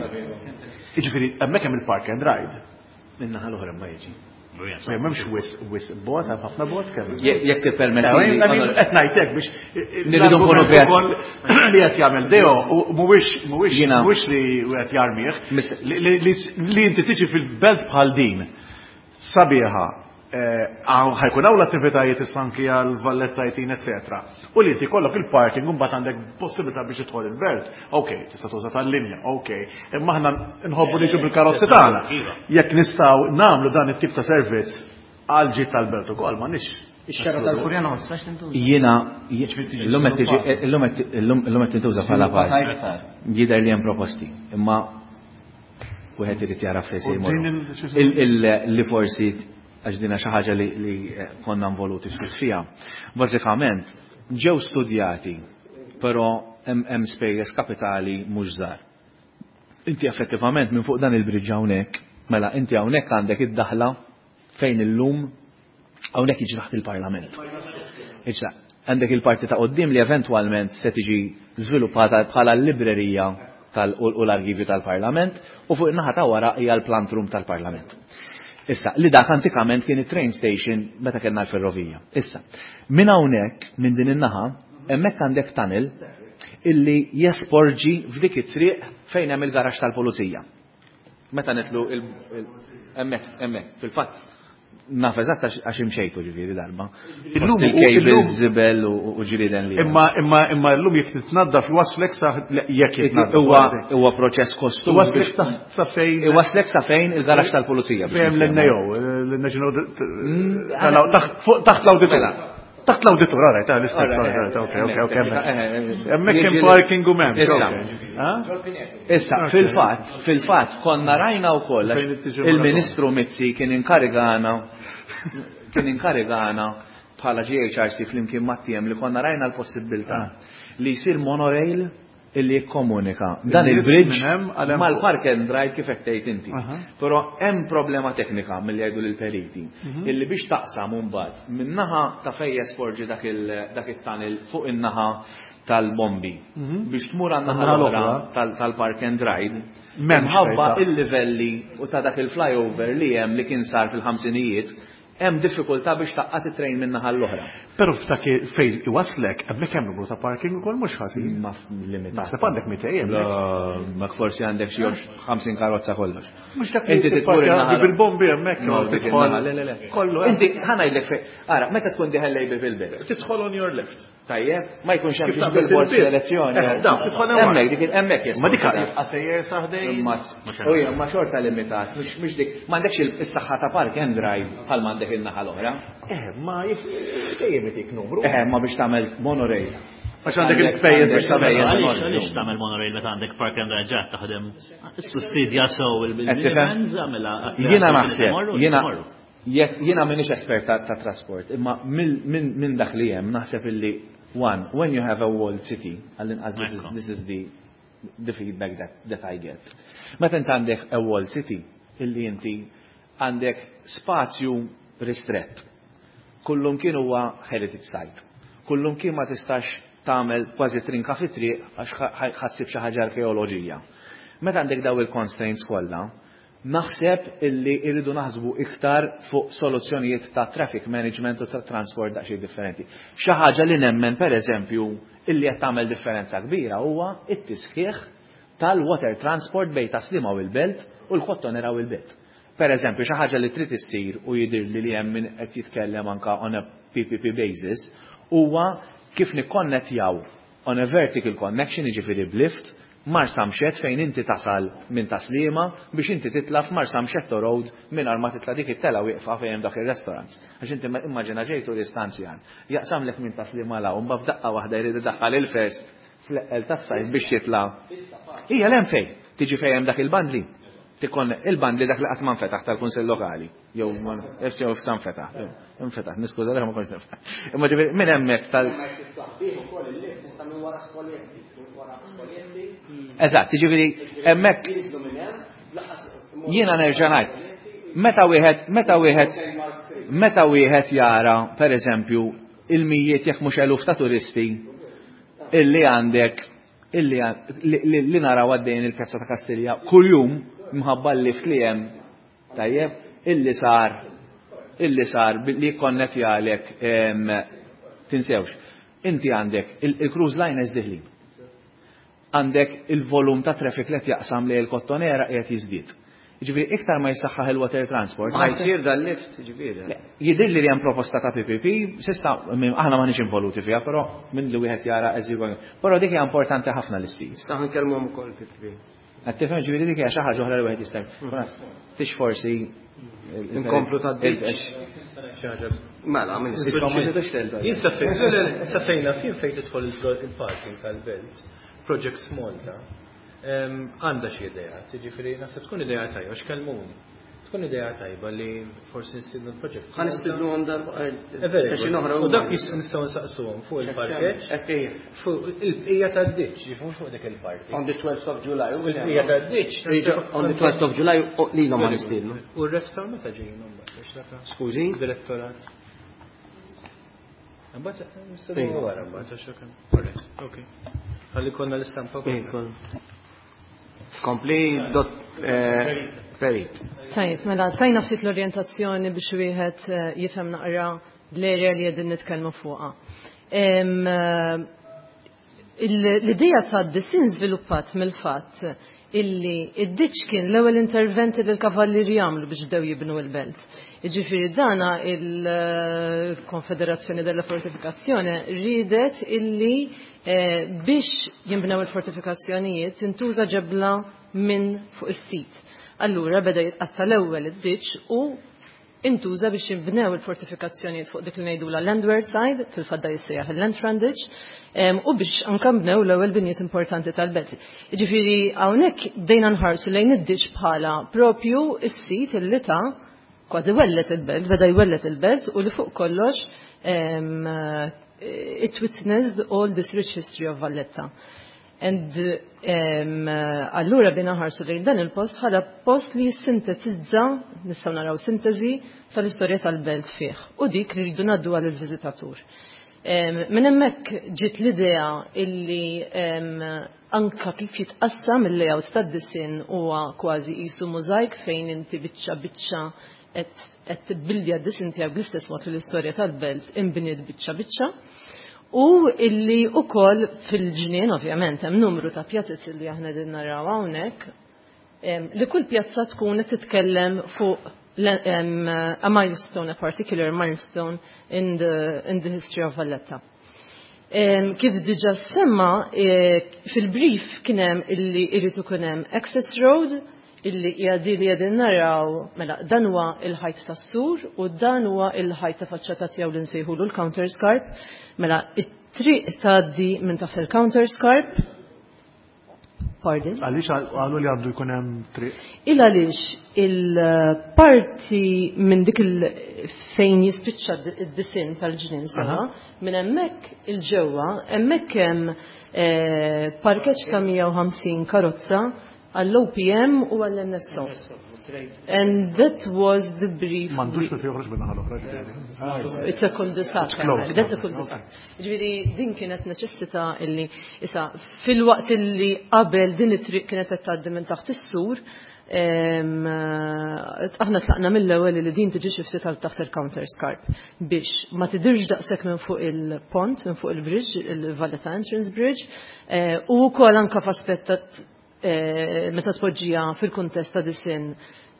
Jiġifieri hemmhekk hemm il-park and ride. Min-naħa l-oħra ma jiġi. M'hemmx wisq wisq bot, hemm ħafna bot kemm. Jekk tippermetti. Qed ngħidlek biex Nirridu nkunu kreattivi. Li qed jagħmel Deo mhuwiex mhuwiex mhuwiex li qed jarmih. Li inti tiġi fil-belt bħal din sabiħa ħajkun hawn l-attivitajiet issa anki għal Valletta Eighteen, eċetera. U li inti kollok il-parking u mbagħad għandek possibilità biex tidħol il-belt. Ok, tista' tuża tal-linja, ok. Imma aħna nħobbu niġu bil-karozzi tagħna. Jekk nistgħu nagħmlu dan it-tip ta' servizz għal ġid tal-belt ukoll m'għandniex. Ix-xara tal-Furjana ma tistax tintuża. Jiena illum qed tiġi illum illum qed tintuża bħala park. Jidher li hemm proposti, imma wieħed irid jara fejn se jmorru. Li forsi għax dina xi ħaġa li, li konna involuti ftit fiha. Bażikament ġew studjati, però hemm spejjeż kapitali mhux żgħar. Inti effettivament minn fuq dan il-bridge hawnhekk, mela inti hawnhekk għandek id-daħla fejn illum hawnhekk jiġi taħt il-Parlament. Iġa, għandek il-parti ta' qoddim li eventwalment se tiġi żviluppata bħala l-librerija tal u l-arkivju tal-Parlament u fuq in-naħa ta' wara hija l-plant room tal-Parlament. Issa, li dak antikament kien it-train station meta kellna l-ferrovija. Issa, minn hawnhekk, minn din in-naħa, hemmhekk għandek tunnel illi jesporġi f'dik it-triq fejn hemm il-garaxx tal-pulizija. Meta nitlu hemmhekk, hemmhekk, fil-fatt naf eżatt għax imxejtu ġifieri darba. Illum il-cables żibel u ġrieden li. Imma imma imma llum jekk titnaddaf iwasslek sa jekk jitnaddaf. Huwa huwa proċess kostuż. Iwasslek sa fejn. Iwasslek sa fejn il-garaxx tal-pulizija. Fejn l-N A O, l-National taħt l-awditur. Taħt l-awditur, alright, l-istess, ok, ok, ok. Hemmhekk hemm parking u m'hemm. Issa, fil-fatt, fil-fatt konna rajna wkoll il-Ministru Mizzi kien inkarigana kien inkarigana bħala G H R C flimkien mat-T M li konna rajna l-possibilità li jsir monorail illi jikkomunika dan il-bridge mal-park and ride kif qed tgħid inti. Però hemm problema teknika milli jgħidu lill-periti illi biex taqsam mbagħad min-naħa ta' fejn jesporġi dak it-tunnel fuq in-naħa tal-bombi biex tmur għan-naħa l-oħra tal-park and ride. Minħabba il-livelli u ta' dak il-flyover li hemm li kien sar fil-ħamsinijiet, hemm diffikultà biex tgħaqqad it-train minn naħa l-oħra. Però f'dak fejn iwaslek, hemmhekk hemm numru ta' parking ukoll mhux ħażin. Ma limitat. Naħseb għandek mitejn. Ma forsi għandek xi ħamsin karozza kollox. Mhux dak inti tidħol bil-bombi hemmhekk tidħol. Le, le, le. Kollu. Inti ħa ngħidlek fejn. Ara, meta tkun dieħel lejbi fil-belt. Tidħol on your left. Tajjeb, ma jkunx hemm billboards fl-elezzjoni. Hemmhekk dik hemmhekk. Ma dik jibqa' sejjer saħdejn. Ma xorta limitat, mhux dik, m'għandekx is-saħħa ta' park and drive bħal m'għandek in-naħa l-oħra. Eh, ma dejjem itik numru. Eh, ma biex tagħmel monorail. Għax għandek il-spejjeż biex tagħmel. Għaliex tagħmel monorail meta għandek park and ride ġat taħdem sussidja sew il-vans? Jiena naħseb, jiena jiena m'iniex espert ta' trasport, imma minn dak li hemm naħseb illi one, when you have a walled city, għall-inqas this is, this is the the feedback that, that I get. Meta inti għandek a walled city, illi inti għandek spazju ristrett. Kullum kien huwa heritage site. Kullum kien ma tistax tagħmel kważi trinka fit-triq għax ħa ssib xi ħaġa arkeoloġija. Meta għandek daw il-constraints kollha, naħseb illi irridu naħsbu iktar fuq soluzzjonijiet ta' traffic management u ta' transport daqsxejn differenti. Xi ħaġa li nemmen, per eżempju, illi qed tagħmel differenza kbira huwa it-tisħiħ tal-water transport bejn Tas-Sliema u l-Belt u l-Kottonera u l-Belt. Per eżempju, xi ħaġa li trid issir u jidir li li hemm min qed jitkellem anka on a P P P basis huwa kif nikkonnettjaw on a vertical connection, jiġifieri b'lift, Marsamxett, fejn inti tasal minn Tas-Sliema biex inti titla f'Marsamxetto Road minn ma titla dik it-tela wieqfa fejn hemm dak ir-restaurant. Għax inti immaġina ġej turist anzjan, jaqsamlek minn Tas-Sliema la u mbagħad f'daqqa waħda jrid idaħħal il-first fl-eqqel tas-sajf biex jitla'. Hija l fejn tiġi fejn hemm dak il-bandli. Tikon il-bandli dak li qatt ma nfetaħ tal-Kunsill Lokali. Jew F C jew sa nfetaħ. Nfetaħ, niskuża ma kontx niftaħ. Imma ġifieri minn hemmhekk tal Eżatt, ġifieri hemmhekk jiena nerġa' ngħid. Meta wieħed, meta wieħed, meta wieħed jara, per eżempju, il-mijiet jekk mhux eluf ta' turisti illi għandek illi li naraw għaddejn il-Pjazza ta' Kastilja kuljum mħabba l-lift li hemm, tajjeb, illi sar illi sar li jikkonnettjalek, tinsewx inti għandek il-cruise liners diħlin, għandek il-volum ta' traffic li jaqsam li l-Kottonera qiegħed jiżdied. Ġifieri iktar ma jisaħħaħ il-water transport. Ma jsir dal-lift, ġifieri. Jidhirli li hemm proposta ta' P P P, s'issa aħna m'aħniex involuti fiha, però minn li wieħed jara as you go. Però dik hija importanti ħafna li ssir. Issa nkellmuhom ukoll P P P. Qed tifhem, ġifieri dik hija xi ħaġa oħra li wieħed jista'. Tix forsi Inkomplu ta' Mela, minn Jien safejna fin fejn tidħol il-parking tal-Belt, Projects Malta, għandha xi idea, jiġifieri naħseb tkun idea tajba, x'kellmuni. Tkun idea tajba li forsi nistiednu l-project. Ħa nistidnuhom darba session oħra. U dak nistgħu nsaqsuhom fuq il-parkeġġ, fuq il-bqija tad-ditch, mhux fuq dik il-parti. On the twelfth of July. Il-bqija tad-ditch. On the twelfth of July lilhom ma nistiednu. U r-restaur meta ġejjin mbagħad? Skużi? Direttorat. Mbagħad nistgħu wara mbagħad għax Ok. Ħalli konna l-istampa. Kompli dot Perit. Tajjeb, mela, tajna ftit l-orjentazzjoni biex wieħed eh, jifhem naqra l-area li qegħdin nitkellmu fuqha. Em, eh, il- L-idea ta' disin żviluppat mill-fatt illi id-ditch kien l-ewwel interventi li l-kavallieri jagħmlu biex bdew jibnu l-belt. Jiġifieri dana il-Konfederazzjoni della Fortifikazzjoni ridet illi eh, biex jinbnew il-fortifikazzjonijiet tintuża ġebla minn fuq is-sit. Allura beda jitqatta l-ewwel id-ditch u intuża biex jinbnew il-fortifikazzjonijiet fuq dik li ngħidula landward side, fil-fatt jissejjaħ il-land frontage, em, u biex anke nbnew l-ewwel binjiet importanti tal-belt. Jiġifieri hawnhekk bdejna nħarsu lejn id-ditch bħala propju is-sit illi ta' kważi wellet il-belt, beda jwellet il-belt u li fuq kollox em, it witnessed all this rich history of Valletta. And um, allura bdejna nħarsu lejn dan il-post bħala post li jissintetizza, nistgħu naraw sintesi tal-istorja tal-belt fih u dik li rridu ngħaddu għal il-viżitatur. Um, Minn hemmhekk ġiet l-idea illi um, anka kif jitqassam il-layout tad-disin huwa kważi qisu mużajk fejn inti biċċa biċċa qed tibbildja d-disin tiegħek bl-istess mod li l-istorja tal-belt inbniet biċċa biċċa. U illi ukoll fil-ġnien, ovvjament, hemm numru ta' pjazez li aħna din naraw hawnhekk, em, li kull pjazza tkun qed titkellem fuq le- em, a milestone, a particular milestone in the, in the history of Valletta. Em, Kif diġa semma, eh, fil-brief kien hemm illi irid ikun hemm access road, illi hija di li qegħdin naraw, mela dan huwa il-ħajt tas-sur u dan huwa il-ħajt ta' faċċata tiegħu li nsejħulu l-counter scarp. Mela it-triq tgħaddi minn taħt il-counter scarp. Pardon? Għaliex qalu li għandu jkun hemm triq. Il għaliex il-parti minn dik il fejn jispiċċa id-disin tal-ġnien sewwa, minn hemmhekk il-ġewwa, hemmhekk hemm eh, parkeġġ ta' mija u ħamsin karozza għall-O P M u għall-N S O. And that was the brief. M'għandux kif joħroġ minn naħa l-oħra, ġifieri. It's a cul-de-sac. It's closed. That's a cul-de-sac. Ġifieri din kienet neċessità illi issa fil-waqt illi qabel din it-triq kienet qed tgħaddi minn taħt is-sur, em, eh, aħna tlaqna mill-ewwel li din tiġi xi ftit għal taħt il-counter scarp biex ma tidirx daqshekk minn fuq il-pont, minn fuq il-bridge, il-Valletta Entrance Bridge, eh, u wkoll anke f'aspett ta' eh, meta tpoġġija fil-kuntest ta' disin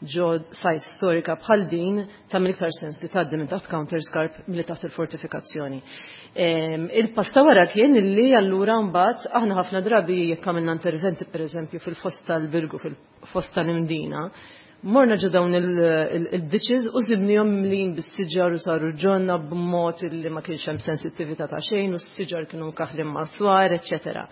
ġo site storika bħal din, tagħmel iktar sens li tgħaddi minn taħt counter scarp milli taħt il-fortifikazzjoni. Em, Il-pass ta' wara kien illi allura mbagħad aħna ħafna drabi jekk għamilna interventi, pereżempju fil-foss tal-Birgu, fil-foss tal-Imdina, morna ġo dawn il-ditches u sibnihom mlin bis-siġar u saru ġonna b'mod illi ma kienx hemm sensittività ta' xejn u s-siġar kienu mkaħlin ma' swar, eċċetera.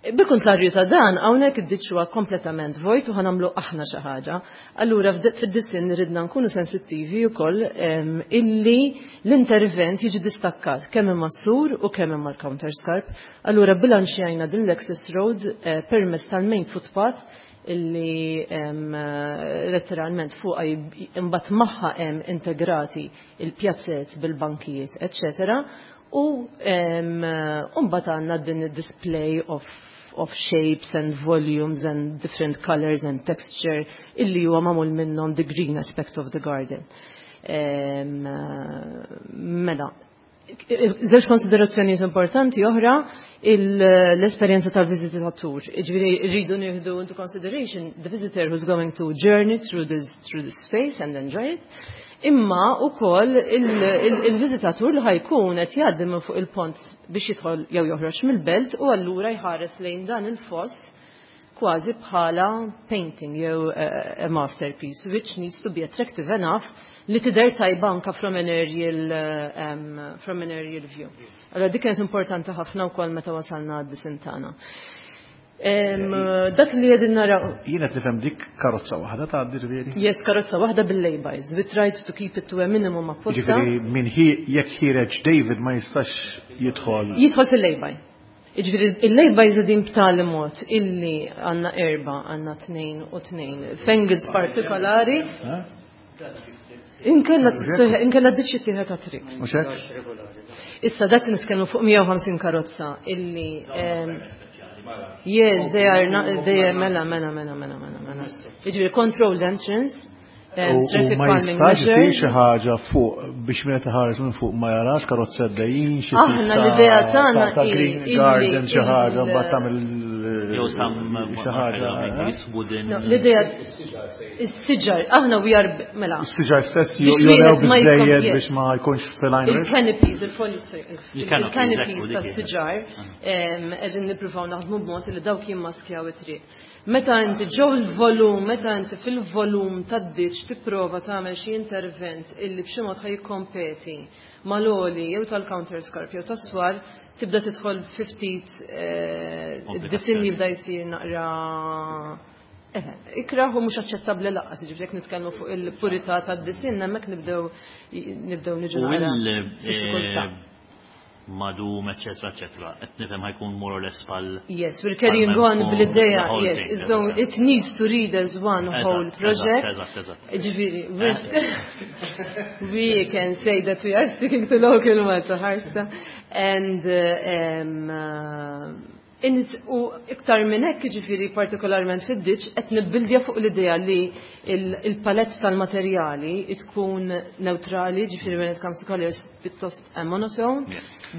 Bil-kontrarju ta' dan, hawnhekk id-ditch huwa kompletament vojt u ħa nagħmlu aħna xi ħaġa. Allura fid-disin ridna nkunu sensittivi wkoll em, illi l-intervent jiġi distakkat kemm imma sur u kemm imma l-counter scarp. Allura bilanċjajna din l-access road eh, permezz tal-main footpath illi em, eh, letteralment fuqha imbagħad magħha hemm integrati il-pjazzet bil-bankijiet, eċċetera. U em, mbagħad għandna din id-display of of shapes and volumes and different colors and texture illi huwa magħmul minnhom the green aspect of the garden. Em, Mela, żewġ konsiderazzjonijiet importanti oħra, l-esperjenza tal-viżitatur. Ġifieri rridu nieħdu into consideration the visitor who's going to journey through this, through this space and enjoy it. Imma ukoll il-viżitatur li ħa jkun qed jgħaddi minn fuq il-pont biex jidħol jew joħroġ mill-belt u allura jħares lejn dan il-foss kważi bħala painting jew a masterpiece which needs to be attractive enough li tidher tajba anka from an aerial, um, from an aerial view. Allora dik kienet importanti ħafna wkoll meta wasalna għad-disin tagħna. Em, Dak li qegħdin naraw. Jiena qed nifhem dik karozza waħda tgħaddi, ġifieri. Yes, karozza waħda bil-laybys. We tried to keep it to a minimum apposta. Ġifieri min hi jekk ħiereġ David ma jistax jidħol. Jidħol fil-layby. Ġifieri il-laybys qegħdin b'tali mod illi għandna erba, għandna tnejn u tnejn. F'angles partikolari. Inkella inkella ditch tieħed ta' triq. Mhux hekk? Issa dak nitkellmu fuq mija u ħamsin karozza illi em, Yes, they are not, they are, mela, mela, mela, mela, mela, mela. Jiġifieri controlled entrance, um, U u traffic ma calming jistax isir measures. xi ħaġa fuq biex meta ħares minn fuq ma jarax karozzi għaddejjin xi tip Aħna ta' l-idea tagħna ta'- ta' hi green illi garden xi ħaġa il- mbagħad tagħmel Jew sam xi ħaġa. eh? wooden. No, l-idea is-siġar, aħna we are mela. Is-siġar stess Biex jurew wieħed ma jkun- biżejjed yes. biex ma jkunx fil-line risk. Il-canopies, il-foliage, sorry, Il-canopies, il-canopies ekku, dik tas-siġar qegħdin nippruvaw naħdmu b'mod li dawk jimmaskjaw it-triq. Meta inti ġew il-volum, meta inti fil-volum tad-ditch tipprova tagħmel xi intervent illi b'xi mod ħa jikkompeti mal-għoli jew tal-counterscarp jew tas-swar, tibda tidħol fi ftit eh, id-disinn jibda jsir naqra Eħe, ikraħ u mhux aċċettabbli lanqas, jiġifieri jekk nitkellmu fuq il-purità tad-disinn hemmhekk nibdew nibdew niġu U naqra il f'diffikultà. madum, eccetera, eccetera. Qed nifhem ħa jkun more or less pal. Yes, we're carrying on bl-idea, the whole yes, thing, it's going, it needs to read as one whole Eżatt, project. Eżatt, eżatt. Ġifieri, we're we can say that we are sticking to local Malta Harsta and uh, um, uh, in it, u iktar minn hekk ġifieri partikolarment fid-ditch qed nibbildja fuq l-idea li il- il-palette tal-materjali tkun neutrali, ġifieri when it comes to colors pjuttost a monotone.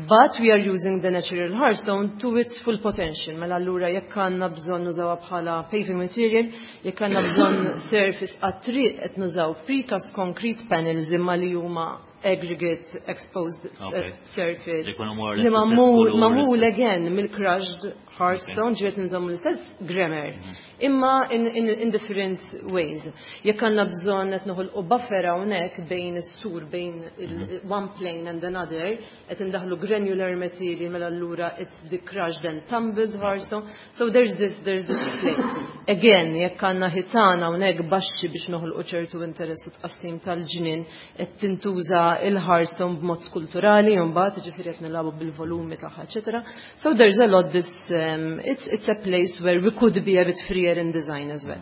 But we are using the natural hardstone to its full potential. Mela allura jekk għandna bżonn nużawha bħala paving material, jekk għandna bżonn surface għat-triq qed nużaw precast concrete panels imma li huma aggregate exposed uh, Okay. surface. Li jkunu more or less Li l-istess magħmul kulur, magħmul l-istess- again mill-crushed hardstone, ġiet nżommu l-istess grammar. Imma in, in, in different ways. Jekk għandna bżonn qed noħolqu buffer hawnhekk bejn is-sur bejn il- one plane and another, qed indaħlu granular material mela allura it's the crushed and tumbled hardstone. So there's this there's this play. Again, jekk għandna ħitan hawnhekk baxxi biex noħolqu ċertu interess u tqassim tal-ġnien qed tintuża il-hardstone b'mod skulturali u mbagħad jiġifieri qed nilagħbu bil-volumi tagħha, eċetera. So there's a lot this um, it's it's a place where we could be a bit freer in design as well.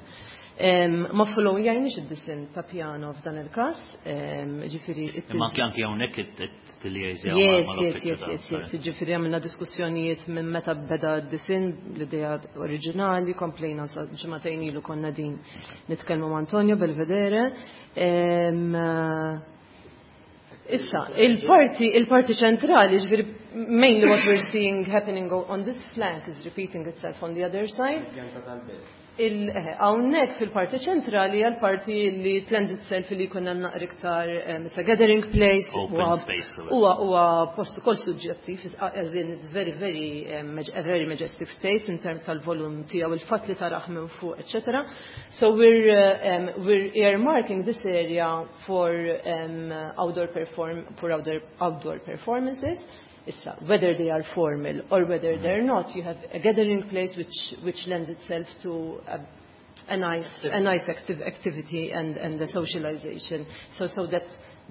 Um, ma follow jajniex id-disinn ta' piano f'dan il-każ, um, ġifieri it Imma is- anke anke hawnhekk it-tiljeżja Yes, yes, yes, yes, yes. Ġifieri għamilna diskussjonijiet minn meta beda d-disinn, l-idea oriġinali, komplejna sa ġimagħtejn ilu konna din nitkellmu ma' Antonio Belvedere. Em, Issa, il-parti il-parti ċentrali, ġifieri mainly what we're seeing happening on this flank is repeating itself on the other side. Il- eh, Hawnhekk fil-parti ċentrali hija l-parti li lends itself li jkun hemm naqra iktar um, it's a gathering place. Open huwa- space to it. Huwa huwa post ukoll suġġettiv, as in it's very very um, maj- a very majestic space in terms tal-volum tiegħu, il-fatt li taraħ minn fuq, etc. So we're uh, um, we're earmarking this area for um, outdoor perform for outdoor outdoor performances. Issa, whether they are formal or whether they're not, you have a gathering place which, which lends itself to a, a nice, a nice active activity and, and the socialization. So, so that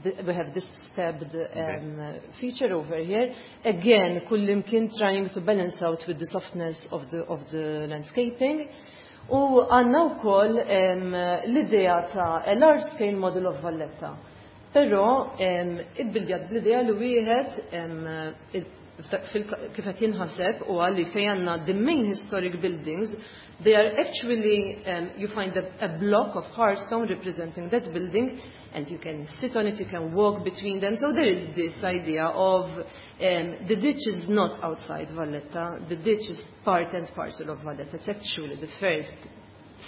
the, we have this stepped um, feature over here. Again, kullimkien trying to balance out with the softness of the, of the landscaping. U għandna wkoll um, l-idea ta' a large scale model of Valletta. Però um, ibbildjat bl-idea li wieħed um, il- fil- kif qed jinħaseb u għalli fejn għandna the main historic buildings, they are actually, um, you find a, a block of hardstone representing that building, and you can sit on it, you can walk between them. So there is this idea of um, the ditch is not outside Valletta, the ditch is part and parcel of Valletta. It's actually the first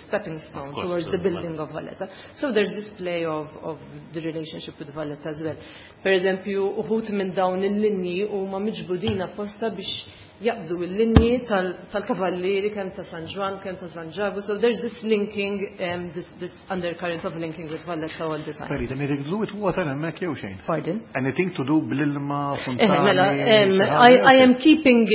stepping stone Of course, towards the to building of Valletta. So there's this play of, of the relationship with Valletta as well. Per eżempju, uħud minn dawn il-linji huma miġbudin apposta biex jaqbdu il-linji tal- tal-kavallieri kemm ta' San Ġwann, kemm ta' San Ġagu. So there's this linking, um, this, this undercurrent of linking with Valletta all the time. Perit, anything to do with water hemmhekk jew xejn? Pardon? Anything to do bl-ilma, Eh, fontani? mela, um, xi I, ħaġa? I am keeping,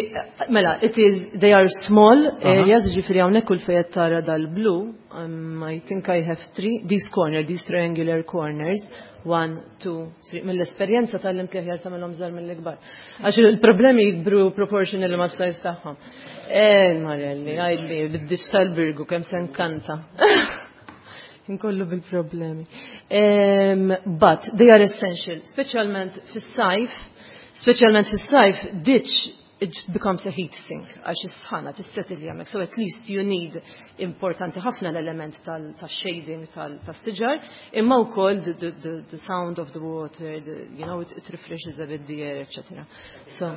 mela, it is, they are small areas, ġifieri hawnhekk kull fejn tara dal-blu, um, I think I have three, these corner, these triangular corners, one, two, three, mill-esperjenza tgħallimt li aħjar tagħmelhom żgħar mill-ikbar. Għax il-problemi jikbru proportionally ma' size tagħhom. Eh, Marelli, għidli, bid-ditch tal-Birgu, kemm se nkanta. Inkollu bil-problemi. Um, but they are essential, speċjalment fis-sajf, speċjalment fis-sajf, ditch it becomes a heat sink għax is-sħana tissetil hemmhekk. So at least you need importanti ħafna l-element tal-shading tas-siġar, imma wkoll the, the, the, the sound of the water, the, you know, it, it refreshes a bit the air, et cetera. So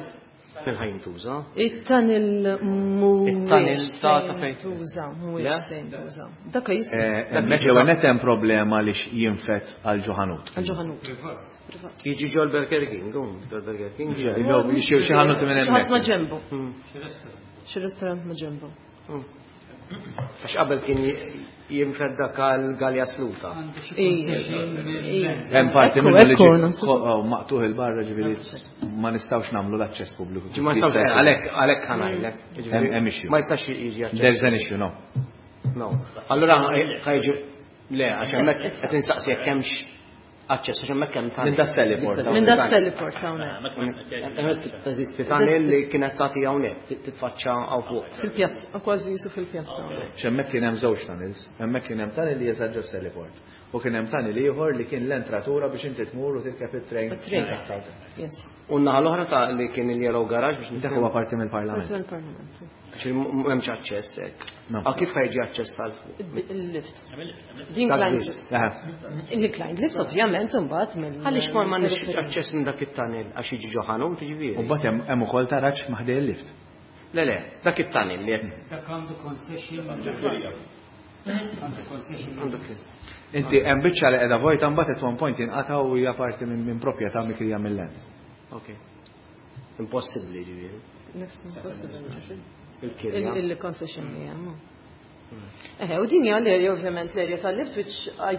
Fejn ħa jintuża? It-tunnel It-tunnel mhuwiex ta' se ta' fejn? jintuża, Le? mhuwiex se jintuża. Dak jista' Hemmhekk l-ewwel nett hemm problema li jinfed għal ġo ħanut. Għal ġo ħanut. Privat. Jiġi ġol Burger King, um, ġol Burger King. Xi xi ħanut minn Xi ħadd ma' hemmhekk. ġembu. Xi restaurant ma' ġembu. Għax qabel kien jinfed dak għal Galja Sluta. Hemm parti Ekku, minnu li ekku, ġi- naħseb. oh, maqtugħ 'il barra, ġifieri ma nistgħux nagħmlu l-aċċess pubbliku. Ġi ma nistgħux, għalhekk għalhekk ħa ngħidlek. Hemm hemm issue. Ma jistax jiġi aċċess. There's an issue, no. No. Allura ħa jiġi, le, għax hemmhekk qed insaqsi jekk hemmx aċċess, għax hemmhekk hemm tunnel. Minn da heliport. Minn da heliport hawnhekk. Hemmhekk teżisti tunnel li kienet tagħti hawnhekk, titfaċċa hawn fuq. Fil-pjazza, kważi jisu fil-pjazza. X'hemmhekk kien hemm żewġ tunnels, hemmhekk kien hemm tunnel li jeżaġġa heliport. U kien hemm tunnel ieħor li kien l-entratura biex inti tmur u tirkeb it-train. It-train. Yes. U n-naħa l-oħra ta' li kien il-Yellow Garage biex Dak huwa parti mill-Parlament. Parti mill-Parlament. Għax m'hemmx aċċess hekk. No. Ah, kif ħa jiġi aċċess għal fuq? Il-lift. Dak L-inclined biss. lift. L-inclined lift ovvjament imbagħad mill. Għaliex ma m'għandniex aċċess minn dak it-tunnel għax jiġi ġo ħanut, jiġifieri? U mbagħad hemm hemm ukoll taraġ ma' ħdej il-lift. Le le, dak it-tunnel li qed Dak għandu concession. Għandu concession. Għandu kif. Inti hemm biċċa li qiegħda vojta, mbagħad at one point jinqata' u hija parti minn minn proprjetà mikrija mill-land. Ok. Impossibbli, ġifieri. Next impossible. Il-kirja. Il-concession li hemm. Eħe, u din hija l-area, ovvjament l-area tal-lift, which I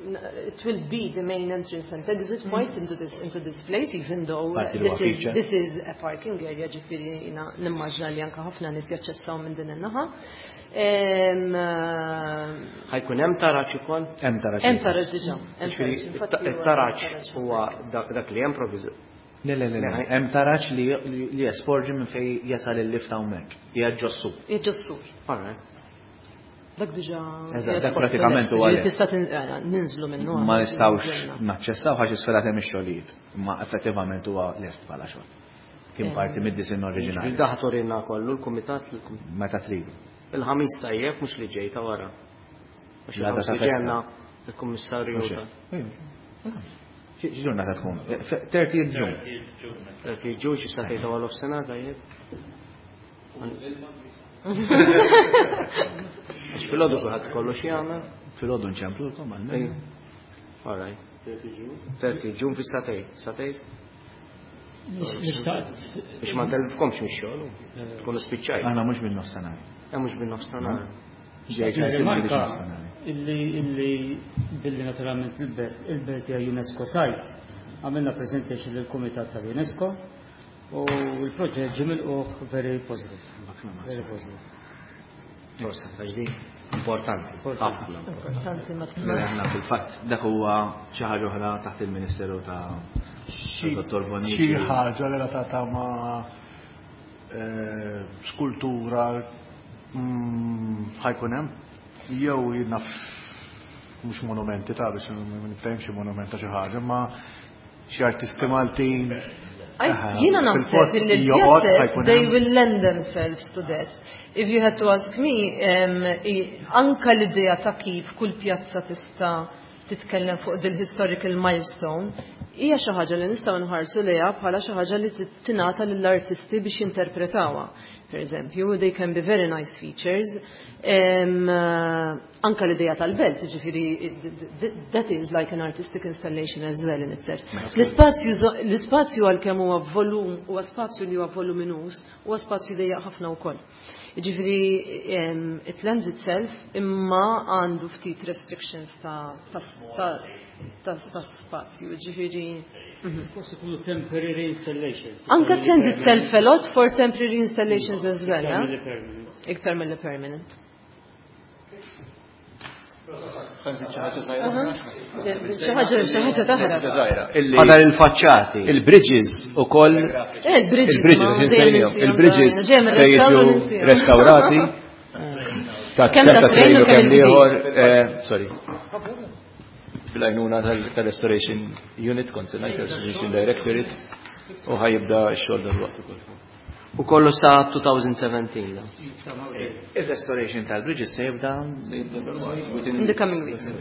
it will be the main entrance and exit point into this into this place, even though Parti li this huwa is feature. this is a parking area, ġifieri jiena nimmaġna li anka ħafna nies jaċċessaw minn din in-naħa. Em, eh, Ħa jkun hemm taraġ ukoll? Hemm taraġ. Hemm taraġ diġà. Hemm Ġifieri taraġ. Infatti huwa it-taraġ taraġ. huwa dak dak li hemm provviżu. Le, le, le, le. Hemm taraġ li li jesporġi minn fejn jasal il-lift hawnhekk. Hija ġos-sur. Hija ġos-sur. All right. Dak diġà. Eżatt, dak pratikament huwa Ġifieri lest. tista' tin- eh, ninżlu minnu. Ma nistgħux naċċessaw għax isfel hemm ix-xogħlijiet, imma effettivament huwa lest bħala xogħol. Kien parti mid-disinn oriġinali. Ġifieri daħ torina kollu l-kumitat Meta tridu. Il-Ħamis tajjeb, mhux li ġej, ta' wara. Għax L-għada il-Ħamis ta' li festa. ġenna il-kummissarju Mhux ta' hekk. Xi xi ġurnata tkun? thirtieth June. thirtieth June xi sagħtejn ta' wara nofsinhar tajjeb. Għax filgħodu kulħadd kollu xi jagħmel. Filgħodu nċemplulkom għal. All right. thirtieth June fi sagħtejn. Sagħtejn? Biex ma ntellifkomx mix-xogħol. Tkunu spiċċajt. Aħna mhux bin-nofsinhar. Eh, mhux bin-nofsinhar. Rimarka illi illi billi naturalment il-belt il-belt hija UNESCO site. Għamilna presentation lill-Kumitat tal-UNESCO u l-proġett ġie milqugħ very positive. Very positive. Forsa għax di importanti. Ħafna. Importanti ma Mela aħna fil-fatt dak huwa xi ħaġa oħra taħt il-Ministeru ta' Dottor Bonnici. Xi ħaġa relatata ma' eh, skultura mm, ħa jkun hemm jew naf mhux monumenti ta' biex ma nifhem xi monument ta' xi ħaġa, ma xi artisti Maltin. I- Jiena naħseb illi l-pjazzet, they will lend themselves to that. If you had to ask me, um, i- anka l-idea ta' kif kull pjazza tista' titkellem fuq dil historical milestone, hija xi ħaġa li nistgħu nħarsu lejha bħala xi ħaġa li tingħata lill-artisti biex jinterpretawha. Per eżempju, they can be very nice features. Um, uh, anka l-idea tal-belt, ġifieri, that is like an artistic installation as well in itself. L-ispazju l-ispazju għalkemm huwa volum, huwa spazju li huwa voluminus, huwa spazju dejjaq ħafna wkoll. Ġifieri, um, it lends itself, imma għandu ftit restrictions ta' ta' ta' ta' ta' spazju, ġifieri. mhm. Forsi ikunu temporary installations. Anka it lends itself a lot for temporary installations as well, Iktar eh? milli permanent. Iktar mill permanent. Xi ħaġa xi ħaġa taħrab. Fadal il-faċċati. Il-bridges u koll. Eh, il-bridges, Il-bridges, ma, insejnihom. dejjem Il-bridges insihom, ġejjem se ir-restawru jiġu ninsihom. restaurati. Ta' Kemm kemm ta' ta' train train u u kemm kemm il-kbir. ieħor. eh, Sorry. Bil-għajnuna tal-Restoration Unit, kont se ngħid, Restoration Directorate, u ħa jibda x-xogħol dal-waqt ukoll. U kollu sa twenty seventeen. Il-restoration tal-bridges se jibda In the coming weeks.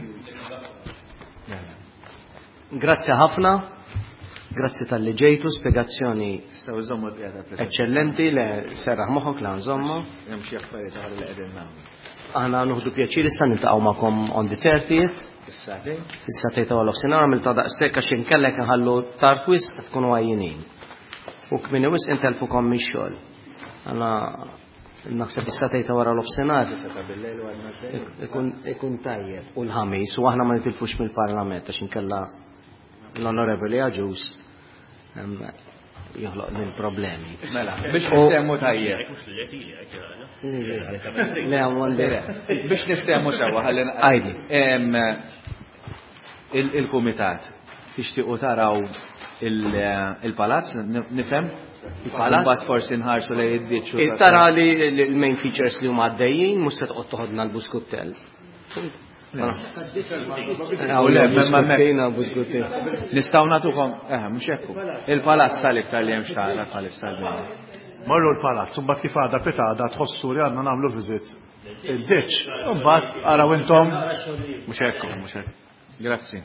Grazzi ħafna. Grazzi talli ġejtu, spiegazzjoni Nistgħu nżommu l-pjata preżenti. Eccellenti, le serraħ moħħok la nżommu. Hemm xi affarijiet oħra li qegħdin nagħmlu. Aħna nieħdu pjaċir issa niltaqgħu magħkom on the thirtieth. Is-sagħtejn? Issa tgħid għal nofsinhar għamilta daqshekk għax inkellek nħallu tard wisq tkunu għajjinin. U kmieni wisq intelfukom mix-xogħol. Għana naħseb issa tgħid wara l-nofsinhar ikun ikun tajjeb u l-Ħamis u aħna ma nitilfux mill-Parlament għax inkella l-Onorevoli Agius em, joħloq din problemi. Mela, biex niftehmu tajjeb. Le, għandi. Biex niftehmu sewwa ħalli Għajdi. Em, il- Il-kumitat tixtiequ taraw il- il-palazz, nifhem? Il-palazz? Mbagħad forsi nħarsu lejn id-ditch. Tara li l-main features li huma għaddejjin mhux se toqgħod toħodna l-Buskutell. Le, ma- ma- Buskuttin. Nistgħu nagħtukom, eh, mhux hekk. Il-palazz tal-iktar li hemm xtara bħalissa l-bini. Morru l-palazz, u mbagħad kif għada pitgħada tħossu li għandna nagħmlu visit il-ditch. U mbagħad araw intom Mhux hekk, mhux hekk. Grazzi.